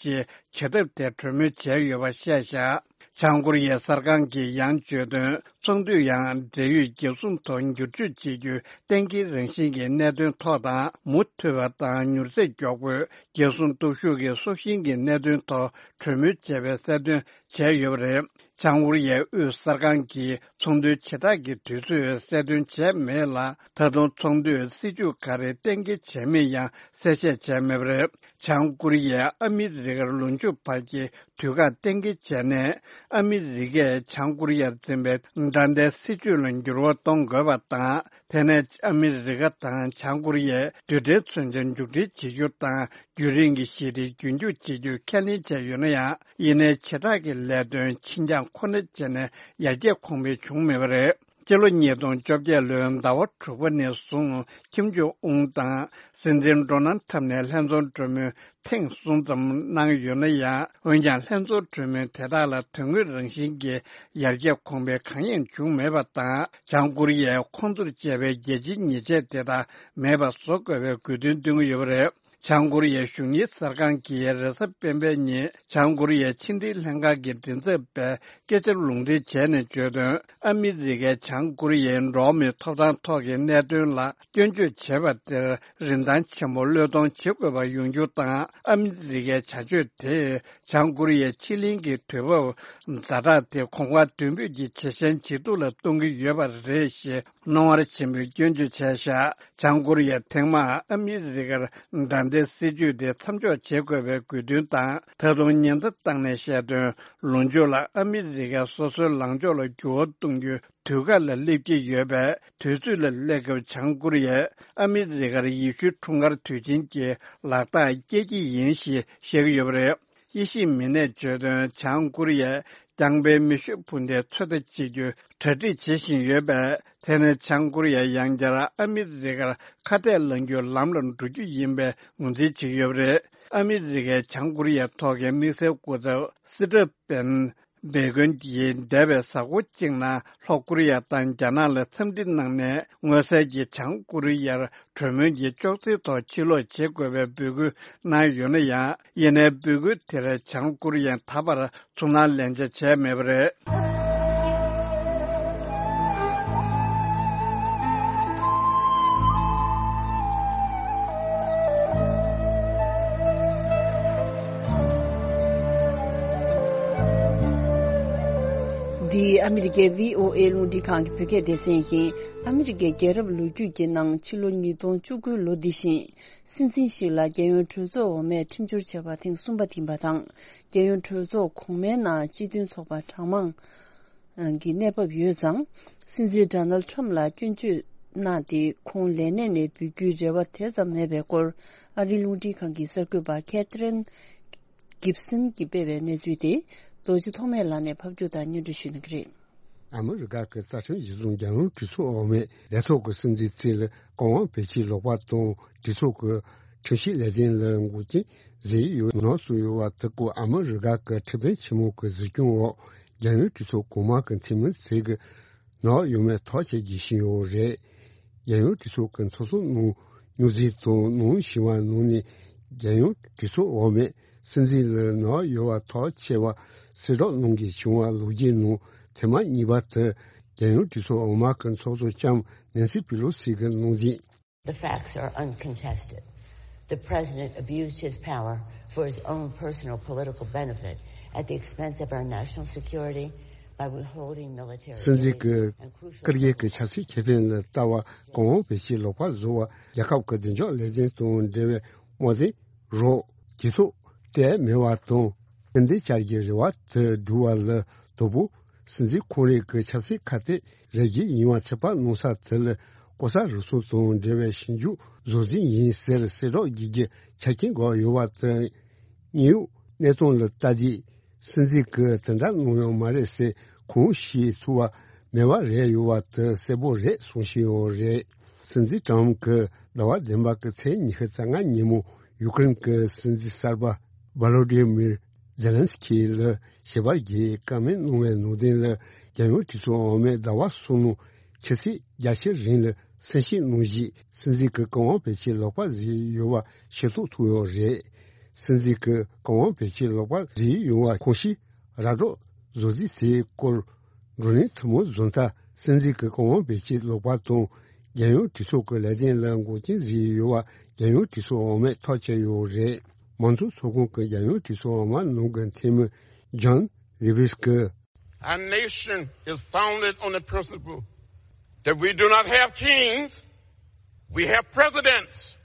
ཆེ་བྱེད་ཐབས་ཐད་གྲོས་མོལ་བྱས་ཡོད་པ་བཤད་བཞག་བྱང་ཀོ་རི་ཡའི་གསར་ཁང་གིས་ཡང་བརྗོད་དོན། ཚོགས་འདུས་ཡང་འབྲེལ་ཡོད་རྒྱལ་སྲུང་ཐོག་འགྱུར་བཅོས་བྱེད་རྒྱུའི་གཏན་འཁེལ་རང་བཞིན་གྱི་གནད་དོན་ཐོག་དང་། མུ་མཐུད་པ་དང་མྱུར་ཚད་མགྱོགས་པོས་རྒྱལ་སྲུང་སྟོབས་ཤུགས་ཀྱི་སྲོག་ཤིང་གི་གནད་དོན་ཐོག་གྲོས་མོལ་བྱས་པའི་གསལ་སྟོན་བྱས་ཡོད་པ་རེད། བྱང་ཀོ་རི་ཡའི་དབུས་གསར་ཁང་གིས་ཚོགས་འདུའི་བྱེ་བྲག་གི་དུས་ཚོད་གསལ་སྟོན་བྱས་མེད་ལ། ད་དུང་ཚོགས་འདུའི་སྲིད་བྱུས་ག་རེ་གཏན་འཁེལ་བྱས་མིན་ཡང་གསལ་བཤད་བྱས་མེད་པ་རེད། བྱང་ཀོ་རི་ཡས་ཨ་མི་རི་ཀར་ལོ་མཇུག་བར་གྱི་དུས་བཀག་གཏན་འཁེལ་བྱས་ནས། ཨ་མི་རི་ཀས་བྱང་ཀོ་རི་ཡར་འཛིན་པའི་དགྲ་ཟླའི་སྲིད་བྱུས་ལ་འགྱུར་བ་གཏོང་དགོས་པ་དང་། དེ་ནས་ཨ་མི་རི་ཀ་དང་བྱང་ཀོ་རི་ཡས་རྡུལ་ཕྲན་མཚོན་ཆ་མཇུག་སྒྲིལ་བྱེད་རྒྱུ་དང་། རྒྱུན་རིང་གི་ཞི་བདེ་རྒྱུན་འཁྱོངས་བྱེད་རྒྱུ་ཁས་ལེན་བྱས་ཡོད་ན་ཡང་། ཡིན་ནའི་བྱེ་བྲག་གི་ལས་དོན་ཕྱི་འགྱངས་ཁོ་ན་བྱས་ནས་ཡར་རྒྱས་གོང་འཕེལ་བྱུང་མེད་པ་རེད། སྤྱི་ལོ་ཉིས་སྟོང་བཅོ་བརྒྱད་ལོའི་ཟླ་བ་དྲུག་པ་ནས་བཟུང་། ཁིམ་ཇོང་ཨུན་དང་སྲིད་འཛིན་ཌོ་ནལ་ཁྲམ་ནས་ལྷན་ཚོགས་གྲོས་མོལ་ཐེངས་གསུམ་ཙམ་གནང་ཡོད་ན་ཡང་། འོན་ཀྱང་ལྷན་ཚོགས་གྲོས་མོལ་དེ་དག་ལ་དོན་དངོས་རང་བཞིན་གྱི་ཡར་རྒྱས་གོང་འཕེལ་གང་ཡང་བྱུང་མེད་པ་དང་། བྱང་ཀོ་རི་ཡས་ཁོང་ཚོར་བཅད་པའི་རྒྱལ་སྤྱིའི་ཉེས་ཆད་དེ་དག་མེད་པ་བཟོ་དགོས་པའི་དགོས་འདུན་བཏོན་གྱི་ཡོད་པ་རེད། བྱང་ཀོ་རི་ཡའི་གཞུང་གཉེར་གསར་ཁང་གིས་རེས་གཟའ་སྤེན་པའི་ཉིན་བྱང་ཀོ་རི་ཡའི་ཕྱི་འབྲེལ་ལྷན་ཁང་གི་མགྲིན་ཚབ་པས་སྐད་ཆ་ལུང་འདྲེན་བྱས་ནས་བརྗོད་དོན། ཨ་མི་རི་ཀས་བྱང་ཀོ་རི་ཡའི་འགྲོ་བ་མིའི་ཐོབ་ཐང་ཐོག་གི་གནད་དོན་ལ་སྐྱོན་བརྗོད་བྱས་པ་དེར་རིན་ཐང་ཆེན་པོ་བློས་གཏོང་བྱེད་དགོས་པ་ཡོང་རྒྱུ་དང་། ཨ་མི་རི་ཀའི་བྱ་སྤྱོད་དེས་བྱང་ཀོ་རི་ཡའི་ཕྱི་གླིང་གི་དུས་བབ་ཛ་དྲག་དེ་གོང་འཕེལ་མདུན་སྤོས་ཀྱི་ཇེ་ཞན་ཇེ་སྡུག་ལ་གཏོང་གི་ཡོད་པ་རེད་ཞེས། སྣང་བར་ཆེན་པོས་སྐྱོན་བརྗོད་བྱས་བཞག་བྱང་ཀོ་རི་ཡས་ཐེངས་མང་ཨ་མི་རི་ཀར་དགྲ་ཟླའི་སྲིད་བྱུས་དེ་མཚམས་འཇོག་བྱེད་དགོས་པའི་དགོས་འདུན་དང་། ད་དུང་ཉེན་བརྡ་བཏང་ནས་བཤད་དོན། ལོ་མཇུག་ལ་ཨ་མི་རི་ཀས་སོ་སོའི་ལངས་ཕྱོགས་ལ་འགྱུར་བ་གཏོང་རྒྱུའི་དུས་བཀག་ལ་སླེབས་ཀྱི་ཡོད་པས། དུས་ཚོད་ལ་སླེབས་སྐབས་བྱང་ཀོ་རི་ཡས་ཨ་མི་རི་ཀར་ཡེ་ཤུའི་འཁྲུངས་སྐར་དུས་ཆེན་གྱི་ལག་རྟགས་སྐྱེལ་གྱི་ཡིན་ཞེས་བཤད་ཀྱི་ཡོད་པ་རེད། དབྱེ་ཞིབ་མི་སྣས་བརྗོད་དོན། བྱང་ཀོ་རི་ཡས་རྐྱང་པའི་མེ་ཤུགས་འཕུར་མདེལ་ཚོད་ལྟ་བྱེད་རྒྱུའི་གྲ་སྒྲིག་བྱེད་བཞིན་ཡོད་པས། དེ་ནི་བྱང་ཀོ་རི་ཡས་ཡང་བསྐྱར་ཨ་མི་རི་ཀར་ཁ་གཏད་ལངས་རྒྱུའི་ལམ་ལ་འགྲོ་རྒྱུ་ཡིན་པའི་ངོས་འཛིན་བྱེད་ཀྱི་ཡོད་པ་རེད། ཨ་མི་རི་ཀས་བྱང་ཀོ་རི་ཡའི་ཐོག་གི་དམིགས་བསལ་སྐུ་ཚབ་སི་ཏྲ་པན་སྦེ་ཀོན་གྱིས་འདས་པའི་གཟའ་འཁོར་གཅིག་ནང་ལྷོ་ཀོ་རི་ཡ་དང་རྒྱ་ནག་ལ་འཚམས་འདྲི་གནང་ནས། མངོན་གསལ་གྱིས་བྱང་ཀོ་རི་ཡར་གྲོས་མོལ་གྱི་ཅོག་ཙེའི་ཐོག་ཕྱིར་ལོག་བྱེད་དགོས་པའི་འབོད་སྐུལ་གནང་ཡོད་ན་ཡང་། ཡིན་ནའི་འབོད་སྐུལ་དེར་བྱང་ཀོ་རི་ཡས་ད་བར་ཚུར་སྣང་ལན་ཆ་བྱས་མེད་པ་རེད། འདི་ཨ་མི་རི་ཀའི་བྷི་ཨོ་ཨེ་རླུང་འཕྲིན་ཁང་གི་བོད་སྐད་སྡེ་ཚན་ཡིན། ཨ་མི་རི་ཀའི་རྒྱལ་རབས་ལོ་རྒྱུས་ཀྱི་ནང་ཕྱི་ལོ་ཉིས་སྟོང་བཅུ་དགུའི་ལོ་འདི་བཞིན། སྲིད་འཛིན་ཞིག་ལ་རྒྱལ་ཡོངས་གྲོས་ཚོགས་འོག་མས་ཁྲིམས་སྦྱོར་བྱས་པ་ཐེངས་གསུམ་པ་ཡིན་པ་དང་། རྒྱལ་ཡོངས་གྲོས་ཚོགས་གོང་མའི་ནང་སྤྱི་མཐུན་ཚོགས་པ་གྲངས་མང་གི་གནས་བབ་ཡོད་ཙང་། སྲིད་འཛིན་ཌོ་ནལ་ཁྲམ་ལ་སྐྱོན་བརྗོད་གནང་སྟེ། ཁོང་ལས་གནས་ནས་འབུད་རྒྱུའི་རེ་བ་དེ་ཙམ་མེད་པའི་སྐོར། ཨ་རིའི་རླུང་འཕྲིན་ཁང་གི་གསར་འགོད་པ་ཁེ་ཐི་རིན་གིབ་སན་གྱིས་སྤེལ་བའི་གནས་ཚུལ་དེ། རྡོ་རྗེ་ཐོགས་མེད་ལགས་ནས་ཕབ་སྒྱུར་དང་སྙན་སྒྲོན་ཞུ་གནང་གི་རེད། ཨ་མི་རི་ཀ་གི་རྩ་ཁྲིམས་གཞི་བཟུང་རྒྱལ་ཡོངས་གྲོས་ཚོགས་འོག་མས་ལས་ཐོག་གི་སྲིད་འཛིན་ཚེ་ལ་བཀའ་དབང་བེད་སྤྱོད་ལོག་པ་དང་། གྲོས་ཚོགས་ཀྱི་ཁྲིམས་ཞིབ་ལས་དོན་ལ་འགོག་རྐྱེན་བཟོས་ཡོད་ནག་བཟོས་ཡོད་པ་དེ་སྐོར། ཨ་མི་རི་ཀ་གི་ཁྲིམས་དཔོན་ཆེན་མོ་གི་གཟིགས་སྐྱོང་འོག་རྒྱལ་ཡོངས་གྲོས་ཚོགས་གོང་མ་གི་འཐུས་མི་ཚོས་ཀྱི་ནག་ཡོད་མེད་ཐག་བཅད་རྒྱུ་ཞིག་ཡོད་རེད། རྒྱལ་ཡོངས་གྲོས་ཚོགས་ཀྱི་ཚོགས་གཙོ་ནང་སྙུང་གཟིགས་དང་ནང་ཞི་བ་ནང་ནས། རྒྱལ་ཡོངས་གྲོས་ཚོགས་འོག་མས་སྲིད་འཛིན་ལ་ནག་ཡོད་པ་ཐག་བཅད་པ་གསལ་བསྒྲགས་གནང་གི་བྱུང་བ་ལོ་རྒྱུས་ནང་། ཐེངས་མ་གཉིས་པ་དེ་རྒྱལ་ཡོངས་གྲོས་ཚོགས་འོག་མ་གི་ཚོགས་གཙོ་ལྕམ་ནེན་སི་པི་ལོ་སི་གིས་གནང་དུས། The facts are uncontested. The president abused his power for his own personal political benefit at the expense of our national security by withholding military aid and crucial སྲིད་འཛིན་གྱི་བཀའ་རྒྱ་གི་ཆབ་སྲིད་ཁེ་ཕན་ལ་ལྟ་བ་གོང་འོག་བེད་སྤྱོད་ལོག་པ་བཟོ་བ། རྒྱལ་ཁབ་ཀྱི་བདེ་འཇགས་ལས་དོན་དང་འབྲེལ་བའི་དམག་དོན། རོགས། ཇུས་གཏོགས་སྤྲད་མེད་པ་དང་། སྐུལ་འདེད་བྱ་རྒྱུའི་རེ་བ་དེ་བསྒྲུབ་པ་ལ་དོ་པོ། སྲིད་འཛིན་ཁོང་རང་གི་ཆབ་སྲིད་ཁ་གཏད་རེ་རྒྱུ་ཡིན་པ་ཚོད་དཔག་གནང་ས་དེ་ལ་ལྐོག་ཟ་རུལ་སུངས་དང་འབྲེལ་བའི་ཞིབ་འཇུག་བཟོ་རྩིས་ཡིན་ཟེར་གསལ་བསྒྲགས་བགྱིད་རྒྱུའི་ཆ་རྐྱེན་འགོད་ཡོད་པ་དང་། དངོས་ཡོད་གནས་སྟངས་ལ་ལྟ་དུས། སྲིད་འཛིན་གྱིས་དེ་འདྲ་གནང་ཡོད་མ་རེད་ཟེར་གང་ཞིག་ཐུབ་པ་མེད་པ་རེད། ཡོད་པ་དེ་གསལ་པོ་རེད་གསུང་བཞིན་ཡོད་རེད། སྲིད་འཛིན་ཀྲམ་གྱིས་ཟླ་བ་བདུན་པ་གི་ཚེས་ཉི་ཤུ་རྩ་ལྔ་ཉིན་མོ་ཡུ་ཀེ་རེན་གྱི་སྲིད་འཛིན་གསར་པ་ཝ་ལོ་ཌི་མིར་ཛེ་ལན་སི་ཁི་ལ་ཞལ་པར་བརྒྱུད་བཀའ་མོལ་གནང་བའི་ནང་དོན་ལ། རྒྱལ་ཡོངས་གྲོས་ཚོགས་འོག་མས་ཟླ་བ་གསུམ་ནང་ཆུ་ཚོད་བརྒྱད་ཅུ་རིང་ལ་གསན་བཤད་གནང་རྗེས། སྲིད་འཛིན་གྱིས་བཀའ་དབང་བེད་སྤྱོད་ལོག་པ་བཟོས་ཡོད་པ་ཤེས་རྟོགས་ཐུབ་ཡོད་རེད། སྲིད་འཛིན་གྱིས་བཀའ་དབང་བེད་སྤྱོད་ལོག་པ་བཟོས་ཡོད་པ་ཁོང་ཞིག་ར་སྤྲོད་བཟོ་རྩིས་དེའི་སྐོར། བགྲོ་གླེང་ཐུན་མོང་བཟོ་ལྟ། སྲིད་འཛིན་གྱི་བཀའ་དབང་བེད་སྤྱོད་ལོག་པ་དང་། རྒྱལ་ཡོངས་གྲོས་ཚོགས་ཀྱི་ལས་དོན་ལ་འགོག་རྐྱེན་བཟོས་ཡོད་པ་རྒྱལ་ཡོངས་གྲོས་ཚོགས་འོག་མས་ཐག་བཅད་ཡོད་རེད། མང་གཙོ་ཚོགས་ཁང་གི་རྒྱལ་ཡོངས་གྲོས་ཚོགས་འོག་མ་ནང་གི་འཐུས་མི་ཇོན་ལི་ཝིས་ཀྱིས། Our nation is founded on the principle that we do not have kings, we have presidents.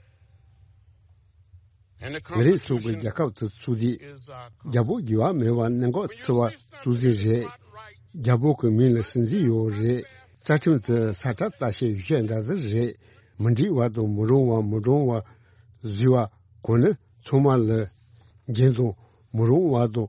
And the ང་རང་ཚོ་གི་Constitution རྒྱལ་ཁབ་དེ་ཚུགས་དུས། is our རྒྱལ་པོ་འགྱུར་བ་མེད་པ་གནད་འགག་ཆེ་བ་ཚུགས་རྩིས་རེད། རྒྱལ་པོ་གི་མིང་ལ་སྲིད་འཛིན་ཡོད་རེད། རྩ་ཁྲིམས་དེ་ས་ཁྲ་ལྟ་བཤལ་ཡོ་བྱད་འདྲ་དེ་རེད། མི་འགྲིག་པ་དང་མི་རུང་བ་མི་འདྲ་བ་བཟོས་པ་གོ་ནི་ཚང་མ་ལ་འགན་དང་མི་རུང་བ་དང་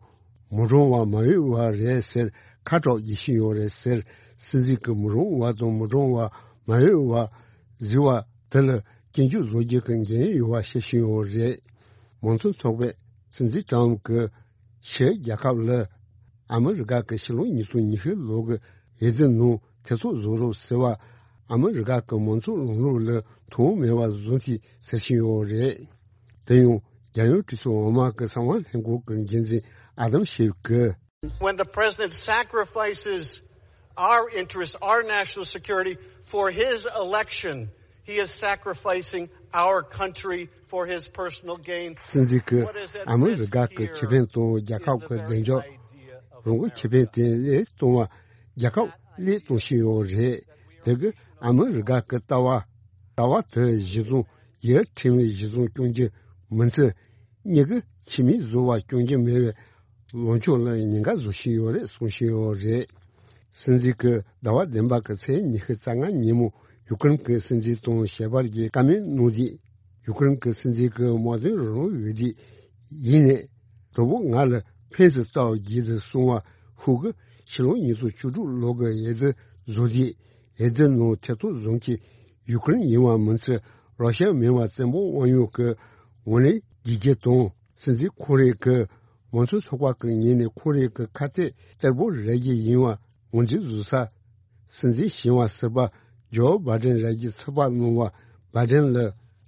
མི་འདྲ་བ་མ་འོས་པ་རེད་ཟེར་ཁ་གྲག་རྒྱག་བཞིན་ཡོད་རེད་ཟེར། སྲིད་འཛིན་གྱིས་མི་རུང་བ་དང་མི་འདྲ་བ་མ་འོས་པ་བཟོས་པ་དེ་ལ་སྐྱོན་བརྗོད་བཟོ་རྒྱུ་གི་འགན་ཡོད་པ་བཤད་བཞིན་ཡོད་རེད། མང་གཙོ་ཚོགས་པས་སྲིད་འཛིན་ཀྲམ་གྱིས་ཕྱིའི་རྒྱལ་ཁབ་ལ་ཨ་མི་རི་ཀ་གི་ཕྱི་ལོ་ཉིས་སྟོང་ཉི་ཤུ་ལོ་གི་འོས་བསྡུ་ནང་ཐེ་ཚོམ་བཟོ་རོགས་ཟེར་བ། ཨ་མི་རི་ཀ་གི་མང་གཙོ་ལམ་ལུགས་ལ་དོ་མེད་པ་བཟོ་མཁན་ཟེར་བཞིན་ཡོད་རེད། དེ་ཡང་རྒྱལ་ཡོངས་གྲོས་ཚོགས་འོག་མ་གི་གསང་བ་ལྷན་ཁང་གི་འགན་འཛིན་ཨ་དམ་ཤེབ་ཀྱིས། When the president sacrifices our interests, our national security for his election, he is sacrificing our country for his personal gain. སྲིད་འཛིན་གྱིས་ཨ་མི་རི་ཀ་གི་ཁེ་ཕན་དང་རྒྱལ་ཁབ་ཀྱི་བདེ་འཇགས། རང་གི་ཁེ་ཕན་དེ་བློས་གཏོང་བ། རྒྱལ་ཁབ་བློས་གཏོང་བཞིན་ཡོད་རེད། དེ་གིས་ཨ་མི་རི་ཀ་གི་ལྟ་བ། ལྟ་བ་དེ་གཞི་བཟུང་། ཡུལ་ཁྲིམས་ལུགས་གཞི་བཟུང་སྐྱོང་རྒྱུ་མིན་ཚེ། མྱི་གིས་ཁྱིམ་མི་བཟོ་བ་སྐྱོང་རྒྱུ་མེད་པའི་ལངས་ཕྱོགས་ལ་ཉེན་ཁ་བཟོ་བཞིན་ཡོད་རེད་གསུང་བཞིན་ཡོད་རེད། སྲིད་འཛིན་གྱིས་ཟླ་བ་བདུན་པ་གི་ཚེས་ཉི་ཤུ་རྩ་ལྔ་ཉིན་མོ་ཡུ་ཀེ་རེན་གྱི་སྲིད་འཛིན་དང་ཞལ་པར་གྱི་བཀའ་མོལ་གནང་དུས། ཡུ་ཀེ་རེན་གྱི་སྲིད་འཛིན་གྱིས་དམག་དོན་རང་དབང་ཡོད་དུས་ཡིན་ནའི། དོ་པོ་ང་ལ་ཕན་ཚུན་ལྟ་བ་བརྒྱུད་དུ་སོང་བ་ཧུ་གི་ཕྱི་ལོ་ཉིས་སྟོང་བཅུ་དྲུག་ལོ་གི་འོས་བསྡུ་བཟོ་དུས། འོས་བསྡུ་ནང་ཐེ་གཏོགས་བཟོ་མཁན་ཡུ་ཀེ་རེན་ཡིན་པ་མིན་ཚེ། རོ་ཤ་མིན་པ་བཙན་པོ་དབང་ཡོད་ཀྱི་ངོས་ལེན་བགྱིད་རྒྱུ་དང་། སྲིད་འཛིན་ཁོང་རང་གིས་མང་གཙོ་ཚོགས་པ་གི་ངོས་ནས་ཁོང་རང་གི་ཁ་གཏད་གཏེར་པོ་རག་རྒྱུ་ཡིན་པ་ངོས་འཛིན་བཟོ་ས། སྲིད་འཛིན་ཞིང་བ་ཟུར་པ་ཇོ་བྷའི་ཌེན་རག་རྒྱུ་ཚོད་དཔག་གནང་བ། བྷའི་ཌེན་ལ་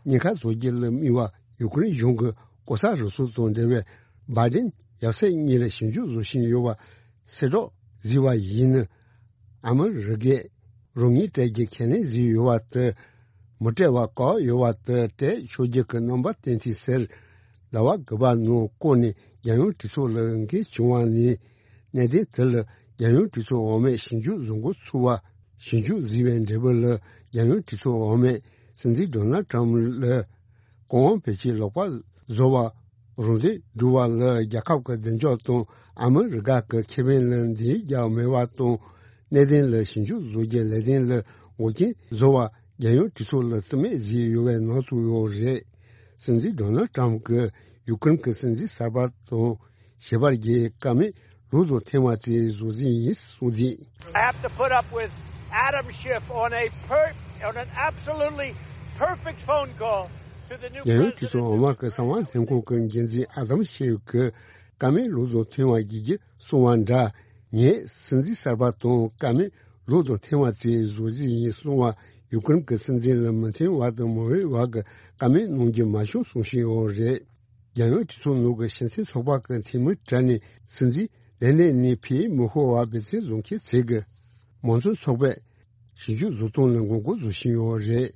ཉེན་ཁ་བཟོ་རྒྱུ་ལ་དམིགས་པ་ཡུ་ཀེ་རེན་གཞུང་གི་ལྐོག་ཟ་རུལ་སུངས་དང་འབྲེལ་བའི་བྷའི་ཌེན་ཡབ་སྲས་གཉིས་ལ་ཞིབ་འཇུག་བཟོ་བཞིན་ཡོད་པ་གསལ་བསྒྲགས་བཟོས་པ་ཡིན་ན། ཨ་མི་རི་ཀས་རོགས་དངུལ་སྤྲད་རྒྱུ་ཁས་ལེན་བཟོས་ཡོད་པ་དེ་མི་སྤྲད་པ་བཀག་ཡོད་པ་དེ་སྤྲད་ཆོག་རྒྱུ་གི་རྣམ་པ་བསྟན་ཐིག་ཟེར། ཟླ་བ་དགུ་པ་ནང་བསྐོར་ནས་རྒྱལ་ཡོངས་གྲོས་ཚོགས་ལ་འགན་བྱུང་བ་ནས། གནད་དོན་དེ་ལ་རྒྱལ་ཡོངས་གྲོས་ཚོགས་འོག་མས་ཞིབ་འཇུག་བཟོ་འགོ་ཚུགས་པ། ཞིབ་འཇུག་བཟོས་པའི་འབྲས་བུ་ལ་རྒྱལ་ཡོངས་གྲོས་ཚོགས་འོག་མས་སྲིད་འཛིན་ཌོ་ནལ་ཊམ་ལ་བཀའ་དབང་བེད་སྤྱོད་ལོག་པ་བཟོ་བ། རང་དོན་སྒྲུབ་པ་ལ་རྒྱལ་ཁབ་ཀྱི་བདེ་འཇགས་དང་ཨ་མི་རི་ཀ་གི་ཁེ་ཕན་ལ་འདི་རྒྱག་མེད་པ་དང་། གནད་དོན་ལ་ཞིབ་འཇུག་བཟོ་རྒྱུའི་ལས་དོན་ལ་འགོག་རྐྱེན་བཟོ་བ། རྒྱལ་ཡོངས་གྲོས་ཚོགས་ལ་རྩིས་མེད་བཟོས་ཡོད་པའི་ནང་ཚུད་ཡོད་རེད། སྲིད་འཛིན་ཌོ་ནལ་ཊམ་གྱིས་ཡུ་ཀེ་རེན་གྱི་སྲིད་འཛིན་གསར་པ་དང་ཞལ་པར་གྱི་བཀའ་མོལ་ལོ་དང་ཐེངས་མ་གཅིག་བཟོ་རྩིས་ཡིན་གསུངས་དུས། I have to put up with Adam Schiff on a per, on an absolutely perfect phone call to the new རྒྱལ་ཡོངས་གྲོས་ཚོགས་འོག་མ་གི་གསང་བ་ལྷན་ཁང་གི་འགན་འཛིན་ཨ་དམ་ཤེབ་ཀྱིས་བཀའ་མོལ་ལོ་དང་ཐེངས་མ་བརྒྱད་ཅུ་གསུངས་པ་འདྲ། ངས་སྲིད་འཛིན་གསར་པ་དང་བཀའ་མོལ་ལོ་དང་ཐེངས་མ་གཅིག་བཟོ་རྩིས་ཡིན་གསུངས་པ་ཡུ་ཀེ་རེན་གྱི་སྲིད་འཛིན་ལ་མི་མཐུན་པ་དང་མི་འོས་པ་གི་བཀའ་མོལ་གནང་རྒྱུ་མ་བྱུང་གསུང་བཞིན་ཡོད་རེད། རྒྱལ་ཡོངས་གྲོས་ཚོགས་ནང་གི་སྤྱི་མཐུན་ཚོགས་པ་གི་འཐུས་མི་གྲས་ནས་སྲིད་འཛིན་ དེ་ནས་ནི་ཕིའི་མི་ཧོ་བ་སྦེ་ཚིག་བཟོ་མཁན་ཚིག་གི་མང་གཙོ་ཚོགས་པས་ཞིབ་འཇུག་བཟོ་སྟངས་ལ་ངོ་རྒོལ་བཟོ་བཞིན་ཡོད་རེད།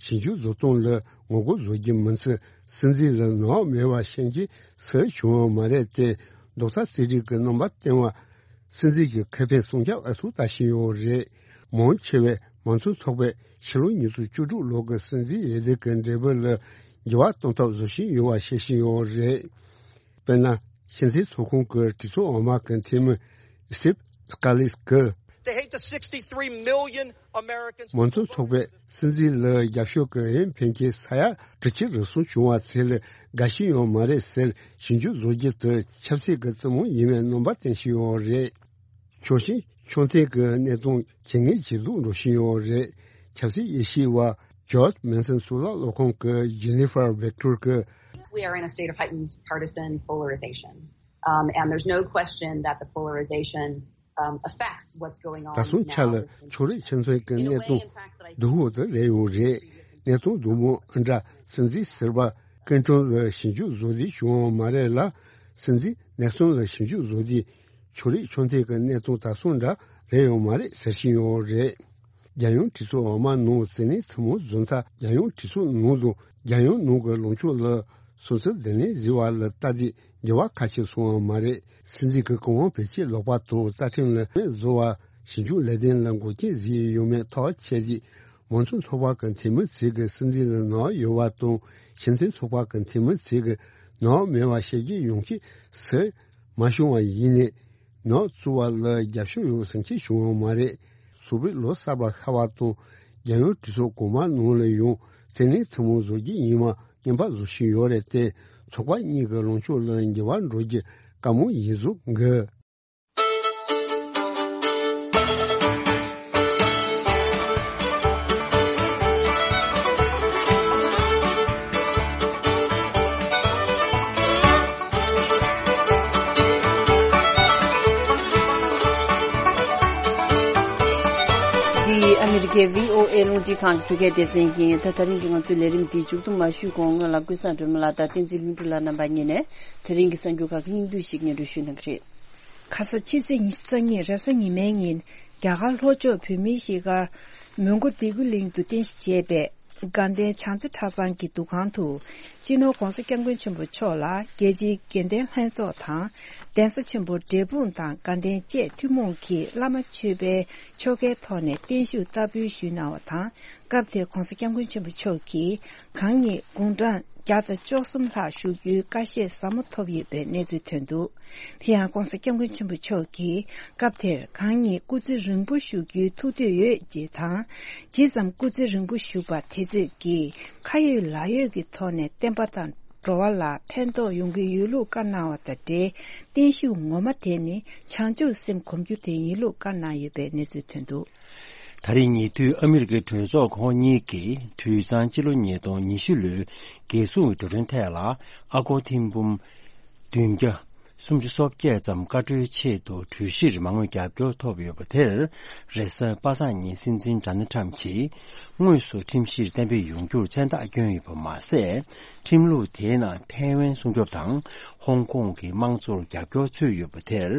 ཞིབ་འཇུག་བཟོ་སྟངས་ལ་ངོ་རྒོལ་བཟོ་རྒྱུ་མིན་ཚེ་སྲིད་འཛིན་ལ་ནག་མེད་པ་ཤེས་ཀྱི་སུ་བྱུང་བ་མ་རེད་དེ། རྡོག་རྩ་རྩིས་རིག་གི་རྣམ་པ་བསྟན་བ་སྲིད་འཛིན་གྱི་ཁེ་ཕན་སྲུང་སྐྱོབ་ཨ་ཐུར་ལྟ་བཞིན་ཡོད་རེད། མང་ཆེ་བས་མང་གཙོ་ཚོགས་པས་ཕྱི་ལོ་ཉིས་སྟོང་བཅུ་དྲུག་ལོ་གི་སྲིད་འཛིན་འོས་བསྡུ་གི་འབྲས་བུ་ལ་འགྱུར་བ་གཏོང་ཐབས་བཟོ་བཞིན་ཡོད་པ་བཤད་བཞིན་ཡོད་རེད། དཔེར་ན། ཕྱི་འཐེན་ཚོགས་ཁང་གི་གྲོས་ཚོགས་འོག་མ་གི་འཐུས་མི་Steve Scalise གིས། They hate the sixty-three million Americans མང་གཙོ་ཚོགས་པས་སྲིད་འཛིན་ལ་རྒྱབ་སྐྱོར་གྱི་འོས་འཕེན་མཁན་ས་ཡ་དྲུག་ཅུ་རེ་གསུམ་བྱུང་བ་ཚོ་ལ་དགའ་ཞིག་ཡོད་མ་རེད་ཟེར་ཞིབ་འཇུག་བཟོ་རྒྱུ་དེ་ཆབ་སྲིད་ཀྱི་རྩེད་མོ་ཡིན་པའི་རྣམ་པ་བསྟན་བཞིན་ཡོད་རེད། ཕྱོགས་ཞེན་ཕྱོགས་འཐེན་གྱི་གནས་སྟངས་ཇེ་ངན་ཇེ་སྡུག་འགྲོ་བཞིན་ཡོད་རེད། ཆབ་སྲིད་དབྱེ་ཞིབ་པ་George Mason གཙུག་ལག་སློབ་ཁང་གི་Jennifer Victor གིས། We are in a state of heightened partisan polarization. Um, and there's no question that the polarization, um, affects what's going on. ད་སོང་ཆ་ལ་ཕྱོགས་རིས་ཆེ་མཐོང་གི་གནས་སྟངས་སྡུག་པོ་དེ་རེད་ཡོད་རེད། གནས་སྟངས་སྡུག་མོ་ཨ་འདྲ་སྲིད་འཛིན་ཟུར་པ་ཀིན་ཀྲུང་ལ་ཞིབ་འཇུག་བཟོ་དུས་བྱུང་བ་མ་རེད་ལ། སྲིད་འཛིན་ནེག་སོན་ལ་ཞིབ་འཇུག་བཟོ་དུས་ཕྱོགས་རིས་ཕྱོགས་འཐེན་གྱི་གནས་སྟངས་ད་སོང་འདྲ་རེད་ཡོད་མ་རེད་ཟེར་བཞིན་ཡོད་རེད། རྒྱལ་ཡོངས་གྲོས་ཚོགས་འོག་མ་ནང་བརྩིས་ལེན་ཐུན་མོང་བཟོ་ཐབས། རྒྱལ་ཡོངས་གྲོས་ཚོགས་ནང་དང་རྒྱལ་ཡོངས་ནང་གི་ལངས་ཕྱོགས་ལ་སོང་ཚུལ་བསྡུ་ལེན་བཟོས་པ་ལ་ལྟ་དུས་འགྱུར་བ་ཁ་ཤས་སོང་བ་མ་རེད། སྲིད་འཛིན་གྱི་གོང་འོག་བེད་སྤྱོད་ལོག་པ་དང་རྩ་ཁྲིམས་ལ་མེད་བཟོ་བ། ཞིབ་འཇུག་ལས་དོན་ལ་འགོག་རྐྱེན་བཟོས་ཡོད་མེད་ཐག་བཅད་དུས། མང་གཙོ་ཚོགས་པ་གི་འཐུས་མི་ཚོས་ཀྱི་སྲིད་འཛིན་ལ་ནག་ཡོད་པ་དང་། ཕྱི་འཐེན་ཚོགས་པ་གི་འཐུས་མི་ཚོས་ཀྱི་ནག་མེད་པ་བཤད་རྒྱུ་ཡོང་གི་སུ་མ་བྱུང་བ་ཡིན་ནས། ནག་བཙུགས་པ་ལ་རྒྱབ་སྐྱོར་ཡོད་ཟེར་མཁན་བྱུང་ཡོད་མ་རེད། སོག་པོའི་ལོ་གསར་པ་ཤར་བ་དང་། རྒྱལ་ཡོངས་གྲོས་ཚོགས་གོང་མ་ནང་ལ་ཡང་བརྩིས་ལེན་ཐུན་མོང་བཟོ་རྒྱུ་ཡིན་པ་སྙན་པ་བཟོ་བཞིན་ཡོད་རེད་དེ། ཚོགས་པ་གཉིས་ཀྱི་ལངས་ཕྱོགས་ལ་འགྱུར་བ་འགྲོ་རྒྱུ་དཀའ་མོ་ཡིན་བཟོ་གི། འདི་ཨ་མི་རི་ཀའི་བྷི་ཨོ་ཨེ་རླུང་འཕྲིན་ཁང་གི་བོད་སྐད་སྡེ་ཚན་ཡིན། ད་དེ་རིང་གི་ང་ཚོའི་ལས་རིམ་འདི་མཇུག་བསྡོམས་མ་ཞུས་གོང་སྔོན་ལ་ཀུན་བཟང་སྒྲོལ་མ་ལགས་དང་བསྟན་འཛིན་ལྷུན་གྲུབ་ལགས་རྣམ་པ་གཉིས་ནས་དེ་རིང་གི་གསར་འགྱུར་ཁག་གི་སྙིང་བསྡུས་ཤིག་སྙན་སྒྲོན་ཞུས་གནང་གི་རེད། ཁ་ས་ཕྱི་ཚེས་ཉི་ཤུ་རྩ་གཉིས་རེས་གཟའ་ཉི་མའི་ཉིན་རྒྱ་གར་ལྷོ་ཕྱོགས་བོད་མིའི་གཞིས་སྒར་མོན་གྷོ་སྡེ་དགུ་གླིང་དུ་རྟེན་གཞི་བྱས་པའི་དགའ་ལྡན་བྱང་རྩེ་གྲྭ་ཚང་གི་འདུ་ཁང་དུ་སྤྱི་ནོར་༧གོང་ས་༧སྐྱབས་མགོན་ཆེན་པོ་མཆོག་ལ་རྒྱལ་སྤྱིའི་དགེ་ལྡན་ལྷན་ཚོགས་དང་གདན་ས་ཆེན་པོ་འབྲས་སྤུངས་དང་དགའ་ལྡན་བཅས་ཐུན་མོང་གི་བླ་མ་མཆོད་པའི་ཆོ་གའི་ཐོག་ནས་བརྟན་བཞུགས་བསྟར་འབུལ་ཞུས་གནང་བ་དང་། སྐབས་དེར་༧གོང་ས་༧སྐྱབས་མགོན་ཆེན་པོ་མཆོག་གིས་གང་ཉིད་དགུང་གྲངས་བརྒྱ་དང་བཅུ་གསུམ་ལྷག་བཞུགས་རྒྱུའི་བཀའ་བཞེས་ཟབ་མོ་ཐོབ་ཡོད་པའི་གནས་ཚུལ་ཐོན་འདུག་དེ་ཡང་༧གོང་ས་༧སྐྱབས་མགོན་ཆེན་པོ་མཆོག་གིས་སྐབས་དེར་གང་ཉིད་སྐུ་ཚེ་རིང་པོ་བཞུགས་རྒྱུའི་ཐུགས་འདོད་ཡོད་ཅེས་དང་། ཇི་ཙམ་སྐུ་ཚེ་རིང་པོ་བཞུགས་པ་དེ་ཚོས་ཀྱིས་ཁ་ཡོད་ལག་ཡོད་ཀྱི་ཐོག་ནས་བསྟན་པ་དང་འགྲོ་བ་ལ་ཕན་ཐོགས་ཡོང་གི་ཡོད་ལུགས་བཀའ་གནང་བ་དང་འབྲེལ། བརྟན་བཞུགས་ངོ་མ་དེ་ནི་བྱང་ཆུབ་སེམས་སྒོམ་རྒྱུ་དེ་ཡིན་ལུགས་བཀའ་གནང་ཡོད་པའི་གནས་ཚུལ་ཐོན་འདུག་ད་རེས་ཉེ་དུས་ཨ་མི་རི་ཀའི་གྲོས་ཚོགས་ཁོངས་གཉིས་ཀྱིས་དུས་གཙང་སྤྱི་ལོ་ཉིས་སྟོང་ཉི་ཤུ་ལོའི་རྒྱལ་སྲུང་གི་འགྲོ་གྲོན་ཐད་ལ་ཨ་སྒོར་ཐེར་འབུམ་བདུན་བརྒྱ་སུམ་ཅུ་སོ་བརྒྱད་ཙམ་བཀའ་འཁྲོལ་ཆེད་དུ་གྲོས་གཞིར་མ་དངུལ་རྒྱབ་སྐྱོར་ཐོབ་ཡོད་པ་དེར། རེས་གཟའ་པ་སངས་ཉིན་སྲིད་འཛིན་ཌོ་ནལ་ཊམ་གྱིས་དངོས་སུ་ཁྲིམས་གཞིར་གཏན་འབེབས་ཡོང་རྒྱུར་མཚན་རྟགས་བསྐྱོན་ཡོད་པ་མ་ཟད། ཁྲིམས་ལུགས་དེའི་ནང་ཐའེ་ཝན་སྲུང་སྐྱོབ་དང་ཧོང་ཀོང་གི་དམངས་གཙོར་རྒྱབ་སྐྱོར་ཚུད་ཡོད་པ་དེར།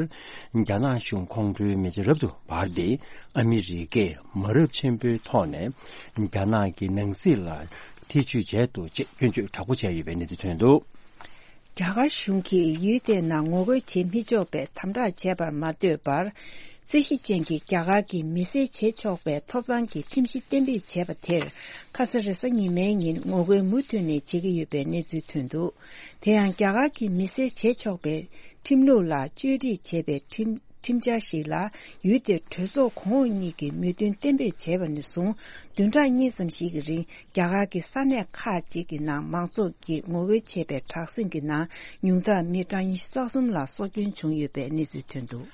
རྒྱ་ནག་གཞུང་ཁོང་ཁྲོའི་མེ་ལྕེ་རབ་ཏུ་འབར་ཏེ། ཨ་མི་རི་ཀས་མ་རབས་ཆེན་པོའི་ཐོག་ནས་རྒྱ་ནག་གི་ནང་སྲིད་ལ་ཐེ་བྱུས་བྱས་འདུག་ཅེས་སྐྱོན་བརྗོད་དྲག་པོ་བྱས་ཡོད་པའི་གནས་ཚུལ་ཐོན་འདུག་རྒྱ་གར་གཞུང་གིས་ཡུལ་དེའི་ནང་ངོ་རྒོལ་བྱེད་མི་ཆོག་པའི་དམ་དྲག་བྱས་པར་མ་ལྟོས་པར། རྩོད་གཞི་ཅན་གྱི་རྒྱ་གར་གྱི་མི་སེར་བྱེད་ཆོག་པའི་ཐོབ་ཐང་གི་ཁྲིམས་གཞི་གཏན་འབེབས་བྱས་པ་དེར། ཁ་ས་རེས་གཟའ་ཉི་མའི་ཉིན་ངོ་རྒོལ་མུ་མཐུད་ནས་བྱེད་ཀྱི་ཡོད་པའི་གནས་ཚུལ་ཐོན་འདུག་དེ་ཡང་རྒྱ་གར་གྱི་མི་སེར་བྱེད་ཆོག་པའི་ཁྲིམས་ལུགས་ལ་བཅོས་སྒྲིག་བྱས་པའི་ཁྲིམས་ཁྲིམས་འཆར་ཞིག་ལ་ཡུལ་དེའི་གྲོས་ཚོགས་གོང་འོག་གཉིས་ཀྱིས་མོས་མཐུན་གཏན་འབེབས་བྱས་པ་ནས་བཟུང་། བདུན་ཕྲག་གཉིས་ཙམ་ཞིག་གི་རིང་རྒྱ་གར་གྱི་ས་གནས་ཁག་ཅིག་གི་ནང་མང་ཚོགས་ཀྱིས་ངོ་རྒོལ་བྱས་པའི་དྲག་ཟིང་གི་ནང་ཉུང་མཐར་མི་གྲངས་ཉི་ཤུ་རྩ་གསུམ་ལ་སྲོག་སྐྱོན་བྱུང་ཡོད་པའི་གནས་ཚུལ་ཐོན་འདུག་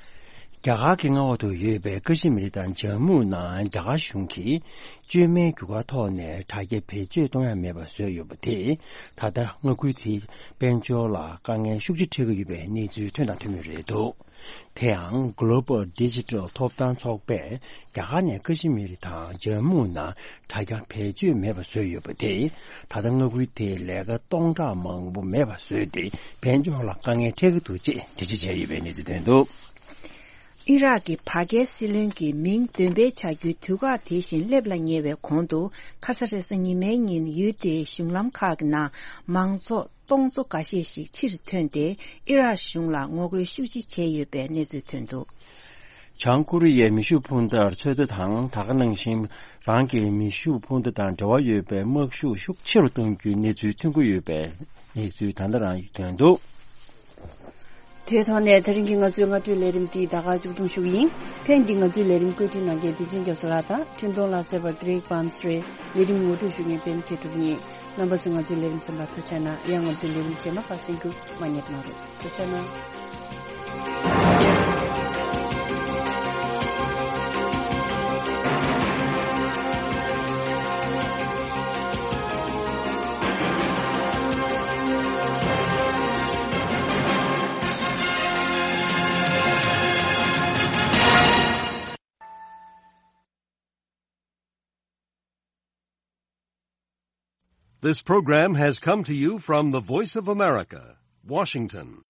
རྒྱ་གར་གྱི་མངའ་འོག་ཏུ་ཡོད་པའི་ཀ་ཤི་མིར་དང་ཇམ་མུ་ནང་རྒྱ་གར་གཞུང་གིས་བཅོས་མའི་རྒྱུ་སྐར་ཐོག་ནས་དྲ་རྒྱ་བེད་སྤྱོད་གཏོང་ཡ་མེད་པ་བཟོས་ཡོད་པ་དེས། ད་ལྟ་མངའ་ཁུལ་དེའི་དཔལ་འབྱོར་ལ་དཀའ་ངལ་ཤུགས་ཆེ་འཕྲད་ཀྱི་ཡོད་པའི་གནས་ཚུལ་ཐོན་དང་ཐོན་མུས་རེད་འདུག་དེ་ཡང་Global Digital ཐོབ་ཐང་ཚོགས་པས་རྒྱ་གར་ནས་ཀ་ཤི་མིར་དང་ཇམ་མུ་ནང་དྲ་རྒྱ་བེད་སྤྱོད་མེད་པ་བཟོས་ཡོད་པ་དེས། ད་ལྟ་མངའ་ཁུལ་དེའི་ལས་ཀ་སྟོང་ཕྲག་མང་པོ་མེད་པ་བཟོས་ཏེ། དཔལ་འབྱོར་ལ་དཀའ་ངལ་འཕྲད་ཀྱི་འདུག་ཅེས་འགྲེལ་བརྗོད་བྱས་ཡོད་པའི་གནས་ཚུལ་ཐོན་འདུག་ཨི་རག་གི་བར་བརྒལ་སྲིད་བློན་གྱི་མིང་འདོན་སྤེལ་བྱ་རྒྱུའི་དུས་བཀག་དེ་བཞིན་སླེབས་ལ་ཉེ་བའི་གོང་དུ། ཁ་ས་རེས་གཟའ་ཉི་མའི་ཉིན་ཡུལ་དེའི་གཞུང་ལམ་ཁག་གི་ནང་མང་ཚོགས་སྟོང་ཚོ་འགའ་ཤས་ཤིག་ཕྱིར་ཐོན་ཏེ། ཨི་རག་གཞུང་ལ་ངོ་རྒོལ་ཤུགས་ཆེ་བྱས་ཡོད་པའི་གནས་ཚུལ་ཐོན་འདུག། བྱང་ཀོ་རི་ཡའི་མེ་ཤུགས་འཕུར་མདའ་ཚོད་ལྟ་དང་། ད་ག་ནང་བཞིན་རང་གི་མེ་ཤུགས་འཕུར་མདའ་དང་འབྲེལ་བ་ཡོད་པའི་དམག་ཤུགས་ཤུགས་ཆེ་རུ་གཏོང་རྒྱུའི་གནས་ཚུལ་ཐོན་གྱི་ཡོད་པའི་གནས་ཚུལ་ད་ལྟ་རང་ཐོན་འདུག། དེའི་ཐོག་ནས་ད་རིང་གི་ང་ཚོའི་སྔ་དྲོའི་ལས་རིམ་འདི་ད་ག་མཇུག་སྡོམ་ཞུ་གི་ཡིན། ཐེངས་འདིའི་ང་ཚོའི་ལས་རིམ་བཀོད་སྒྲིག་གནང་མཁན་བདེ་ཆེན་རྒྱ་མཚོ་ལགས་དང་། འཕྲིན་གཏོང་ལག་རྩལ་བ་གྷི་རེག་བྷམ་སི་རེད། ལས་རིམ་ངོ་སྤྲོད་ཞུ་མཁན་པད་མ་མཁས་གྲུབ་ཡིན། རྣམ་པ་ཚོས་ང་ཚོའི་ལས་རིམ་གསན་པར་ཐུགས་རྗེ་གནང་། ཡང་ང་ཚོའི་ལས་རིམ་རྗེས་མ་ཁག་གསན་རྒྱུ་མ་བསྙེལ་གནང་རོགས། ཐུགས་རྗེ་གནང་། This program has come to you from the Voice of America, Washington.